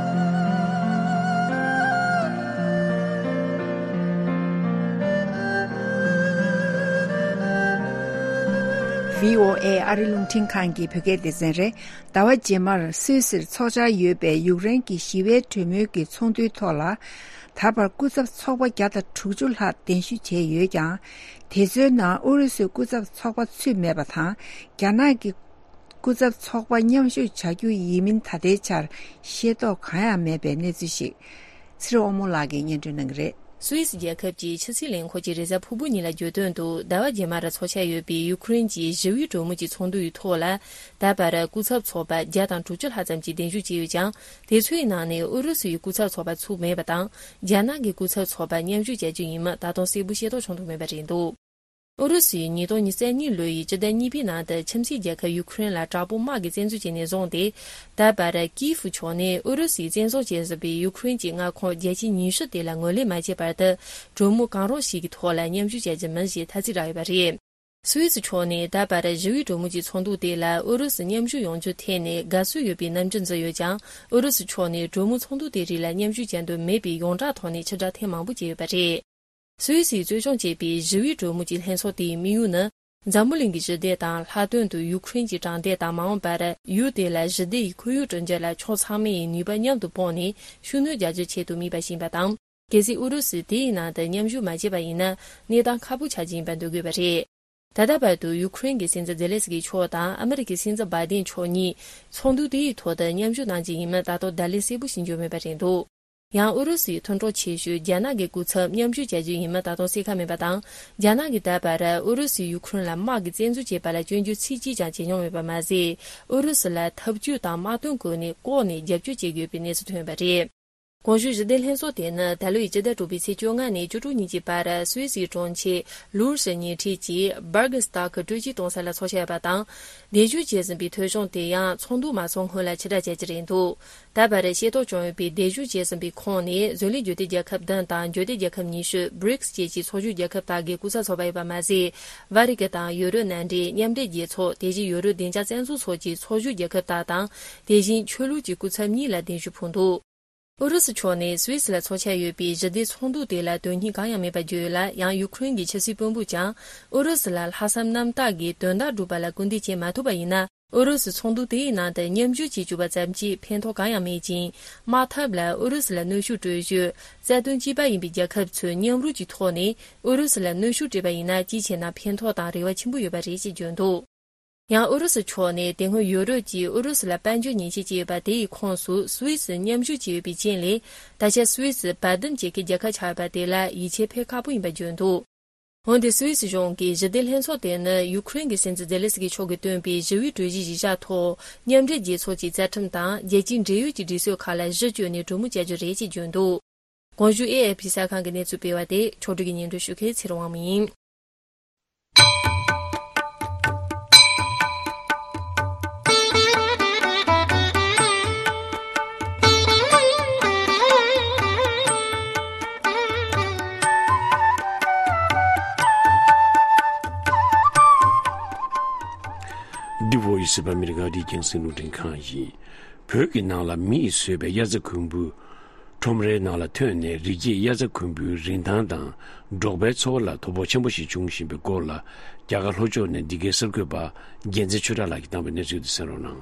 བྷི་ཨོ་ཨེ་ཨ་རི་རླུང་འཕྲིན་ཁང་གི་བོད་སྐད་སྡེ་ཚན་རེད། ཟླ་བ་རྗེས་མར་སུད་སིར་འཚོགས་འཆར་ཡོད་པའི་ཡུཀ་རེན་གྱི་ཞི་བའི་གྲོས་མོལ་གྱི་ཚོགས་འདུའི་ཐོག་ལ། ད་བར་སྐུ་ཚབ་ཚོགས་པ་བརྒྱ་དང་དྲུག་ཅུ་ལྷག་གདན་ཞུ་བྱས་ཡོད་ཀྱང་། དེ་ཚོའི་ནང་ཨུ་རུ་སུའི་སྐུ་ཚབ་ཚོགས་པ་ཚུད་མེད་པ་དང་། རྒྱ་ནག་གི་སྐུ་ཚབ་ཚོགས་པ་མཉམ་ཞུགས་བྱ་རྒྱུ་ཡིན་མིན་ད་ལྟའི་ཆར་ཤེས་རྟོགས་གང་ཡང་མེད་པའི་གནས་ཚུལ་ཞིག་ཚེ་རིང་དབང་མོ་ལགས་ཀྱིས་སྙན་སྒྲོན་གནང་གི་རེད། སུད་སི་རྒྱལ་ཁབ་ཀྱི་ཕྱི་སྲིད་ལས་ཁུངས་ཀྱི་རེས་གཟའ་ཕུར་བུ་ཉིན་ལ་བརྗོད་དོན་དུ། ཟླ་བ་རྗེས་མར་འཚོགས་འཆར་ཡོད་པའི་ཡུ་ཁུ་རེན་གྱི་ཞི་བའི་གྲོས་མོལ་གྱི་ཚོགས་འདུ་ཡི་ཐོག་ལ། ད་བར་སྐུ་ཚབ་ཚོགས་པ་བརྒྱ་དང་དྲུག་ཅུ་ལྷག་ཙམ་གྱིས་གདན་ཞུ་བྱས་ཡོད་ཀྱང་། དེ་ཚོའི་ནང་ནས་ཨུ་རུ་སུའི་སྐུ་ཚབ་ཚོགས་པ་ཚུད་མེད་པ་དང་། རྒྱ་ནག་གི་སྐུ་ཚབ་ཚོགས་པ་མཉམ་ཞུགས་བྱ་རྒྱུ་ཡིན་མིན་ད་དུང་གསལ་པོ་ཤེས་རྟོགས་བྱུང་ཐུབ་མེད་པ་རེད་འདུག་ཨུ་རུ་སུས་ཉིས་སྟོང་ཉི་ཤུ་རྩ་གཉིས་ལོའི་སྤྱི་ཟླ་གཉིས་པའི་ནང་དུ་ཁྱིམ་མཚེས་རྒྱལ་ཁབ་ཡུ་ཁུ་རེན་ལ་དྲག་པོ་དམག་གིས་བཙན་འཛུལ་བྱས་ནས་བཟུང་སྟེ། ད་བར་ཀིའིབ་ཕྱོགས་ནས་ཨུ་རུ་སུས་བཙན་བཟུང་བྱས་ཟིན་པའི་ཡུ་ཁུ་རེན་གྱི་མངའ་ཁོངས་བརྒྱ་ཆ་ཉི་ཤུ་དེ་ལ་ངོས་ལེན་མ་བྱས་བར་དུ། གྲོས་མོལ་གང་རུང་ཞིག་གི་ཐོག་ལ་མཉམ་ཞུགས་བྱ་རྒྱུ་མིན་ཞེས་ཐ་ཚིག་བསྒྲགས་ཡོད་པ་རེད། སུད་སི་ཕྱོགས་ནས་ད་བར་ཞི་བའི་གྲོས་མོལ་གྱི་ཚོགས་འདུ་དེ་ལ་ཨུ་རུ་སུ་མཉམ་ཞུགས་ཡོང་རྒྱུ་ཐད་ནས་དགའ་བསུ་ཡོད་པའི་རྣམ་འགྱུར་འཛིན་ཡོད་ཀྱང་། ཨུ་རུ་སུ་ཕྱོགས་ནས་གྲོས་མོལ་ཚོགས་འདུ་དེ་རིགས་ལ་མཉམ་ཞུགས་བྱ་འདོད་མེད་པའི་ཡོངས་གྲགས་ཐོག་ནས་ཕྱིར་བསྒྲགས་ཐེངས་མང་པོ་བྱས་ཡོད་པ་རེད། སུད་སིས་གཙོ་སྐྱོང་བྱས་པའི་ཞི་བའི་གྲོས་མོལ་གྱི་ལྷན་ཚོགས་དེའི་དམིགས་ཡུལ་ནི། འཛམ་བུ་གླིང་གི་ཞི་བདེ་དང་། ལྷག་དོན་དུ་ཡུ་ཁུ་རེན་གྱི་དྲང་བདེན་དང་། མ་འོངས་པར་ཡུལ་དེ་ལ་ཞི་བདེ་ཡི་ཁོར་ཡུག་བསྐྲུན་རྒྱུ་ལ་ཕྱོགས་ཚང་མས་ནུས་པ་མཉམ་དུ་སྤུངས་ནས་ཤུགས་སྣོན་རྒྱག་རྒྱུའི་ཆེད་དུ་དམིགས་པ་ཞིག་ཡིན་པ་དང་། གལ་སྲིད་ཨུ་རུ་སུས་དེའི་ནང་དུ་མཉམ་ཞུགས་མ་བྱས་པ་ཡིན་ན། གནས་སྟངས་ཁག་པོ་ཆགས་ཀྱི་ཡིན་པ་འདོད་དགོས་པ་རེད། ད་ལྟ་བར་དུ་ཡུ་ཁུ་རེན་གྱི་སྲིད་འཛིན་ཛེ་ལེན་སི་ཀི་མཆོག་དང་ཨ་མི་རི་ཀའི་སྲིད་འཛིན་བྷའི་ཏིན་མཆོག་གཉིས་ཚོགས་འདུ་དེའི་ཐོག་ཏུ་མཉམ་ཞུགས་གནང་རྒྱུ་ཡིན་མིན་ད་དུང་བརྡ་ལན་གསལ་པོ་ཞིག་འབྱོར་མེད་པ་རེད་འདུག་ཡང་ཨུ་རུ་སུའི་མཐུན་གྲོགས་ཆེ་ཤོས་རྒྱ་ནག་གི་སྐུ་ཚབ་མཉམ་ཞུགས་བྱ་རྒྱུ་ཡིན་མིན་ད་དུང་གསལ་ཁ་མེད་པ་དང་། རྒྱ་ནག་གིས་ད་བར་ཨུ་རུ་སུས་ཡུ་ཁུ་རེན་ལ་དམག་གིས་བཙན་འཛུལ་བྱས་པ་ལ་སྐྱོན་བརྗོད་ཚིག་གཅིག་ཀྱང་བྱེད་མྱོང་མེད་པ་མ་ཟད། ཨུ་རུ་སུ་ལ་ཐབས་ཇུས་དང་དམག་དོན་བཀོལ་ནས་ལྐོག་ནས་རྒྱབ་སྐྱོར་བྱེད་ཀྱི་ཡོད་པའི་གནས་ཚུལ་ཐོན་པ་རེད། གོང་ཞུས་ཞི་བདེ་ལྷན་ཚོགས་དེ་ནི་ད་ལོའི་སྤྱི་ཟླ་དྲུག་པའི་ཚེས་བཅོ་ལྔ་ནས་བཅུ་དྲུག་ཉིན་གྱི་བར་སུད་སིའི་གྲོང་ཁྱེར་ལུར་ཞི་ཉེ་འཁྲིས་ཀྱི་Bürgersteig་སྤྲོ་སྐྱིད་གཏོང་ས་ལ་འཚོགས་འཆར་ཡོད་པ་དང་། གདན་ཞུ་བྱས་ཟིན་པའི་ཐོས་བྱུང་དེ་ཡང་ཚོགས་འདུ་མ་ཚོགས་སྔོན་ལ་ཕྱིར་བསྒྲགས་བྱ་རྒྱུ་རེད་འདུག་ད་བར་ཤེས་རྟོགས་བྱུང་ཡོད་པའི་གདན་ཞུ་བྱས་ཟིན་པའི་ཁོངས་ནས་བཟོ་ལས་སྒྱུ་རྩལ་རྒྱལ་ཁབ་བདུན་དང་འགྱུར་ལྡན་རྒྱལ་ཁབ་ཉི་ཤུ་བྷི་རིགས་བཅས་ཀྱི་ཚོགས་ཞུགས་རྒྱལ་ཁབ་དག་གི་སྐུ་ཚབ་ཚོགས་པ་ཡོད་པ་མ་ཟད། བྷ་རི་ཀ་དང་ཡུ་རོབ་མནའ་འབྲེལ་མཉམ་འབྲེལ་རྒྱལ་ཚོགས། དེ་བཞིན་ཡུ་རོབ་བདེ་འཇགས་བཙན་འཛུལ་སོགས་ཀྱི་ཚོགས་ཞུགས་རྒྱལ་ཁབ་དག་དང་། དེ་བཞིན་ཆོས་ལུགས་ཀྱི་སྐུ་ཚབ་གཉིས་ལ་གདན་ཞུ་ཕུལ་འདུག་ཨུ་རུ་སུ་ཕྱོགས་ནས་སུད་སི་ལ་འཚོགས་འཆར་ཡོད་པའི་ཞི་བདེ་ཚོགས་འདུ་དེ་ལ་དོན་སྙིང་གང་ཡང་མེད་པ་བརྗོད་ཡོད་ལ། ཡང་ཡུ་ཁུ་རེན་གྱི་ཕྱི་སྲིད་དཔོན་པོས་ཀྱང་ཨུ་རུ་སུ་ལ་ལྷག་བསམ་རྣམ་དག་གིས་དོན་དག་སྒྲུབ་པ་ལ་སྐུལ་འདེད་བྱེད་མ་ཐུབ་པ་ཡིན་ན། ཨུ་རུ་སུ་ཚོགས་འདུ་དེའི་ནང་དུ་མཉམ་ཞུགས་བྱེད་བཅུག་པ་ཙམ་གྱིས་ཕན་ཐོགས་གང་ཡང་མེད་ཅིང་། དམག་འཐབ་ལ་ཨུ་རུ་སུ་ལ་གནོན་ཤུགས་སྤྲོད་ཕྱོགས་རྩ་དོན་གཅིག་པ་ཡིན་པའི་རྒྱལ་ཁབ་ཚོས་མཉམ་རུབ་ཀྱི་ཐོག་ནས་ཨུ་རུ་སུ་ལ་གནོན་ཤུགས་སྤྲད་པ་ཡིན་ན། ཅིའི་ཕྱིར་ན་ཕན་ཐོགས་དང་རེ་བ་ཆེན་པོ་ཡོད་པ་རེད་ཅེས་བརྗོད་འདུག་ཡང་ཨུ་རུ་སུ་ཕྱོགས་ནས་དེ་སྔོན་ཡོ་རོབ་ཀྱིས་ཨུ་རུ་སུ་ལ་དཔལ་འབྱོར་ཉེས་ཆད་བཅད་ཡོད་པ་དེ་ཡི་ཁོངས་སུ་སུད་སི་མཉམ་ཞུགས་བྱས་ཡོད་པའི་རྐྱེན་ལས། ད་ཆ་སུད་སི་བར་འདུམ་བྱེད་མཁན་རྒྱལ་ཁབ་ཆགས་ཡོད་པ་དེ་ལ་ཡིད་ཆེས་འཕེར་ཁག་པོ་ཡིན་པ་བརྗོད་འདུག་འོན་ཏེ་སུད་སི་གཞུང་གིས་ཞི་བདེ་ལྷན་ཚོགས་དེ་ནི་ཡུ་ཁུ་རེན་གྱི་སྲིད་འཛིན་ཛེ་ལེ་སི་ཀི་མཆོག་གིས་བཏོན་པའི་ཞི་བའི་གྲོས་གཞིའི་གཞི་བཞག་ཐོག་མཉམ་འབྲེལ་རྒྱལ་ཚོགས་ཀྱི་རྩ་ཁྲིམས་དང་རྒྱལ་སྤྱིའི་འབྲེལ་ཡོད་ཀྱི་སྒྲིག་སྲོལ་ཁག་ལ་གཞི་བཅོལ་ནས་གྲོས་མོལ་བྱ་རྒྱུ་རེད་ཅེས་བརྗོད་འདུག་གོང་ཞུས་ཨེ་ཨེ་ཕི་གསར་ཁང་གི་གནས་ཚུལ་སྤེལ་བ་དེ་ཕྱོགས་སྒྲིག་གིས་སྙན་སྒྲོན་ཞུ་མཁན་ཚེ་རིང་དབང་མོ་ཡིན། འདི་བོ་ཡི་སི་པ་མི་རི་ཀ་འདི་རྒྱང་སྲིང་རླུང་འཕྲིན་ཁང་ཡིན། བོད་ཀྱི་ནང་ལ་མི་ཡིས་བཟོས་པའི་དབྱར་རྩྭ་དགུན་འབུ་ཁྲོམ་རའི་ནང་ལ་ཐོན་ནས་རི་སྐྱེས་དབྱར་རྩྭ་དགུན་འབུའི་རིན་ཐང་དང་འབྲོག་པའི་འཚོ་བ་ལ་དོ་ཕོག་ཆེན་པོ་ཞིག་བྱུང་བཞིན་པའི་སྐོར་ལ་རྒྱ་གར་ལྷོ་ཕྱོགས་ནས་འདི་གའི་གསར་འགོད་པ་རྒྱལ་མཚན་ཆོས་གྲགས་ལགས་ཀྱིས་བཏང་བའི་གནས་ཚུལ་དེ་གསན་རོགས་གནང་།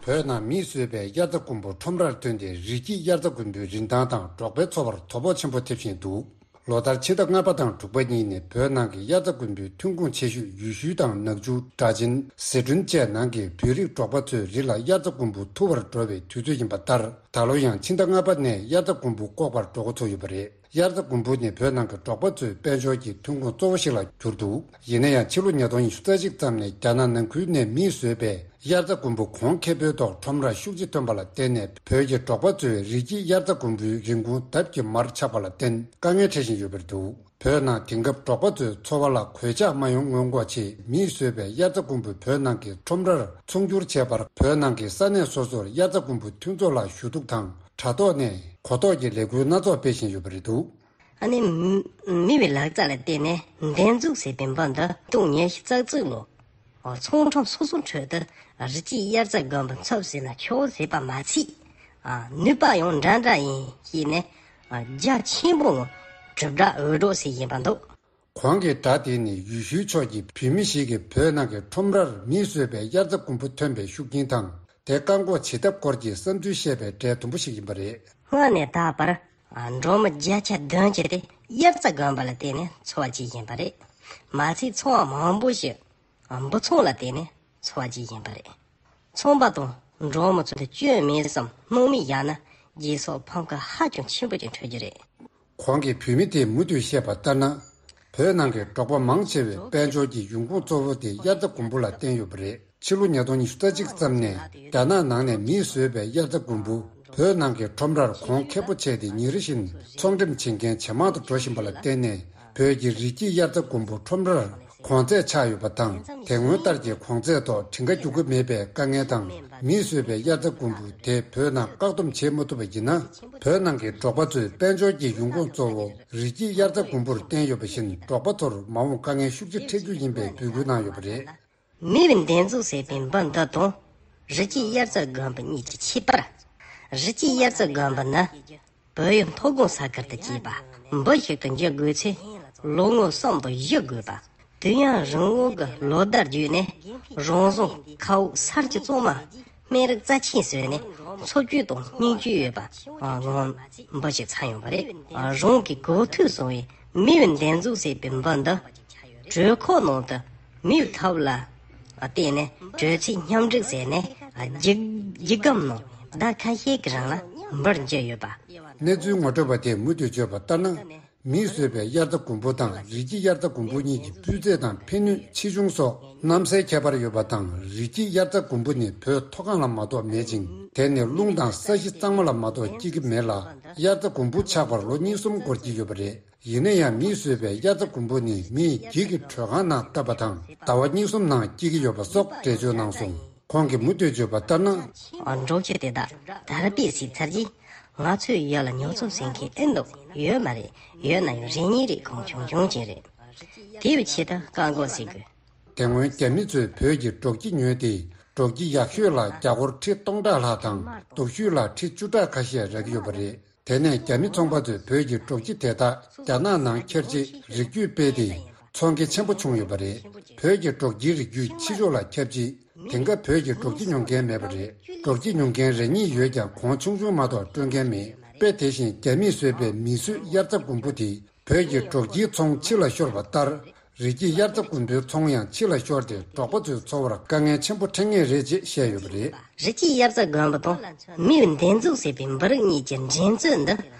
བོད་ནང་མིས་བཟོས་པའི་དབྱར་རྩྭ་དགུན་འབུ་ཁྲོམ་རར་ཐོན་ཏེ་རི་སྐྱེས་དབྱར་རྩྭ་དགུན་འབུའི་རིན་ཐང་དང་འབྲོག་པའི་འཚོ་བར་དོ་ཕོག་ཆེན་པོ་ཐེབས་བཞིན་འདུག་ལོ་ལྟར་ཕྱི་ཟླ་ལྔ་པ་དང་དྲུག་པ་གཉིས་ནི་བོད་ནང་གི་དབྱར་རྩྭ་དགུན་འབུའི་ཐོན་ཁུངས་ཆེ་ཤོས་ཡུལ་ཤུལ་དང་ནག་ཆུ། སྦྲ་ཆེན། ཟི་ཁྲོན་བཅས་ནང་གི་བོད་རིགས་འབྲོག་པ་ཚོའི་རི་ལ་དབྱར་རྩྭ་དགུན་འབུ་འཐུ་བར་འགྲོ་བའི་དུས་ཚོད་ཡིན་པ་ལྟར། ད་ལོ་ཡང་ཕྱི་ཟླ་ལྔ་པ་ནས་དབྱར་རྩྭ་དགུན་འབུ་བཀོག་པར་འགྲོ་འགོ་ཚུགས་ཡོད་པ་རེད། དབྱར་རྩྭ་དགུན་འབུ་ནི་བོད་ནང་གི་འབྲོག་པ་ཚོའི་དཔལ་འབྱོར་གྱི་ཐོན་ཁུངས་གཙོ་བོ་ཞིག་ལ་གྱུར་འདུག་ཡིན་ན་ཡང་ཕྱི་ལོ་ཉིས་སྟོང་ཉི་ཤུ་རྩ་གཅིག་ཙམ་ནས་རྒྱ་ནག་ནང་ཁུལ་ནས་མིས་བཟོས་པའི་དབྱར་རྩྭ་དགུན་འབུ་གོང་ཁེ་པོའི་ཐོག་ཁྲོམ་རར་ཤུགས་ཆེ་ཐོན་པ་ལ་བརྟེན་ནས་བོད་ཀྱི་འབྲོག་པ་ཚོའི་རི་སྐྱེས་དབྱར་རྩྭ་དགུན་འབུའི་རིན་གོང་ལྡབ་ཀྱིས་མར་ཆག་པ་ལ་བརྟེན་དཀའ་ངལ་འཕྲད་བཞིན་ཡོད་པར་འདུག་བོད་ནང་དེང་སྐབས་འབྲོག་པ་ཚོའི་འཚོ་བ་ལ་གོད་ཆག་མ་ཡོང་སྔོན་འགོག་ཆེད་མིས་བཟོས་པའི་དབྱར་རྩྭ་དགུན་འབུ་བོད་ནང་གི་ཁྲོམ་རར་ཚོང་སྒྱུར་བྱས་པར་བོད་ནང་གི་ས་གནས་སོ་སོར་དབྱར་རྩྭ་དགུན་འབུ་མཐུན་ཚོགས་ལ་ཞུ་གཏུག་དང་། དྲ་ཐོག་ནས་གོ་རྟོགས་ཀྱི་ལས་འགུལ་སྣ་ཚོགས་སྤེལ་བཞིན་ཡོད་པ་རེད་འདུག་ཨ་ནི། མི་བའི་ལག་རྩལ་ལ་བརྟེན་ནས་འདེབས་འཛུགས་ཟེར་བའི་འབུ་འདི་སྟོང་ཉི་ཤུ་རྩ་གཅིག་ལོ། ཚོང་ཁྲོམ་སོ་སོའི་ཁྲོད་དུ་རི་སྐྱེས་དབྱར་རྩྭ་དགུན་འབུ་འཚུབ་ཟེར་ན་ཆོག་ཟེར་བ་མ་ཚད། ནུས་པ་ཡང་འདྲ་འདྲ་ཡིན་ཞེས་ནས། རྒྱ་ཆེན་པོ་ངོ་གྲུབ་འདྲ་འུད་སྒྲོག་ཟེར་བཞིན་པ་འདུག་གོང་གི་སྒྲ་དེ་ནི་ཡུལ་ཤུལ་ཕྱོགས་ཀྱི་བོད་མི་ཞིག་གིས་བོད་ནང་གི་ཁྲོམ་རར་མིས་བཟོས་པའི་དབྱར་རྩྭ་དགུན་འབུ་ཐོན་པའི་ཤུགས་རྐྱེན་དང་། དེ་བཀག་འགོག་བྱེད་ཐབས་སྐོར་གྱི་བསམ་ཚུལ་བཤད་པའི་གྲས་དུམ་བུ་ཞིག་ཡིན་པ་རེད། སྔར་ནས་ད་བར། འབྲོག་མི་བརྒྱ་ཆ་བདུན་ཅུ་དེ་དབྱར་རྩྭ་དགུན་འབུ་ལ་བརྟེན་ནས་འཚོ་བ་སྐྱེལ་བཞིན་པ་རེད། མ་ཚད་ཚོང་བ་མང་པོ་ཞིག་འབུ་ཚོང་ལ་བརྟེན་ནས་འཚོ་བ་སྐྱེལ་བཞིན་པ་རེད། ཚོང་པ་དང་འབྲོག་མི་ཚོ་དེ་སྐྱོན་མེད་བསམ་སྣང་མེད་བཞག་ན་རྗེས་སོར་ཕམ་ཁ་ཧ་ཅང་ཆེན་པོ་ཅིག་འཕྲད་རྒྱུ་རེད། གོང་གི་བོད་མི་དེས་མུ་མཐུད་བཤད་པ་ལྟར་ན། བོད་ནང་གི་འབྲོག་པ་མང་ཆེ་བའི་དཔལ་འབྱོར་གྱི་ཡོང་ཁུངས་གཙོ་བོ་དེ་དབྱར་རྩྭ་དགུན་འབུ་ལ་བརྟེན་ཡོད་པ་རེད། ཕྱི་ལོ་ཉིས་སྟོང་ཉི་ཤུ་རྩ་གཅིག་ཙམ་ནས་རྒྱ་ནག་ནང་ནས་མིས་བཟོས་པའི་དབྱར་རྩྭ་དགུན་འབུ་བོད་ནང་གི་ཁྲོམ་རར་གོང་ཁེ་པོ་ཆགས་ཏེ་ཉིན་རེ་བཞིན་ཚོང་འགྲེམས་བྱེད་མཁན་ཇེ་མང་དུ་འགྲོ་བཞིན་པ་ལ་བརྟེན་ནས། བོད་ཀྱི་རི་སྐྱེས་དབྱར་རྩྭ་དགུན་འབུ་ཁྲོམ་རར་གོང་ཚད་ཆག་ཡོད་པ་དང་། དེ་སྔོན་ལྟར་གྱི་གོང་ཚད་ཐོག་སྒྲིག་འགལ་འགྱུར་གྱི་མེད་པའི་དཀའ་ངལ་དང་། མིས་བཟོས་པའི་དབྱར་རྩྭ་དགུན་འབུ་དེ་བོད་ནང་བཀག་སྡོམ་བྱེད་མ་ཐུབ་པ་ཡིན་ན། བོད་ནང་གི་འབྲོག་པ་ཚོའི་དཔལ་འབྱོར་གྱི་ཡོང་ཁུངས་གཙོ་བོ་རི་སྐྱེས་དབྱར་རྩྭ་དགུན་འབུར་བརྟེན་ཡོད་པ་བཞིན། འབྲོག་པ་ཚོར་མ་འོངས་དཀའ་ངལ་ཤུགས་ཆེ་འཕྲད་རྒྱུ་ཡིན་པའི་འབོད་སྐུལ་གནང་ཡོད་པ་རེད། མི་བའི་འདེབས་འཛུགས་ཟེར་བའི་འབུ་འདི་དང་། རི་སྐྱེས་དབྱར་རྩྭ་དགུན་འབུ་གཉིས་ཀྱི་ཁྱད་པར། རི་སྐྱེས་དབྱར་རྩྭ་དགུན་འབུ་ནི། བོད་ཡུལ་མཐོ་སྒང་ས་ཁུལ་དུ་སྐྱེས་པ། འབུ་ཞིག་ཏུ་འགྱུར་དགོས་ཚེ། ལོ་ངོ་གསུམ་དང་བཞི་དགོས་པ། དུས་ཡུན་རིང་བོ་གི་ལོ་ཟླ་བརྒྱུད་ནས། རང་བཟུང་མཁའ་དབུགས་གསར་གྱི་གཙང་མ། སྨན་རིགས་རྩ་ཆེན་ཟོས་ནས། འཚོ་བཅུད་དང་སྙིང་བཅུད་ཡོད་པ། ངང་འབུ་ཞིག་ཚང་ཡོང་བ་རེད། རང་གི་གོ་ཐོས་སོང་བའི་མི་བའི་འདེབས་འཛུགས་ཟེར་བའི་འབུ་འདི། དྲོད་ཁོག་ནང་དུ་མིའི་ཐབས་ལ་བརྟེན་ནས་དྲོད་ཚད་མཉམ་འགྲིག་བྱས་ནས། རྒྱུད་རྒྱུད་སྐམ་ནང་ཟླ་ཁ་ཤས་ཀྱི་རིང་ལ་འབུར་འགྱུར་ཡོད་པ། གནས་ཚུལ་ངོ་སྤྲོད་པ་དེས་མུ་མཐུད་བརྗོད་པ་ལྟར་ན། མིས་བཟོས་པའི་དབྱར་རྩྭ་དགུན་འབུ་དང་རི་སྐྱེས་དབྱར་རྩྭ་དགུན་འབུ་གཉིས་ཀྱི་སྤུས་ཚད་དང་ཕན་ནུས་ཆེ་ཆུང་སོགས་གནམ་སའི་ཁྱད་པར་ཡོད་པ་དང་། རི་སྐྱེས་དབྱར་རྩྭ་དགུན་འབུ་ནི་བོད་མཐོ་སྒང་ལ་མ་གཏོགས་མེད་ཅིང་། དེ་ནི་རླུང་དང་ས་གཞི་གཙང་མ་ལ་མ་གཏོགས་སྐྱེ་གི་མེད་ལ། དབྱར་རྩྭ་དགུན་འབུ་ཆགས་པར་ལོ་གཉིས་གསུམ་འགོར་གྱི་ཡོད་པ་རེད། ཡིན་ན་ཡང་མིས་བཟོས་པའི་དབྱར་རྩྭ་དགུན་འབུ་ནི་མིས་འགྱིག་གི་དྲོད་ཁང་ནང་བཏབ་པ་དང་ཟླ་བ་གཉིས་གསུམ་ནང་སྐྱེ་གི་ཡོད་པ་སོགས་འགྲེལ་བརྗོད་གནང་སོང་། ཁོང་གིས་མུ་མཐུད་བརྗོད་པ་ལྟར་ན། འབྲོག་ཁྱི་དེ་དག་དར་སྤེལ་བྱས་ཚར་རྗེས། ང་ཚོའི་ཡུལ་ལ་ཉོ་ཚོང་བྱེད་མཁན་ཨེ་འདུག་ཡོད་མ་རེད། ཡོད་ན་ཡང་རེ་གཉིས་རེ་གང་བྱུང་བྱུང་ཅན་རེད། དེ་བས་ཆེད་དུ་བཀག་འགོག་བྱེད་དགོས། དེ་སྔོན་རྒྱ་མི་ཚོས་བོད་ཀྱི་འབྲོག་ཁྱི་ཉོས་ཏེ། འབྲོག་ཁྱི་ཡག་ཤོས་ལ་རྒྱ་སྒོར་ཁྲི་སྟོང་ཕྲག་ལྷག་དང་། སྡུག་ཤོས་ལ་ཁྲི་བཅུ་ཕྲག་ཁ་ཤས་རག་གི་ཡོད་པ་རེད། དེ་ནས་རྒྱ་མི་ཚོང་པ་ཚོས་བོད་ཀྱི་འབྲོག་ཁྱི་དེ་དག་རྒྱ་ནག་ནང་འཁྱེར་རྗེས་རིགས་རྒྱུད་སྤེལ་ཏེ། ཚོང་ཁེ་ཆེན་པོ་བྱུང་ཡོད་པ་རེད། བོད་ཀྱི་འབྲོག་ཁྱིའི་རིགས་རྒྱུད་ཕྱི་ཕྱོགས་ལ་ཁྱབ་རྗེས། དེང་སྐབས་བོད་ཀྱི་འབྲོག་ཁྱི་ཉོ་མཁན་མེད་པ་རེད། འབྲོག་ཁྱི་ཉོ་མཁན་རེ་གཉིས་ཡོད་ཀྱང་། གོང་ཆུང་ཆུང་མ་གཏོགས་སྤྲོད་མཁན་མེད། དཔེ་དེ་བཞིན་རྒྱ་མིས་བཟོས་པའི་མིས་བཟོས་དབྱར་རྩྭ་དགུན་འབུ་དེ། བོད་ཀྱི་འབྲོག་ཁྱིའི་ཚོང་ཕྱི་ལ་ཤོར་བ་ལྟར། རི་སྐྱེས་དབྱར་རྩྭ་དགུན་འབུའི་ཚོང་ཡང་ཕྱི་ལ་ཤོར་ཏེ། འབྲོག་པ་ཚོའི་འཚོ་བར་དཀའ་ངལ་ཆེན་པོ་འཕྲད་ངེས་རེད་ཅེས་བཤད་ཡོད་པ་རེད། རི་སྐྱེས་དབྱར་རྩྭ་དགུན་འབུ་དང་མིའུ་འདེབས་འཛུགས་ཟེར་བའི་འབུ་རིགས་གཉིས་ཀྱི་འགྲན་རྩོད་འདི་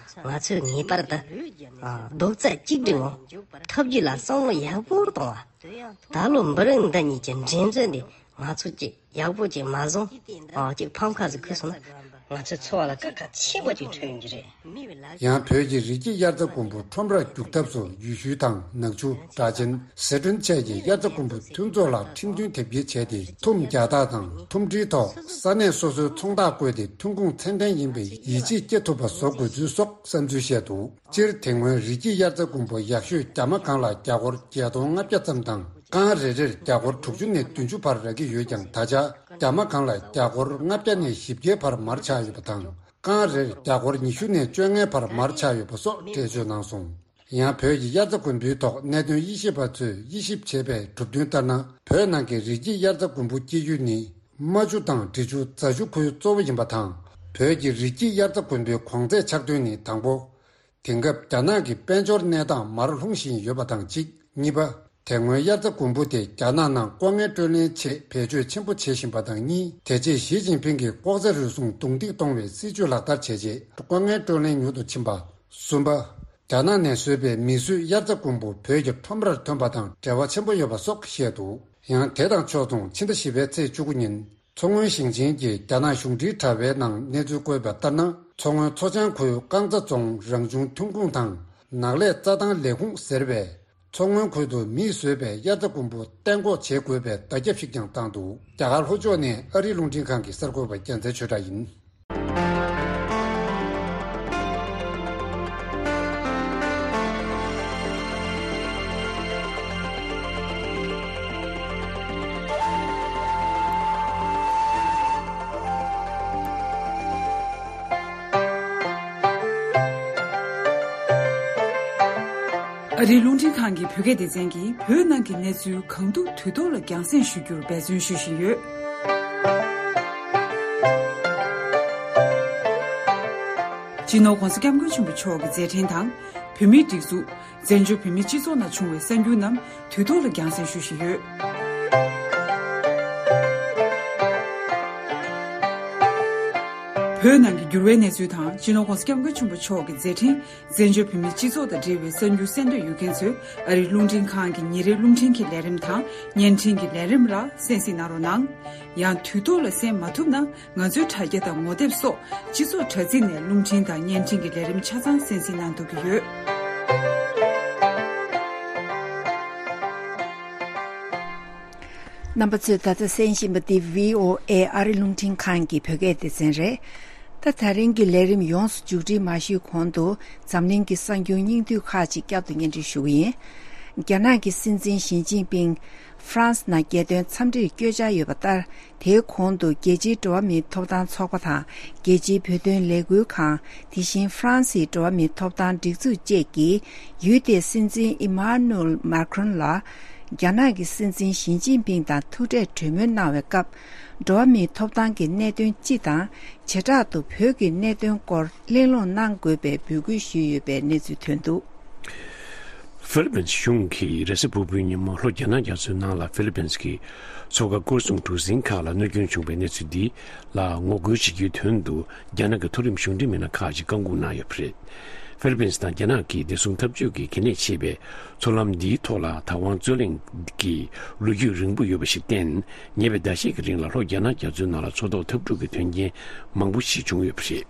ང་ཚོས་ངེས་པར་དུ་རྡོག་རྩ་གཅིག་སྒྲིལ་ངང་ཐབས་ཇུས་ལ་བསམ་བློ་ཡག་པོ་གཏོང་བ། ད་ལོ་འབུ་རིགས་འདི་གཉིས་ཀྱི་འགྲན་རྩོད་འདི་ང་ཚོ་གཅིག་ཡག་པོ་ཅིག་མ་བཟུང་། ཨ་ཅིག་ཕམ་ཁ་ཟིག་ཁུར་སོང་ན་ང་ཚོའི་འཚོ་བ་ལ་དཀའ་ཁག་ཆེན་པོ་ཅིག་འཕྲད་ཡོང་གི་རེད། ཡང་བོད་ཀྱི་རི་སྐྱེས་དབྱར་རྩྭ་དགུན་འབུ་ཁྲོམ་རར་རྒྱུག་ཐབས་སུ་ཡུལ་ཤུལ་དང་ནག་ཆུ། སྦྲ་ཆེན། ཟི་ཁྲོན་བཅས་ཀྱི་དབྱར་རྩྭ་དགུན་འབུ་མཐུན་ཚོགས་ལ་ཁྲིམས་མཐུན་དེབ་སྐྱེལ་བྱས་ཏེ། ཐུམ་རྒྱག་སྟངས་དང་ཐུམ་སྒྲིལ་ཐོག་ས་གནས་སོ་སོའི་ཚོང་རྟགས་བཀོད་དེ་ཐོན་ཁུངས་ཚད་ལྡན་ཡིན་པའི་ཡིད་ཆེས་སྐྱེ་ཐུབ་པ་བཟོ་དགོས་ཚུལ་སོགས་བསམ་ཚུལ་བཤད་འདུག་སྤྱིར་དེ་སྔོན་རི་སྐྱེས་དབྱར་རྩྭ་དགུན་འབུ་ཡག་ཤོས་རྒྱ་མ་གང་ལ་རྒྱ་སྒོར་བརྒྱད་སྟོང་ལྔ་བརྒྱ་ཙམ་དང་། རྐང་རེ་རེར་རྒྱ་སྒོར་དྲུག་ཅུ་ནས་བདུན་ཅུ་བར་རག་གི་ཡོད་ཀྱང་། ད་ཆ་རྒྱ་མ་གང་ལ་རྒྱ་སྒོར་ལྔ་བརྒྱ་ནས་བཞི་བརྒྱའི་བར་མར་ཆག་ཡོད་པ་དང་། རྐང་རེར་རྒྱ་སྒོར་ཉི་ཤུ་ནས་བཅོ་ལྔའི་བར་མར་ཆག་ཡོད་པ་སོགས་འགྲེལ་བརྗོད་གནང་སོང་། ཡང་བོད་ཀྱི་དབྱར་རྩྭ་དགུན་འབུའི་ཐོག་གནད་དོན་དབྱེ་ཞིབ་པ་ཚོས་དབྱེ་ཞིབ་བྱས་པའི་གྲུབ་དོན་ལྟར་ན། བོད་ནང་གི་རི་སྐྱེས་དབྱར་རྩྭ་དགུན་འབུ་སྐྱེ་ཡུལ་ནི་རྨ་ཆུ་དང་འབྲི་ཆུ་རྫ་ཆུ་ཁུལ་གཙོ་བོ་ཡིན་པ་དང་། བོད་ཀྱི་རི་སྐྱེས་དབྱར་རྩྭ་དགུན་འབུའི་གོང་ཚད་ཆག་དོན་ནི་དང་པོ། དེང་སྐབས་རྒྱ་ནག་གི་དཔལ་འབྱོར་གནས་སྟངས་མར་ལྷུང་བཞིན་ཡོད་པ་དང་གཅིག་གཉིས་པ། དེ་སྔོན་དབྱར་རྩྭ་དགུན་འབུ་དེ་རྒྱ་ནག་ནང་ལྐོག་རྔན་སྤྲོད་ལེན་ཆེད་བེད་སྤྱོད་ཆེན་པོ་བྱེད་བཞིན་པ་དང་གཉིས། དེ་རྗེས་ཞི་ཅིན་ཕིང་གིས་ལྐོག་ཟ་རུལ་སུངས་རྡུང་རྡེག་གཏོང་བའི་སྲིད་ཇུས་ལག་བསྟར་བྱས་རྗེས་ལྐོག་རྔན་སྤྲོད་ལེན་མྱུར་དུ་ཕྱིན་པ། གསུམ་པ། རྒྱ་ནག་ནས་བཟོས་པའི་མིས་བཟོས་དབྱར་རྩྭ་དགུན་འབུ་བོད་ཀྱི་ཁྲོམ་རར་ཐོན་པ་དང་འབྲེལ་བ་ཆེན་པོ་ཡོད་པ་སོགས་བཤད་འདུག་ཡང་དེ་དང་ཕྱོགས་མཚུངས་ཕྱི་ཟླ་བཞི་པའི་ཚེས་བཅུ་དགུ་ཉིན། མཚོ་སྔོན་ཞིང་ཆེན་གྱི་རྒྱ་ནག་གཞུང་འབྲེལ་དྲ་བའི་ནང་གནས་ཚུལ་བཀོད་པ་ལྟར་ན། མཚོ་སྔོན་མཚོ་བྱང་ཁུལ་རྐང་ཚ་རྫོང་རང་བྱུང་ཐོན་ཁུངས་དང་ནགས་ལས་རྩྭ་ཐང་ལས་ཁུངས་ཟེར་བས། མཚོ་སྔོན་ཁུལ་དུ་མིས་བཟོས་པའི་དབྱར་རྩྭ་དགུན་འབུ་གཏན་འགོག་བྱེད་དགོས་པའི་བརྡ་ཁྱབ་ཞིག་ཀྱང་བཏང་འདུག་རྒྱ་གར་ལྷོ་ཕྱོགས་ནས་ཨ་རིའི་རླུང་འཕྲིན་ཁང་གི་གསར་འགོད་པ་རྒྱལ་མཚན་ཆོས་གྲགས་ཡིན། ཨ་རིའི་རླུང་འཕྲིན་ཁང་གི་བོད་སྐད་སྡེ་ཚན་གྱིས་བོད་ནང་གི་གནས་ཚུལ་གང་ཐུབ་དུས་ཐོག་ལ་རྒྱང་སྲིང་ཞུ་རྒྱུར་འབད་བརྩོན་ཞུ་བཞིན་ཡོད། སྤྱི་ནོར་༧གོང་ས་༧སྐྱབས་མགོན་ཆེན་པོ་མཆོག་གི་མཛད་འཕྲིན་དང་། བོད་མིའི་སྒྲིག་འཛུགས། བཙན་བྱོལ་བོད་མིའི་སྤྱི་ཚོགས་ནང་བྱུང་བའི་གསར་འགྱུར་རྣམས་དུས་ཐོག་ལ་རྒྱང་སྲིང་ཞུ་བཞིན་ཡོད། བོད་ནང་གི་འགྱུར་བའི་གནས་ཚུལ་དང་། སྤྱི་ནོར་༧གོང་ས་༧སྐྱབས་མགོན་ཆེན་པོ་མཆོག་གི་མཛད་འཕྲིན། བཙན་བྱོལ་བོད་མིའི་སྤྱི་ཚོགས་དང་འབྲེལ་བའི་གསར་འགྱུར་གསན་འདོད་ཡོད་མཁན་ཚོས་ཨ་རིའི་རླུང་འཕྲིན་ཁང་གི་ཉིན་རེའི་རླུང་འཕྲིན་གྱི་ལས་རིམ་དང་བརྙན་འཕྲིན་གྱི་ལས་རིམ་ལ་གསན་གཟིགས་གནང་རོགས་གནང་། ཡང་དུས་ཐོག་ལ་གསན་མ་ཐུབ་ན། ང་ཚོའི་དྲ་རྒྱ་དང་ངོ་དེབ་སོགས་སྤྱི་ཚོགས་དྲ་ཚིགས་ནས་རླུང་འཕྲིན་དང་བརྙན་འཕྲིན་གྱི་ལས་རིམ་ཆ་ཚང་གསན་གཟིགས་གནང་ཐུབ་ཀྱི་ཡོད། རྣམ་པ་ཚོས་ད་ལྟ་གསན་བཞིན་པ་འདི་བྷི་ཨོ་ཨེ་ཨ་རི་རླུང་འཕྲིན་ཁང་གི་བོད་སྐད་སྡེ་ཚན་རེད། ད་ད་རིང་གི་ལས་རིམ་ཡོངས་སུ་མཇུག་སྒྲིལ་མ་ཞུས་གོང་དུ་འཛམ་གླིང་གི་གསར་འགྱུར་སྙིང་བསྡུས་ཁག་ཅིག་བསྐྱར་དུ་སྙན་སྒྲོན་ཞུ་གི་ཡིན། རྒྱ་ནག་གི་སྲིད་འཛིན་ཞི་ཅིན་ཕིང་ཧྥ་རན་སི་ནང་རྒྱལ་དོན་འཚམས་འདྲིར་བསྐྱོད་འཆར་ཡོད་པ་ལྟར། དེའི་གོང་དུ་རྒྱལ་སྤྱིའི་འགྲོ་བ་མིའི་ཐོབ་ཐང་ཚོགས་པ་དང་། རྒྱལ་སྤྱིའི་བོད་དོན་ལས་འགུལ་ཁང་། དེ་བཞིན་ཧྥ་རན་སིའི་འགྲོ་བ་མིའི་ཐོབ་ཐང་སྒྲིག་འཛུགས་བཅས་ཀྱིས་ཡུལ་དེའི་སྲིད་འཛིན་ཨི་མཱ་ནུ་ཨེལ་མཱ་ཁྲོན་ལ་རྒྱ་ནག་གི་སྲིད་འཛིན་ཞི་ཅིན་ཕིང་དང་ཐུག་འཕྲད་གྲོས་མོལ་གནང་བའི་སྐབས། འགྲོ་བ་མིའི་ཐོབ་ཐང་གི་གནད་དོན་སྤྱི་དང་། བྱེ་བྲག་ཏུ་བོད་ཀྱི་གནད་དོན་སྐོར་གླེང་སློང་གནང་དགོས་པའི་འབོད་སྐུལ་ཞུས་ཡོད་པའི་གནས་ཚུལ་ཐོན་འདུག་ཧྥི་ལི་པིན་གཞུང་གིས་རེས་གཟའ་ཕུར་བུའི་ཉིན་མོ་ལྷོ་རྒྱ་ནག་རྒྱ་མཚོའི་ནང་ལ་ཧྥི་ལི་པིན་གྱི་མཚོ་ཁ་སྐོར་སྲུང་གྲུ་གཟིངས་ཁག་ལ་གནོད་སྐྱོན་བྱུང་བའི་གནས་ཚུལ་འདི་ལ་ངོ་རྒོལ་བྱེད་རྒྱུའི་དོན་དུ། རྒྱ་ནག་གི་མཐོ་རིམ་གཞུང་འབྲེལ་མི་སྣ་ཁག་ཅིག་བཀག་འགོག་གནང་ཡོད་པ་རེད། ཧྥི་ལི་པིན་དང་རྒྱ་ནག་གིས་བདེ་སྲུང་འཐབ་ཇུས་ཀྱི་གལ་གནད་ཆེ་བའི་མཚོ་ལམ་འདིའི་ཐོག་ལ་བདག་དབང་རྩོད་གླེང་གི་ལོ་རྒྱུས་རིང་པོ་ཡོད་པ་ཞིག་བརྟེན། ཉེ་བའི་ཟླ་ཤས་ཀྱི་རིང་ལ་ལྷོ་རྒྱ་ནག་རྒྱ་མཚོའི་ནང་ལ་མཚོ་ཐོག་འཐབ་འཁྲུག་གི་དོན་རྐྱེན་མང་པོ་ཞིག་བྱུང་ཡོད་པ་རེད།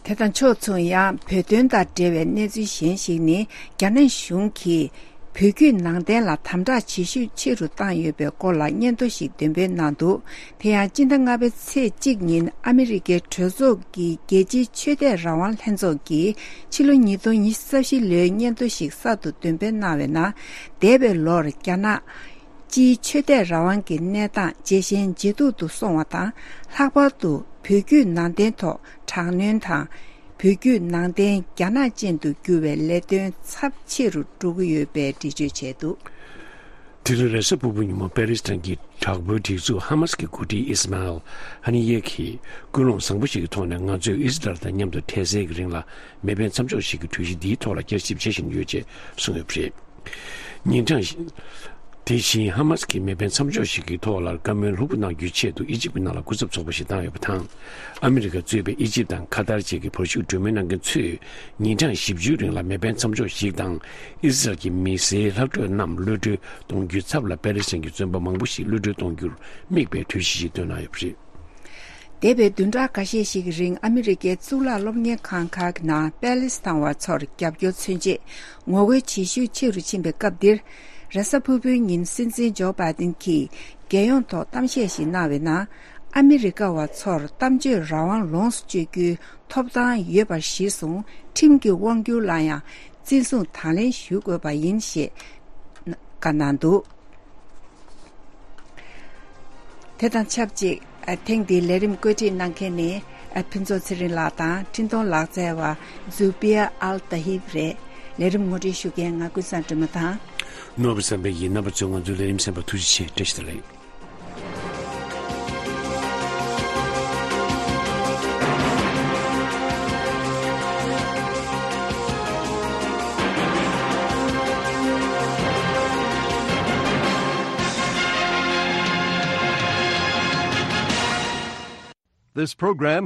དེ་དང་ཕྱོགས་མཚུངས། ཡང་བོད་དོན་དང་འབྲེལ་བའི་གནས་ཚུལ་གཞན་ཞིག་ནི། རྒྱ་ནག་གཞུང་གིས་བོད་བརྒྱུད་ནང་བསྟན་ལ་དམ་དྲག་བྱེད་ཤུགས་ཆེ་རུ་བཏང་ཡོད་པའི་སྐོར་ལ་སྙན་ཐོ་ཞིག་འདོན་སྤེལ་གནང་འདུག་དེ་ཡང་སྤྱི་ཟླ་ལྔ་པའི་ཚེས་གཅིག་ཉིན་ཨ་མི་རི་ཀའི་གྲོས་ཚོགས་ཀྱི་རྒྱལ་སྤྱིའི་ཆོས་དད་རང་དབང་ལྷན་ཚོགས་ཀྱིས་ཕྱི་ལོ་ཉིས་སྟོང་ཉི་ཤུ་རྩ་བཞི་ལོའི་སྙན་ཐོ་ཞིག་གསར་དུ་འདོན་སྤེལ་གནང་བའི་ནང་། འདས་པའི་ལོར་རྒྱ་ནག་སྤྱིའི་ཆོས་དད་རང་དབང་གི་གནས་སྟངས་ཇེ་ཞན་ཇེ་སྡུག་ཏུ་སོང་བ་དང་། ལྷག་པར་དུ་བོད་བརྒྱུད་ནང་བསྟན་ཐོག་དྲག་གནོན་དང་། བོད་བརྒྱུད་ནང་བསྟན་རྒྱ་ནག་ཅན་དུ་བསྒྱུར་བའི་ལས་དོན་ཚབས་ཆེ་རུ་འགྲོ་གི་ཡོད་པའི་འགྲེལ་བརྗོད་བྱས་འདུག་དེ་རིང་རེས་གཟའ་ཕུར་བུ་ཉིན་མོ་པེ་ལེ་སི་ཐན་གྱི་དྲག་པོའི་སྒྲིག་འཛུགས་ཧ་མ་སི་གི་འགོ་ཁྲིད་ཨིས་མཱ་ཨེལ་ཧ་ནི་ཡེ་གིས་ཀུན་སློང་བཟང་པོ་ཞིག་གི་ཐོག་ནས་ང་ཚོས་ཨི་སི་རལ་དང་མཉམ་དུ་དེ་ཚེ་གི་རིང་ལ་མེ་འཕེན་མཚམས་འཇོག་ཞིག་གི་གྲོས་གཞི་འདིའི་ཐོག་ལ་བསྐྱར་ཞིབ་བྱེད་བཞིན་ཡོད་ཅེས་གསུངས་ཡོད་པ་རེད། ཉིན་གྲངས་ཤིག་དེ་བཞིན་ཧ་མ་སི་གིས་མེ་འཕེན་མཚམས་འཇོག་ཞིག་གི་ཐོག་ལ་བཀའ་མོལ་ལྷུག་པོ་གནང་རྒྱུའི་ཆེད་དུ་ཨི་ཇིབ་ཀྱི་ནང་ལ་སྐུ་ཚབ་ཚོགས་པ་ཞིག་བཏང་ཡོད་པ་དང་། ཨ་མི་རི་ཀ་གཙོས་པའི་ཨི་ཇིབ་དང་ཁ་ཏར་བཅས་ཀྱི་བར་ཞུགས་གྲོས་མོལ་གནང་མཁན་ཚོས་ཉིན་གྲངས་བཞི་བཅུའི་རིང་ལ་མེ་འཕེན་མཚམས་འཇོག་ཞིག་དང་། ཨི་སི་རལ་གྱི་མི་སེར་ལྷག་འཕྲོས་རྣམས་གློད་གྲོལ་གཏོང་རྒྱུའི་ཚབ་ལ་པེ་ལེ་སི་ཐན་གྱི་བཙོན་པ་མང་པོ་ཞིག་གློད་གྲོལ་གཏོང་རྒྱུར་དམིགས་པའི་གྲོས་གཞི་ཞིག་བཏོན་གནང་ཡོད་པ་རེད། འདས་པའི་བདུན་ཕྲག་འགའ་ཤས་ཤིག་གི་རིང་ཨ་མི་རི་ཀའི་གཙུག་ལག་སློབ་གཉེར་ཁང་ཁག་གི་ནང་པེ་ལེ་སི་ཐན་བ་ཚོར་རྒྱབ་སྐྱོར་མཚོན་ཆེད་ངོ་རྒོལ་བྱེད་ཤུགས་ཆེ་རུ་ཕྱིན་པའི་སྐབས་འདིར། རེས་གཟའ་ཕུར་བུའི་ཉིན་སྲིད་འཛིན་ཇོ་བྷའི་ཏིན་གྱིས་རྒྱལ་ཡོངས་ཐོག་གཏམ་བཤད་ཞིག་གནང་བའི་ནང་། ཨ་མི་རི་ཀ་བ་ཚོར་གཏམ་བརྗོད་རང་དབང་ལོངས་སུ་སྤྱོད་རྒྱུའི་ཐོབ་ཐང་ཡོད་པ་གཞིར་བཟུང་ཁྲིམས་ཀྱི་དབང་སྒྱུར་ལ་ཡང་བརྩི་སྲུང་དང་ལེན་ཞུ་དགོས་པ་ཡིན་ཞེས་བཀའ་གནང་འདུག་དེ་དང་ཆབས་ཅིག་ཨ། ཐེངས་འདིའི་ལས་རིམ་བཀོད་སྒྲིག་གནང་མཁན་ནི་ཨ། ཕུན་ཚོགས་ཚེ་རིང་ལགས་དང་འཕྲིན་གཏོང་ལག་རྩལ་བ་ཛུ་བི་ཡ་ཨལ་ཏ་ཧིབ་རེད། ལས་རིམ་ངོ་སྤྲོད་ཞུ་མཁན་ང་ཀུན་བཟང་སྒྲོལ་མ་དང་། ནོར་བུ་བསམ་འཕེལ་ཡིན། རྣམ་པ་ཚོས་ང་ཚོའི་ལས་རིམ་གསན་པར་ཐུགས་རྗེ་ཆེ། བཀྲ་ཤིས་བདེ་ལེགས། This program